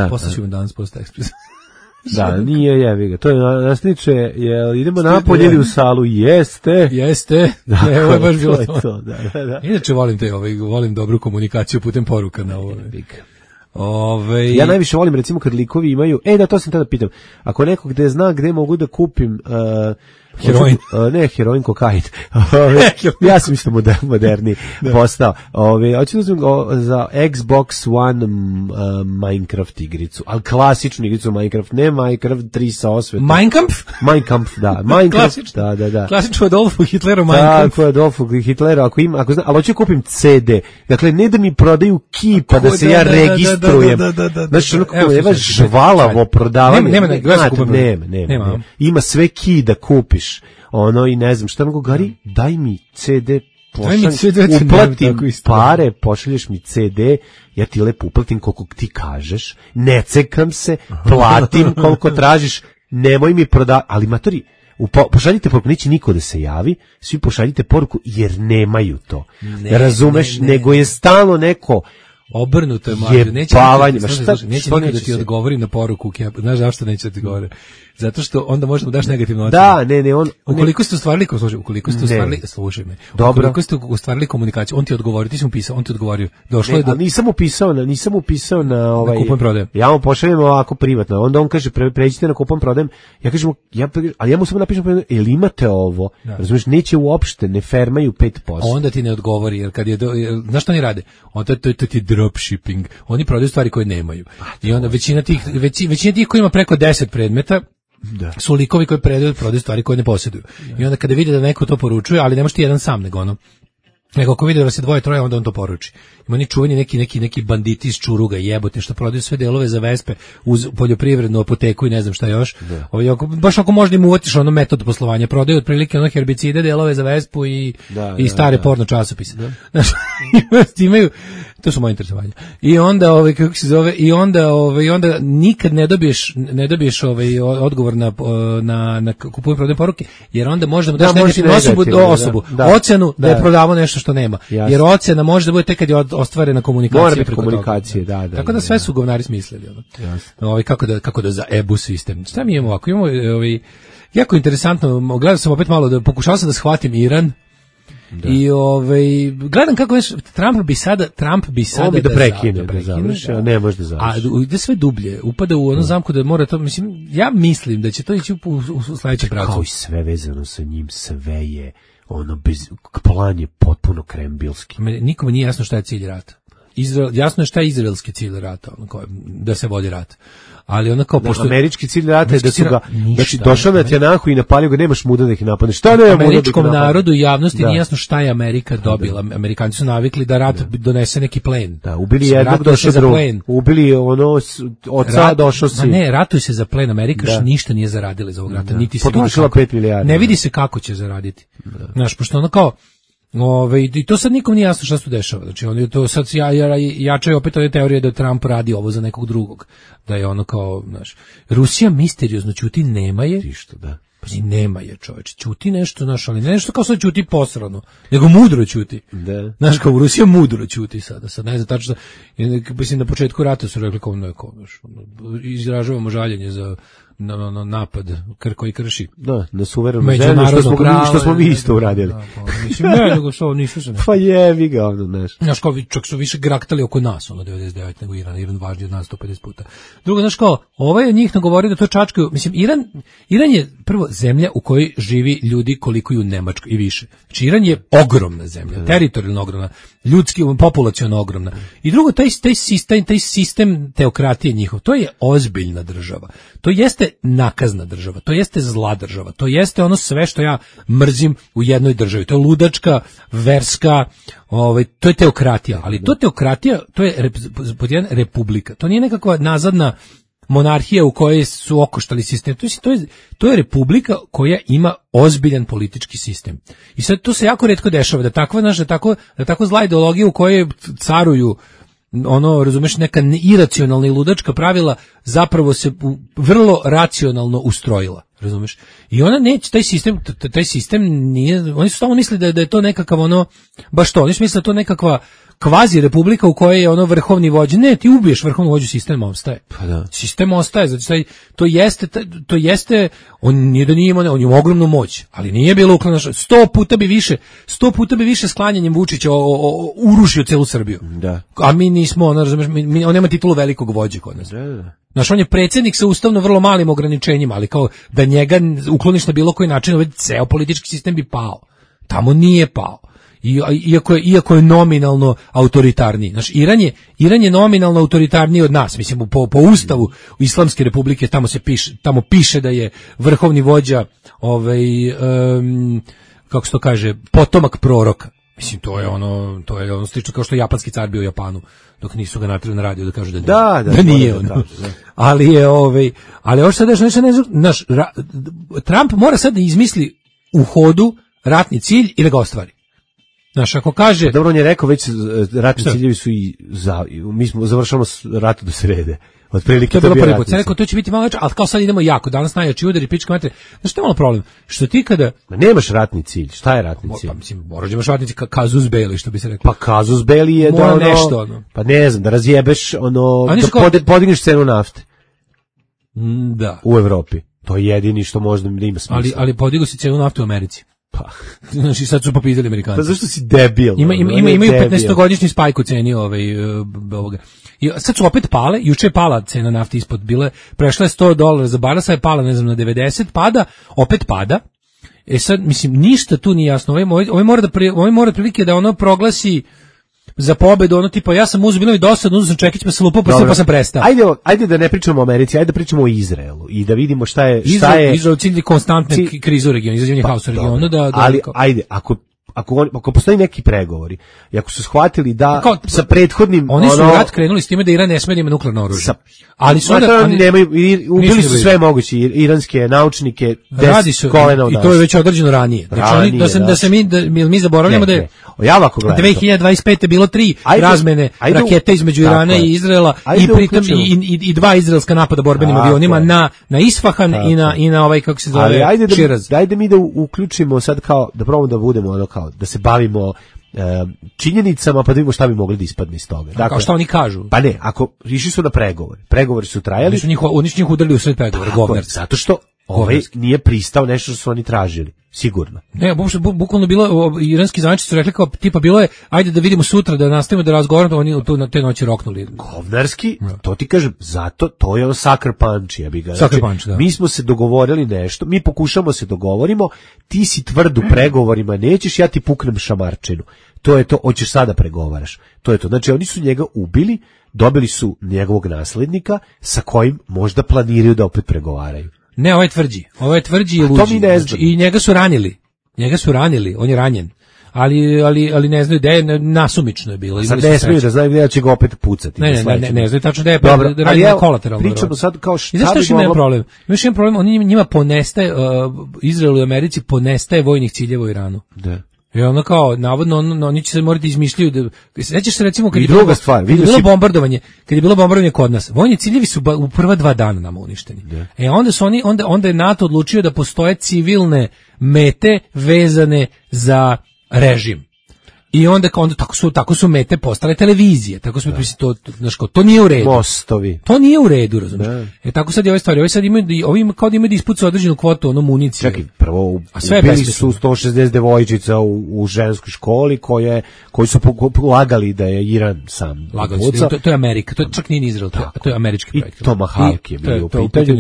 Poslaćemo danas Posta Ekspres. Da, nije jevi ga. To je nasniče, idemo napolje ili u salu? Jeste. Da, ovo je baš bilo to. Da. Inače volim dobru komunikaciju putem poruka na ovo. Ja najviše volim recimo kad likovi imaju, to sam tada pitam, ako neko gde zna gde mogu da kupim heroin. Ne, heroin, kokain. Ja sam isto moderni postao. Hoću da uzmem za Xbox One Minecraft igricu, ali klasičnu igricu Minecraft, ne Minecraft 3 sa osvetom. Minecraft, da. Minecraft, da. Klasično Adolfu Hitleru Minecraft. Tako je Adolfu Hitleru, ako znam, ali hoću kupim CD. Dakle, ne da mi prodaju kipa, da se ja registrujem. Znači, ono kako je žvalavo prodavanje. Nema. Ima sve ki da kupiš. I ne znam šta, nego Gari, daj mi CD, uplatim pare, pošalješ mi CD, ja ti lepo uplatim koliko ti kažeš, ne cekam se, platim koliko tražiš, nemoj mi ali matori, pošaljite poruku, neće niko da se javi, svi pošaljite poruku jer nemaju to, razumeš, nego je stalno neko obrnuto je mlađe, neće nikad da ti odgovori na poruku, znaš zašto neće da ti govori? Zato što onda možemo daš negativnu ocenu. Da, ukoliko ste ostvarili, slušaj me. Ukoliko ste ostvarili komunikaciju, on ti odgovori, ti si mu pisao, on ti odgovorio. Došlo je do... nisam upisao na kupujem prodajem. Ja mu pošaljem ovako privatno. Onda on kaže pređite na kupujem prodajem. Ja kažem, ali ja mu samo napišem, jel imate ovo? Razumeš, neće uopšte, ne fermaju 5%. Onda ti ne odgovori, jer kad je znaš što oni rade? Onda to ti dropshipping. Oni prodaju stvari koje nemaju. I onda većina tih koji ima preko 10 predmeta su likovi koji prodaju stvari koje ne posjeduju. I onda kada vide da neko to poručuje, ali ne može ti jedan sam, nego ako vidi da vas je 2-3, onda on to poruči. Ima oni čuveni neki banditi iz Čuruga, jebote, što prodaju sve delove za vespe uz poljoprivrednu apoteku i ne znam šta još. Baš ako možda im uvatiš metod poslovanja, prodaju otprilike herbicide, delove za vespu i stare porno časopise. Znači, imaju To su moje interesovanja. I onda kako se zove, i onda nikad ne dobiješ odgovor na kupujem prodajem poruke, jer onda možda mu daš negativnu osobu, ocenu da je prodavao nešto što nema. Jasne. Jer ocena može da bude tek kad je ostvarena komunikacija. Mora biti komunikacije, da. Tako da sve su govnari smislili. Kako da za EBU sistem. Šta mi imamo ovako? Imamo jako interesantno, gledao sam opet malo, pokušao sam da shvatim Iran. Da. I gledam kako Trump bi sada da prekine, da završi, a ne može da završi. A ide sve dublje, upada u onu zamku da mora to, ja mislim da će to ići u sledećem pravcu. Kao i sve vezano sa njim, sve je plan je potpuno krembilski. Nikome nije jasno šta je cilj rata. Jasno je šta je izraelski cilj rata, da se vodi rat. Ali ona kao pošto američki cilj rata je da su ga došao na Tjanahu i napalio ga, nemaš muda da ih napadneš. Šta ne američkom narodu i javnosti nije jasno šta je Amerika dobila. Amerikanci su navikli da rat donese neki plen. Da, ubili jednog, došao drugog. Ubili oca, došao si. Ne, ratuj se za plen. Amerika ništa nije zaradila iz ovog rata, niti se potrošila 5 milijardi. Ne vidi se kako će zaraditi. Znaš, pošto ono kao i to sad nikom nije jasno šta se dešava. Znači oni to sad jačaju opet ove teorije da Trump radi ovo za nekog drugog. Da je ono kao, znaš, Rusija misteriozno ćuti, nema je. Išto, da. Pa nema je, čoveče, ćuti nešto, znaš, ali nešto kao sad ćuti posrano, nego mudro ćuti. Da. Znaš, kao Rusija mudro ćuti sada. Sad ne znam tačno, mislim na početku rata su rekli kao izražavamo žaljenje za napad koji krši. Da, na suverenu zemlju, što smo mi isto uradili. Mislim, ne, nego što nisu se. Pa jevi ga ovdje, znaš. Znaš, kao čak su više graktali oko nas, 99, nego Iran važniji od nas 150 puta. Drugo, znaš, kao, ovaj od njih nagovori da to čačkaju, mislim, Iran je prvo zemlja u kojoj živi ljudi koliko i u Nemačkoj i više. Znači, Iran je ogromna zemlja, teritorijalno ogromna, ljudski, populaciono ogromna. I drugo, taj sistem teokratije njihov, to je ozbiljna država. To jeste nakazna država, to jeste zla država, to jeste ono sve što ja mrzim u jednoj državi. To je ludačka, verska, to je teokratija, ali to teokratija, to je republika. To nije nekakva nazadna monarhija u kojoj su okoštali sistem. To je republika koja ima ozbiljan politički sistem. I sad to se jako retko dešava, da tako zla ideologija u kojoj caruju razumeš, neka iracionalna i ludačka pravila zapravo se vrlo racionalno ustrojila, razumeš? I ona neće, taj sistem nije, oni su samo mislili da je to nekakav baš to, oni su mislili da je to nekakva kvazi republika u kojoj je vrhovni vođa. Ne, ti ubiješ vrhovnu vođu, sistem ostaje. Pa da. Sistem ostaje, znači to jeste, on nije da nije imao, on ima ogromnu moć, ali nije bilo uklanaš, 100 puta bi više sklanjanjem Vučića urušio celu Srbiju. Da. A mi nismo, razumeš, on nema titulu velikog vođe kod nas. Da. Znaš, on je predsjednik sa ustavno vrlo malim ograničenjima, ali kao da njega ukloniš na bilo koji način, ceo politički sistem bi pao. Tamo nije pao. Iako je nominalno autoritarniji. Znači, Iran je nominalno autoritarniji od nas. Mislim, po ustavu Islamske republike tamo piše da je vrhovni vođa kako se to kaže, potomak proroka. Mislim, to je ono slično kao što je japanski car bio u Japanu, dok nisu ga natrali na radio da kažu da nije on. Ali ovo sad naš Trump mora sad da izmisli u hodu ratni cilj i da ga ostvari. Znaš, ako kaže... Dobro, on je rekao već, ratni ciljevi su mi smo završamo rat do srede. Otprilike to je bilo prvi put. Rekao, to će biti malo veće, ali kao sad idemo jako. Danas najjači udari, pička mater. Znaš, što je malo problem? Što ti kada... Nemaš ratni cilj. Šta je ratni cilj? Pa mislim, moraš da imaš ratni cilj, kazus belli, što bi se rekao. Pa kazus belli je da nešto, Pa ne znam, da razjebeš da podigneš cenu nafte. Da. U Evropi. To je jedini što možda da ima smisla. Ali podigu si cenu nafte u Americi. Pa, znači sad su popizali Amerikanci. Pa zašto si debil? Imaju 15-godišnji spajk u ceni ovoga. I sad su opet pale, juče je pala cena nafte ispod bile, prešla je $100 za barel, sad je pala, ne znam, na 90, opet pada. Sad, mislim, ništa tu nije jasno. Ovaj mora prilike da ono proglasi za pobedu, tipa, ja sam uzeo, bilo mi dosadno, uzeo sam čekić, pa sam lupao, pa sam prestao. Ajde da ne pričamo o Americi, ajde da pričamo o Izraelu i da vidimo šta je... Izrael cilj konstantne krize u regionu, izazivanje haosa u regionu. Ali, ajde, ako postoji neki pregovori i ako su shvatili da sa prethodnim oni su rat krenuli s time da Iran ne sme da ima nuklearno oružje. Ali su ubili su sve moguće iranske naučnike kolena i to je već određeno ranije. Znači mi zaboravljamo da je 2025. bilo 3 razmene rakete između Irana i Izraela i pritom i 2 izraelska napada borbenim avionima na Isfahan i na ovaj, kako se zove, Širaz. Dajde mi da uključimo sad kao, da probamo da budemo ono kao, da se bavimo činjenicama, pa da vidimo šta bi mogli da ispadne iz toga. Dakle, kao šta oni kažu? Pa ne, ako išli su na pregovori su trajali. Oni su njih udarili u sred pregovora, govnar. Zato što nije pristao nešto što su oni tražili. Sigurno. Ne, bukvalno bilo, iranski zvaničnici su rekli kao, tipa bilo je, ajde da vidimo sutra, da nastavimo da razgovaramo, oni tu na te noći roknuli. Govnarski, to ti kažem, zato to je sucker punch, ja bih ga. Sucker punch, da. Mi smo se dogovorili nešto, mi pokušamo se dogovorimo, ti si tvrd u pregovorima, nećeš, ja ti puknem šamarčinu. To je to, hoćeš sada pregovaraš. To je to. Znači, oni su njega ubili, dobili su njegovog naslednika, sa kojim možda planiraju da opet pregovaraju. Ne, ovo je tvrđi i luđi. I njega su ranili, on je ranjen. Ali ne znaju gde je, nasumično je bilo. Sad ne smiju da znaju gde će ga opet pucati. Ne znaju tačno gde je ranjen kolateralno. Pričamo sad kao šta bi moglo... problem? Imaš jedan problem, njima ponestaje, Izraelu i Americi ponestaje vojnih ciljeva u Iranu. Da. I ono kao, navodno, oni će se morati izmišljaju sećaš se recimo kad je bilo bombardovanje kod nas, vojni ciljevi su u prva 2 dana nama uništeni. Onda je NATO odlučio da postoje civilne mete vezane za režim. I onda tako su mete postale televizije. Tako smo to nije u redu. Mostovi. To nije u redu, razumiješ? Tako sad je ove stvari. Ovi kao da imaju da ispucaju određenu kvotu municije. Čekaj, prvo ubili su 160 devojčica u ženskoj školi koji su lagali da je Iran sam. To je Amerika, to čak nije Izrael, to je američki projekt. I Tomahawk je bio u pitanju.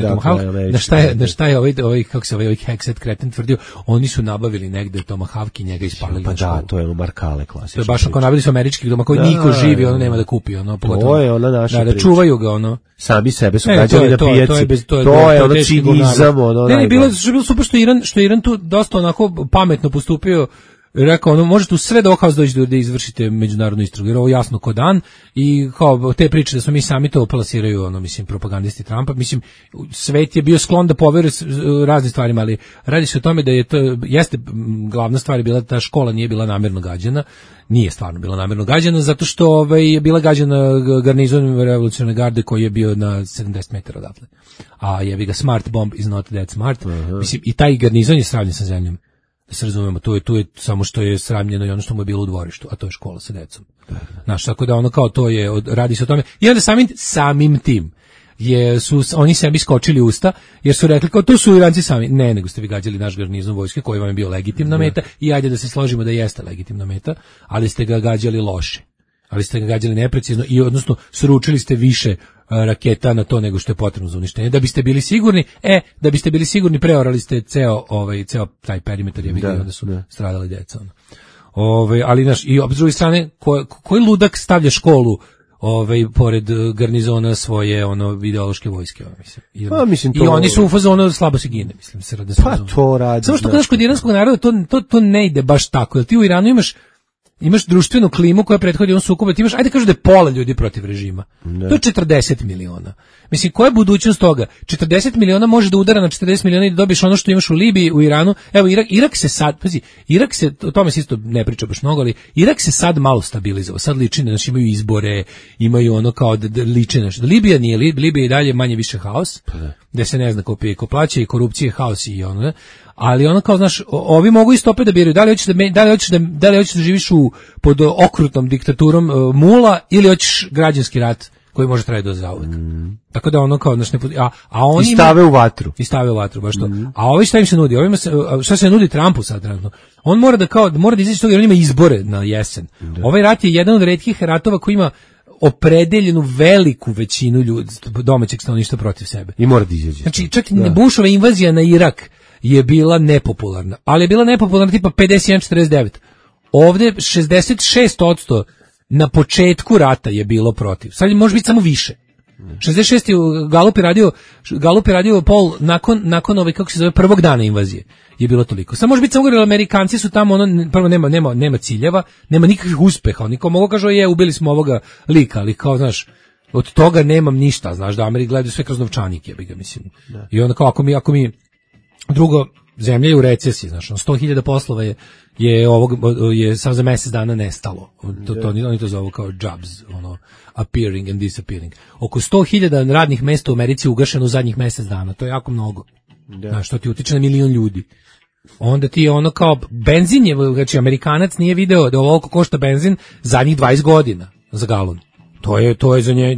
Na šta je ovaj kako se ovaj Hexet kreten tvrdio, oni su nabavili negde Tomahawk i njega ispalili. Pa da, to je Markale. To je baš ako nabili su američkih doma koji niko živi, ono nema da kupi, ono pogotovo. To je ona naša da čuvaju ga, ono. Sami sebe su gađali na pijaci. To je ono cinizam, ono. Ne, bilo super što Iran tu dosta onako pametno postupio. Rekao, ono, možete u sred ovog haos doći da izvršite međunarodnu istragu, jer ovo jasno ko dan i kao te priče da smo mi sami to plasiraju, ono, mislim, propagandisti Trumpa, mislim, svet je bio sklon da poveruje razne stvarima, ali radi se o tome da je to, jeste, glavna stvar je bila da ta škola nije bila namjerno gađana, nije stvarno bila namjerno gađana, zato što je bila gađana garnizon revolucionarne garde koji je bio na 70 metara odatle. A jebi ga, smart bomb is not that smart. Mislim, i taj garnizon je sravnjen sa zemljom. Da se razumemo, tu je samo što je sramljeno i ono što mu je bilo u dvorištu, a to je škola sa decom. Znaš, tako da ono kao to je, radi se o tome. I onda samim tim su oni sebi skočili usta, jer su rekli kao to su Iranci sami. Ne, nego ste vi gađali naš garnizon vojske koji vam je bio legitimna meta i ajde da se složimo da jeste legitimna meta, ali ste ga gađali loše. Ali ste ga gađali neprecizno i odnosno sručili ste više raketa na to nego što je potrebno za uništenje. Da biste bili sigurni, preorali ste ceo taj perimetar, je vidio, onda su stradali deca. Ali naš, i s druge strane, koji ludak stavlja školu pored garnizona svoje ideološke vojske, mislim. I oni su u fazonu slabo se gine, mislim. Pa to radi. Samo što kažeš kod iranskog naroda to ne ide baš tako, jer ti u Iranu imaš društvenu klimu koja prethodi ovom sukobu, ti imaš, ajde kažu da je pola ljudi protiv režima. Ne. To je 40 miliona. Mislim, koja je budućnost toga? 40 miliona može da udara na 40 miliona i da dobiješ ono što imaš u Libiji, u Iranu. Evo, Irak se sad, o tome se isto ne priča baš mnogo, ali Irak se sad malo stabilizovao. Sad liči, znači imaju izbore, imaju ono kao da liče nešto. Libija nije, Libija je dalje manje više haos, gde se ne zna ko pije, ko plaća i korupcije, haos i ono, ne? Ali ono kao, znaš, ovi mogu isto opet da biraju da li hoćeš da živiš pod okrutnom diktaturom mula ili hoćeš građanski rat koji može trajati do zauvek. Tako da ono kao, znaš, a oni i stave u vatru. I stave u vatru, baš to. A ovi šta im se nudi? Šta se nudi Trumpu sad trenutno? On mora da izaći toga jer on ima izbore na jesen. Ovaj rat je jedan od retkih ratova koji ima opredeljenu veliku većinu ljudi, domaćeg stanovništva protiv sebe. I mora da izađe. Znači, čak Bushova invazija na Irak je bila nepopularna, ali je bila nepopularna tipa 51-49. Ovde 66% na početku rata je bilo protiv. Sad može biti samo više. 66. Galup je radio poll nakon ove, kako se zove, prvog dana invazije. Je bilo toliko. Samo može biti samo Amerikanci su tamo, prvo nema ciljeva, nema nikakvih uspeha. Oni kao mogu kažu ubili smo ovoga lika, ali kao, znaš, od toga nemam ništa, znaš, da Ameri gledaju sve kroz novčanik, jebi ga, mislim. Da. I onda kao, ako mi drugo, zemlja je u recesiji, znaš, 100.000 poslova je sad za mjesec dana nestalo. Oni to zovu kao jobs, appearing and disappearing. Oko 100.000 radnih mesta u Americi ugašeno u zadnjih mjesec dana, to je jako mnogo. Znaš, to ti utiče na 1 milion ljudi. Onda ti je kao benzin je, znači Amerikanac nije video da ovoliko košta benzin zadnjih 20 godina za galon. To je za nje,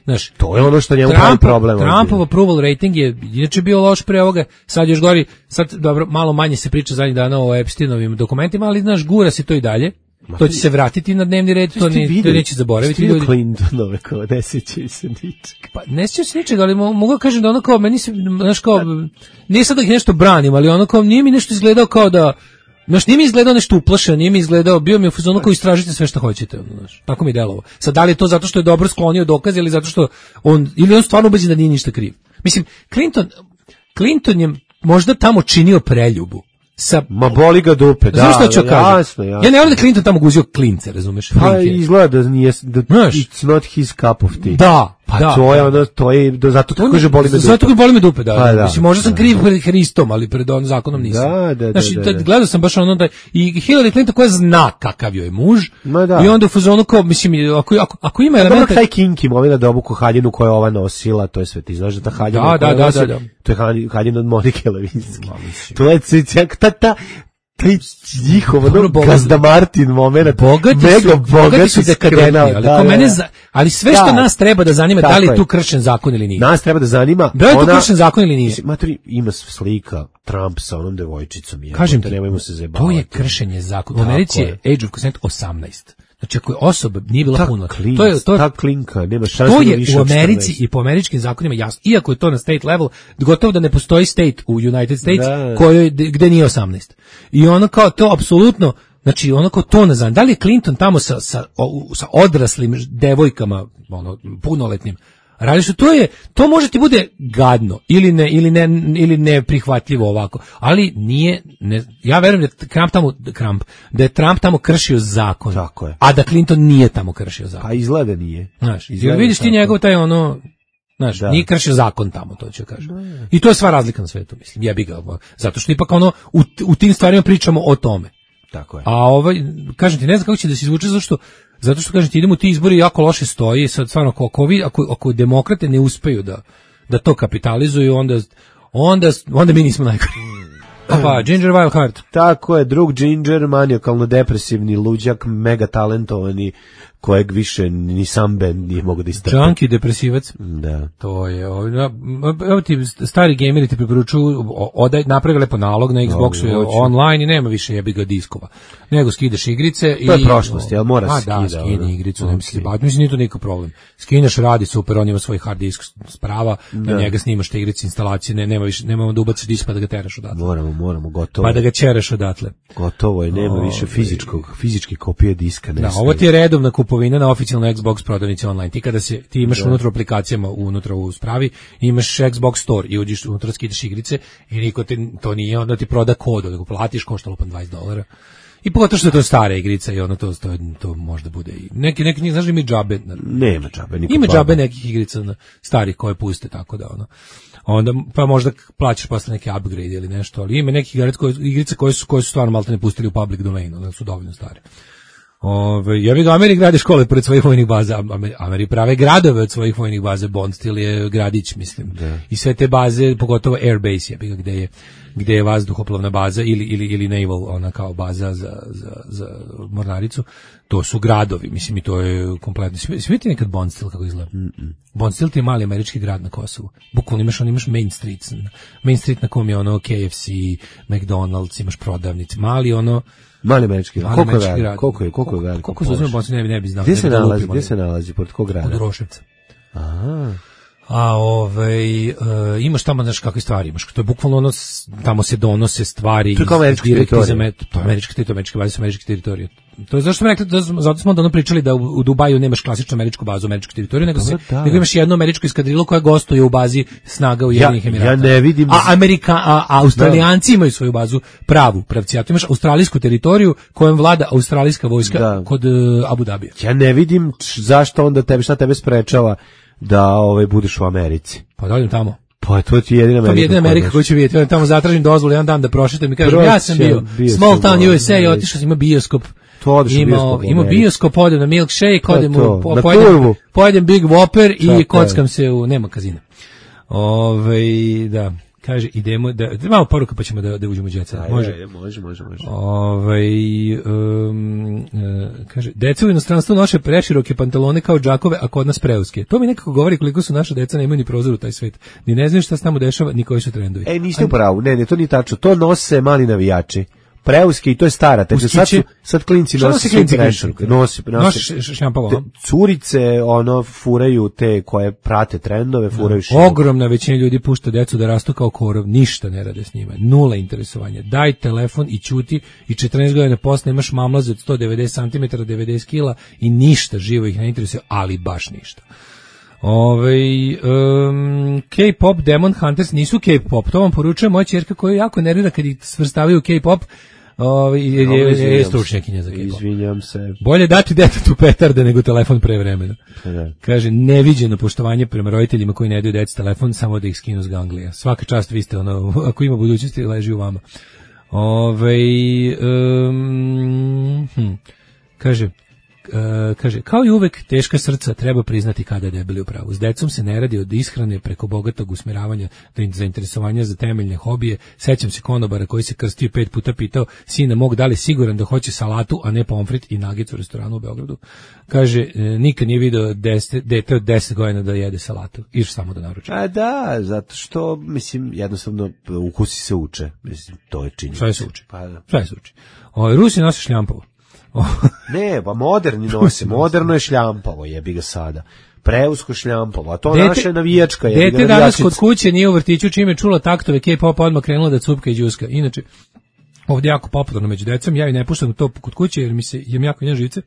znaš, to je ono što njemu pravi problem. Trumpov approval rating je inače bio loš pre ovoga, sad još gori, sad dobro, malo manje se priča zadnjih dana o Epsteinovim dokumentima, ali znaš, gura se to i dalje. To će se vratiti na dnevni red, to neće zaboraviti ljudi. Clintonove kao ne sjećaju se ničega. Pa ne sjećaju se ničega, ali mogu kažem da ono kao, meni se, znaš kao, nije sad da ih nešto branim, ali ono kao, nije mi nešto izgledao kao da, znaš, nije mi izgledao nešto uplašeno, nije mi izgledao, bio mi u fazonu kao istražite sve što hoćete, znaš, tako mi delovo. Sad, da li je to zato što je dobro sklonio dokaze ili zato što ili on stvarno ubeđen da nije ništa kriv. Mislim, Clinton je možda tamo činio preljubu. Ma boli ga dupe, da. Znaš što ću kažem? Ja ne volim da Clinton tamo guzio klince, razumeš? Pa izgleda da nije, it's not his cup of tea. Da, pa to je ono, to je, zato tako kaže boli me dupe. Zato tako boli me dupe, da. Mislim, možda sam kriv pred Hristom, ali pred onim zakonom nisam. Da. Znači, gledao sam baš ono da, i Hillary Clinton koja zna kakav joj je muž, i onda u fazonu kao, mislim, ako ima elementa... Dobro, taj kinki momina da obuku haljinu koju je ova nosila, to je sve, ti znaš da ta haljina koja nosi, to je haljina od Monike Levinski. To je taj njihov Gazda Martin moment, bogati su dekadentni, ali sve što nas treba da zanima, da li je tu kršen zakon ili nije. Nas treba da zanima, da li je tu kršen zakon ili nije. Ima slika Trump sa onom devojčicom. Kažem ti, to je kršenje zakona. U Americi je age of consent 18. Znači, ako je osoba nije bila puno, ta klinka, nema šanse to je u Americi i po američkim zakonima jasno. Iako je to na state level, gotovo da ne postoji state u United States gde nije 18. I ono kao to apsolutno, znači ono kao to ne znam. Da li je Clinton tamo sa odraslim devojkama, punoletnim, radi što to može ti bude gadno ili neprihvatljivo ovako, ali nije, ja verujem da je Trump tamo kršio zakon, a da Clinton nije tamo kršio zakon. Pa izgleda nije. Znaš, vidiš ti njegov taj znaš, nije kršio zakon tamo, to ću kažem. I to je sva razlika na svetu, mislim, jebi ga, zato što ipak u tim stvarima pričamo o tome. Tako je. A kažem ti, ne znam kako će da se izvuče, zato što kažem ti, idemo ti izbori jako loše stoji, sad stvarno ako demokrate ne uspeju da to kapitalizuju, onda mi nismo najgori. Pa, Ginger Wildheart. Tako je, drug Ginger, manijakalno depresivni luđak, mega talentovani, kojeg više ni sam band nije mogo da istrpe. Junkie depresivac. Da. To je, evo ti stari gameri ti preporučuju, napravi lepo nalog na Xboxu online i nema više jebiga diskova. Nego skidaš igrice i... To je prošlost, jel mora se skida? Da, skini igricu, ne misli baviti. Mislim, nije to nikakav problem. Skineš, radi super, on ima svoj hard disk sprava, na njega snimaš te igrice, instalacije, nema da ubaciš disk pa da ga teraš odatle. Moramo, gotovo. Pa da ga ćereš odatle. Gotovo je, nema više fizičke kopije diska. Da, ovo ti je redovna kupovina na oficijalnoj Xbox prodavnici online. Ti kada ti imaš unutra aplikacijama, unutra u spravi, imaš Xbox Store i uđeš unutra, skidaš igrice i niko to nije, onda ti proda kod, nego platiš, koštalo pa $20. I pogotovo što je to stara igrica i to možda bude i neki znaš, ima džabe. Nema džabe, ima džabe nekih igrica starih koje puste, tako da onda pa možda plaćaš posle neki upgrade ili nešto, ali ima neki igrice koje su stvarno maltene pustili u public domain, onda su dovoljno stare. Ja bih ga Ameri grade škole pored svojih vojnih baza, Ameri prave gradove od svojih vojnih baza, Bond stil je gradić, mislim. Da. I sve te baze, pogotovo Airbase, gde je vazduhoplovna baza ili naval, ona kao baza za mornaricu, to su gradovi, mislim, i to je kompletno. Svi ti nekad Bond stil kako izgleda? Bond stil ti je mali američki grad na Kosovu. Bukvalno imaš Main Street na kom je KFC, McDonald's, imaš prodavnice, mali mali američki grad. Koliko je veliko? Koliko se uzme Bosni, ne bi znao. Gdje se nalazi? Pored kog grada? Od Roševca. A imaš tamo, znaš, kakve stvari imaš, to je bukvalno ono, tamo se donose stvari. To je kao američka teritorija. To je američke baze su američke teritorije. To je zašto smo rekli, zato smo onda pričali da u Dubaju nemaš klasičnu američku bazu, američku teritoriju, nego imaš jedno američko eskadrilo koje gostuje u bazi snaga Ujedinjenih Emirata. Ja ne vidim. A Australijanci imaju svoju bazu, pravcijatu. Imaš australijsku teritoriju kojom vlada australijska vojska kod Abu Dabija. Ja ne vidim zašto onda šta tebe sprečava da budeš u Americi. Pa dođem tamo. Pa to ti je jedina Amerika. To je jedina Amerika koju ću vidjeti. Ja tamo zatražim dozvolu jedan dan da prošetam i kažem ja sam bio small town USA i otišao sam, ima bioskop. Ima bioskop, odem na milkshake, odem pojedem Big Whopper i kockam se nema kazina. Da. Kaže, idemo da malo poruka pa ćemo da uđemo u jet set. Može. Kaže, deca u inostranstvu noše preširoke pantalone kao džakove, a kod nas preuske. To mi nekako govori koliko su naša deca nemaju ni prozor u taj svet. Ni ne znaju šta se tamo dešava, ni koji su trendovi. Niste u pravu. Ne, to nije tačno. To nose mali navijači. Preuske i to je stara, tako sad klinci nose šljampavo. Curice furaju te koje prate trendove, furaju Ogromna većina ljudi pušta decu da rastu kao korov, ništa ne rade s njima, nula interesovanja. Daj telefon i ćuti i 14 godina posle imaš mamlaze od 190 cm, 90 kila i ništa živo ih ne interesuje, ali baš ništa. K-pop Demon Hunters nisu K-pop, to vam poručuje moja ćerka koja jako nervira kad ih svrstavaju u K-pop. Je stručnjakinja za K-pop. Izvinjam se. Bolje dati detetu petarde nego telefon pre vremena. Kaže, neviđeno poštovanje prema roditeljima koji ne daju deci telefon, samo da ih skinu s ganglija. Svaka čast, vi ste ako ima budućnosti, leži u vama. Kaže, kao i uvek, teška srca treba priznati kada je debeli u pravu. S decom se ne radi od ishrane preko bogatog usmjeravanja do zainteresovanja za temeljne hobije. Sećam se konobara koji se krstio 5 puta pitao sina mog da li siguran da hoće salatu, a ne pomfrit i nagec u restoranu u Beogradu. Kaže, nikad nije video dete od 10 godina da jede salatu. Iš samo da naruči. A da, zato što, mislim, jednostavno ukusi se uče. Mislim, to je činjenica. Sve se uči. Sve se uči. Rusi nose šljampavo. Ne, pa moderni nose, moderno je šljampavo, jebi ga sada. Preusko šljampavo, a to naše navijačka je. Dete danas kod kuće nije u vrtiću, čime čulo taktove K-popa, odmah krenulo da cupka i đuska. Inače, ovdje jako popularno među decom, ja i ne puštam to kod kuće jer mi se jem jako njen živce,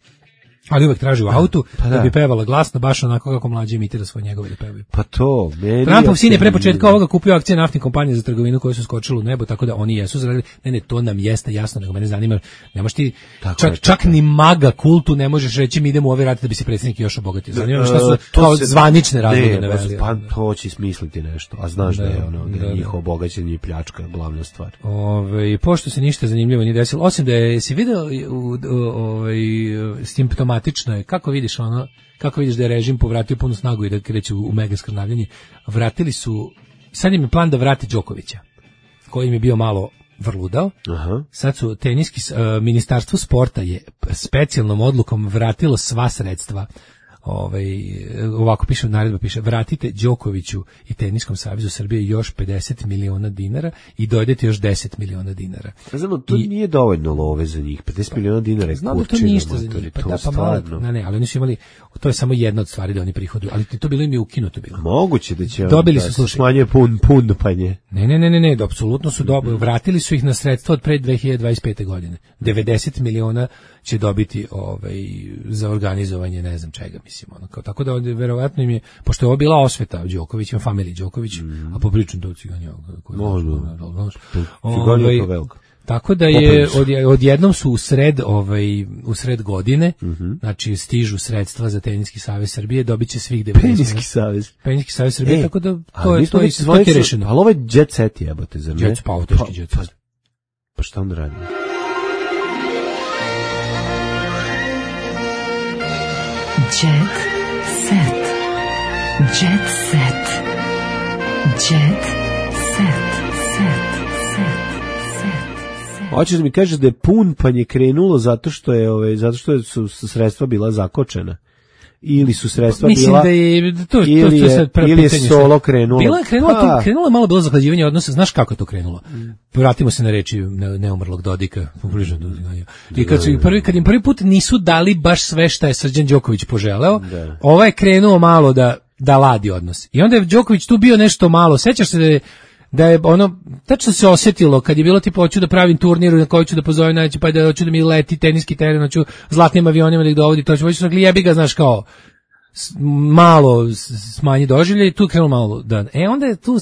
ali uvek traži u autu da bi pevala glasno, baš onako kako mlađi imitira svoje njegove da pevaju. Pa to, Trumpov sin je pre početka ovoga kupio akcije naftnih kompanija za trgovinu koje su skočile u nebo, tako da oni jesu zaradili. Ne, to nam jeste jasno, nego mene zanima, nemaš ti, čak ni maga kultu ne možeš reći mi idemo u ove rate da bi se predsjednik još obogatio. Zanima me šta su kao zvanične razloge naveli. Pa to će smisliti nešto, a znaš da je njihovo bogaćenje i pljačka glavna stvar. Pošto se ništa zanimljivo nije desilo, osim da je si video simptomatično je, kako vidiš da je režim povratio punu snagu i da kreću u mega skrnavljanje, vratili su, sad im je plan da vrati Đokovića, koji im je bio malo vrludao. Sad su ministarstvo sporta je specijalnom odlukom vratilo sva sredstva. Ovako piše, naredba piše, vratite Đokoviću i Teniskom savezu Srbije još 50 miliona dinara i dojdete još 10 miliona dinara. Znamo, to nije dovoljno love za njih, 50 miliona dinara je kurčina. To ništa za njih, ali oni su imali, to je samo jedna od stvari da oni prihoduju, ali to bilo im je ukinuto bilo. Moguće da će dobili su smanje punpanje. Ne, apsolutno su vratili su ih na sredstva od pre 2025. godine. 90 miliona će dobiti za organizovanje ne znam čega, mislim, tako da verovatno im je, pošto je ovo bila osveta Đoković, ima familiji Đoković, a popričam to Ciganja. Tako da je odjednom su u sred godine, znači stižu sredstva za Teniski savez Srbije, dobiće svih 90. Teniski savez Srbije, tako da to je rešeno. Ali ovo je jet set jebote, zar ne? Teški jet set. Pa šta onda radimo? Jet set. Jet set. Jet set. Hoćeš da mi kažeš da je punpanje krenulo zato što su sredstva bila zakočena? Ili su sredstva mislim bila... Mislim da je ili je solo krenulo? Krenulo je malo bilo zahlađivanje odnosa. Znaš kako je to krenulo? Vratimo se na reči neumrlog Dodika. I kad im prvi put nisu dali baš sve šta je Srđan Đoković poželeo, ovaj je krenuo malo da da ladi odnos. I onda je Đoković tu bio nešto malo, sećaš se da je ono, tačno se osjetilo kad je bilo tipa hoću da pravim turnir na koji ću da pozovem najveće, pa da hoću da mi leti teniski teren, hoću zlatnim avionima da ih dovodi, to ću rekli jebi ga, znaš kao, malo smanji doživlje i tu krenulo malo da. Onda je tu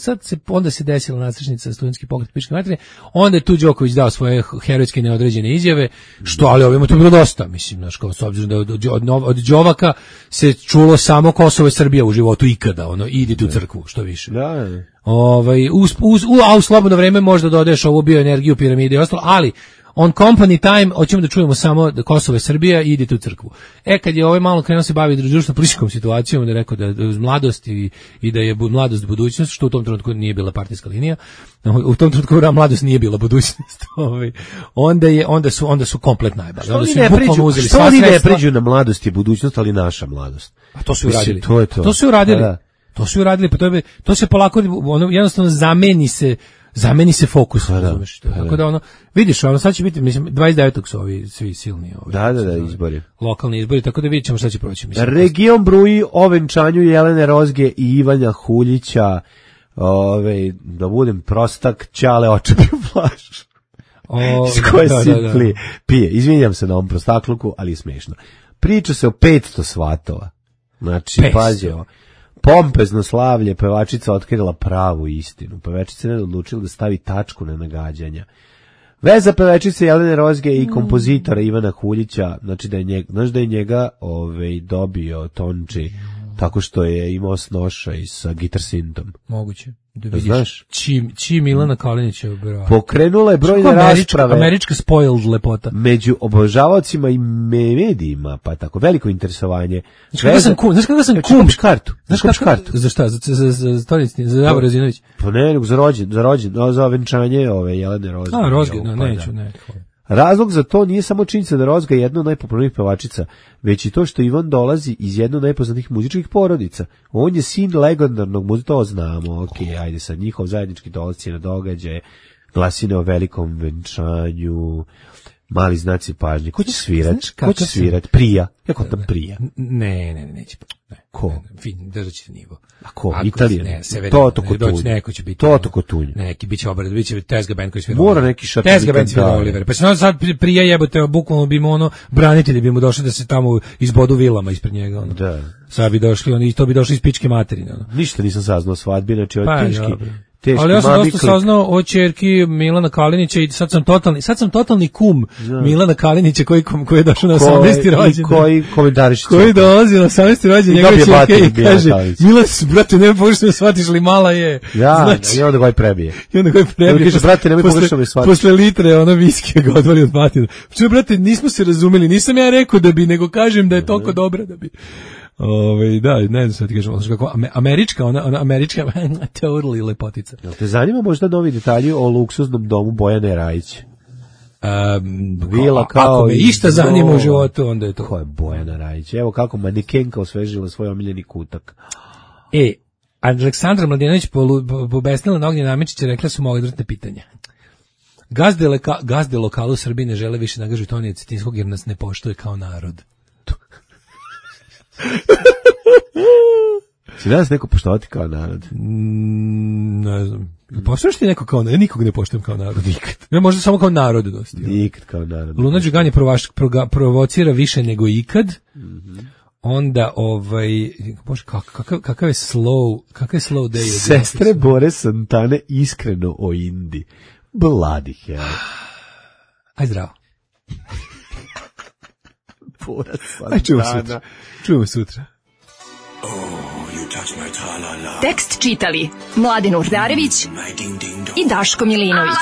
onda se desila nadstrešnica studentski pokret pičke materije, onda je tu Đoković dao svoje herojske neodređene izjave, što ali ovima to bilo dosta, mislim, znaš, kao s obzirom da od Đovaka se čulo samo Kosovo i Srbija u životu ikada, ono, idite u crkvu, što više. Da. A u slobodno vreme možda dodaješ ovu bioenergiju, piramide i ostalo, ali on company time, hoćemo da čujemo samo da Kosovo je Srbija i idete u crkvu. Kad je ovaj malo krenuo se bavi društveno-političkom situacijom, da je rekao da je mladost i da je mladost budućnost, što u tom trenutku nije bila partijska linija, u tom trenutku mladost nije bila budućnost, onda su komplet najbali. Što oni ne pređu na mladost i budućnost, ali naša mladost? A to su uradili. To su uradili. To su uradili, pa to se polako, jednostavno zameni se fokus, razumeš. Tako da vidiš, sad će biti, mislim, 29. su ovi svi silni. Da, izbori. Lokalni izbori, tako da vidjet ćemo šta će proći. Mislim. Region bruji o venčanju Jelene Rozge i Ivana Huljića, da budem prostak, Ćale očepio flašu. Iz koje pije. Izvinjam se na ovom prostakluku, ali je smiješno. Priča se o 500 svatova. Znači, pazi ovo. Pompezno slavlje, pevačica otkrila pravu istinu. Pevačica je odlučila da stavi tačku na nagađanja. Veza pevačice Jelene Rozge i kompozitora Ivana Huljića, znači da je njega dobio Tonči tako što je imao snošaj sa Gitar Sintom. Moguće. Da vidiš čim Milana Kalinića obrava. Pokrenula je brojne rasprave. Američka spoiled lepota. Među obožavaocima i medijima, pa tako, veliko interesovanje. Znaš kada sam kum? Kupiš kartu. Za šta? Za Stoljetni, za Davor Razinović? Pa ne, za venčanje Jelene Rozge. A, Rozge, neću. Razlog za to nije samo činjenica da Rozga je jedna od najpopularnijih pevačica, već i to što Ivan dolazi iz jedne od najpoznatijih muzičkih porodica. On je sin legendarnog muzičara, to znamo, ajde sad, njihov zajednički dolasci na događaje, glasine o velikom venčanju, mali znaci pažnje. Ko će svirat? Prija. Jako tam Prija. Ne, neće. Ko? Fin, držat ćete nivo. A ko? Italijan? Toto Kotunj. Neko će biti. Toto Kotunj. Neki, bit će Tezga band koji svira. Mora neki šatovikan. Tezga band svira Oliver. Pa se sad Prija jebote, bukvalno bi mu branitelji bi mu došli da se tamo izbodu vilama ispred njega. Da. Sad bi došli, i to bi došli iz pičke materine. Ništa nisam saznao svadbi, znači od teški. Ali ja sam dosta saznao o ćerki Milana Kalinića i sad sam totalni kum Milana Kalinića koji je došao na 18. rođendan. Koji komentariš. Koji dolazi na 18. rođendan njegove ćerke i kaže: Milan, brate, ne pogrešno me shvatiš li, mala je. Ja, i onda ga je prebije. Kaže, brate, nemoj pogrešno me shvatiš. Posle litre viskija ga odvali od batina. Čuj, brate, nismo se razumeli, nisam ja rekao da bi, nego kažem da je toliko dobra da bi. Da, ne znam šta ti kažem, kako američka, ona američka totally lepotica. Te zanima možda novi detalji o luksuznom domu Bojane Rajić? Vila kao ako me išta zanima u životu, onda je to. Ko je Bojana Rajić? Evo kako manekenka osvežila svoj omiljeni kutak. Aleksandra Mladenović pobesnila na Ognjena Namičića, rekla su mu odvratne pitanja. Gazde lokalu u Srbiji ne žele više nagažu Tonija Cetinskog jer nas ne poštuje kao narod. Si danas neko poštovati kao narod? Ne znam. Poštovaš ti neko kao narod? Ja nikog ne poštujem kao narod. Nikad. Ja možda samo kao narod dosti. Nikad kao narod. Luna Đugani provocira više nego ikad. Onda, bože, kakav je slow day. Sestre Bore Santane iskreno o Indi. Bloody hell. Aj zdravo. Bora Santana. Čujemo sutra. Tekst čitali Mladen Urdarević i Daško Milinović.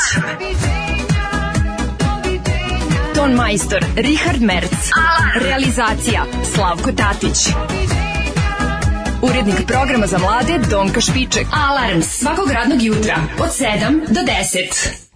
Ton majstor Richard Merc. Realizacija Slavko Tatić. Urednik programa za mlade Donka Špiček. Alarms svakog radnog jutra od 7 do 10.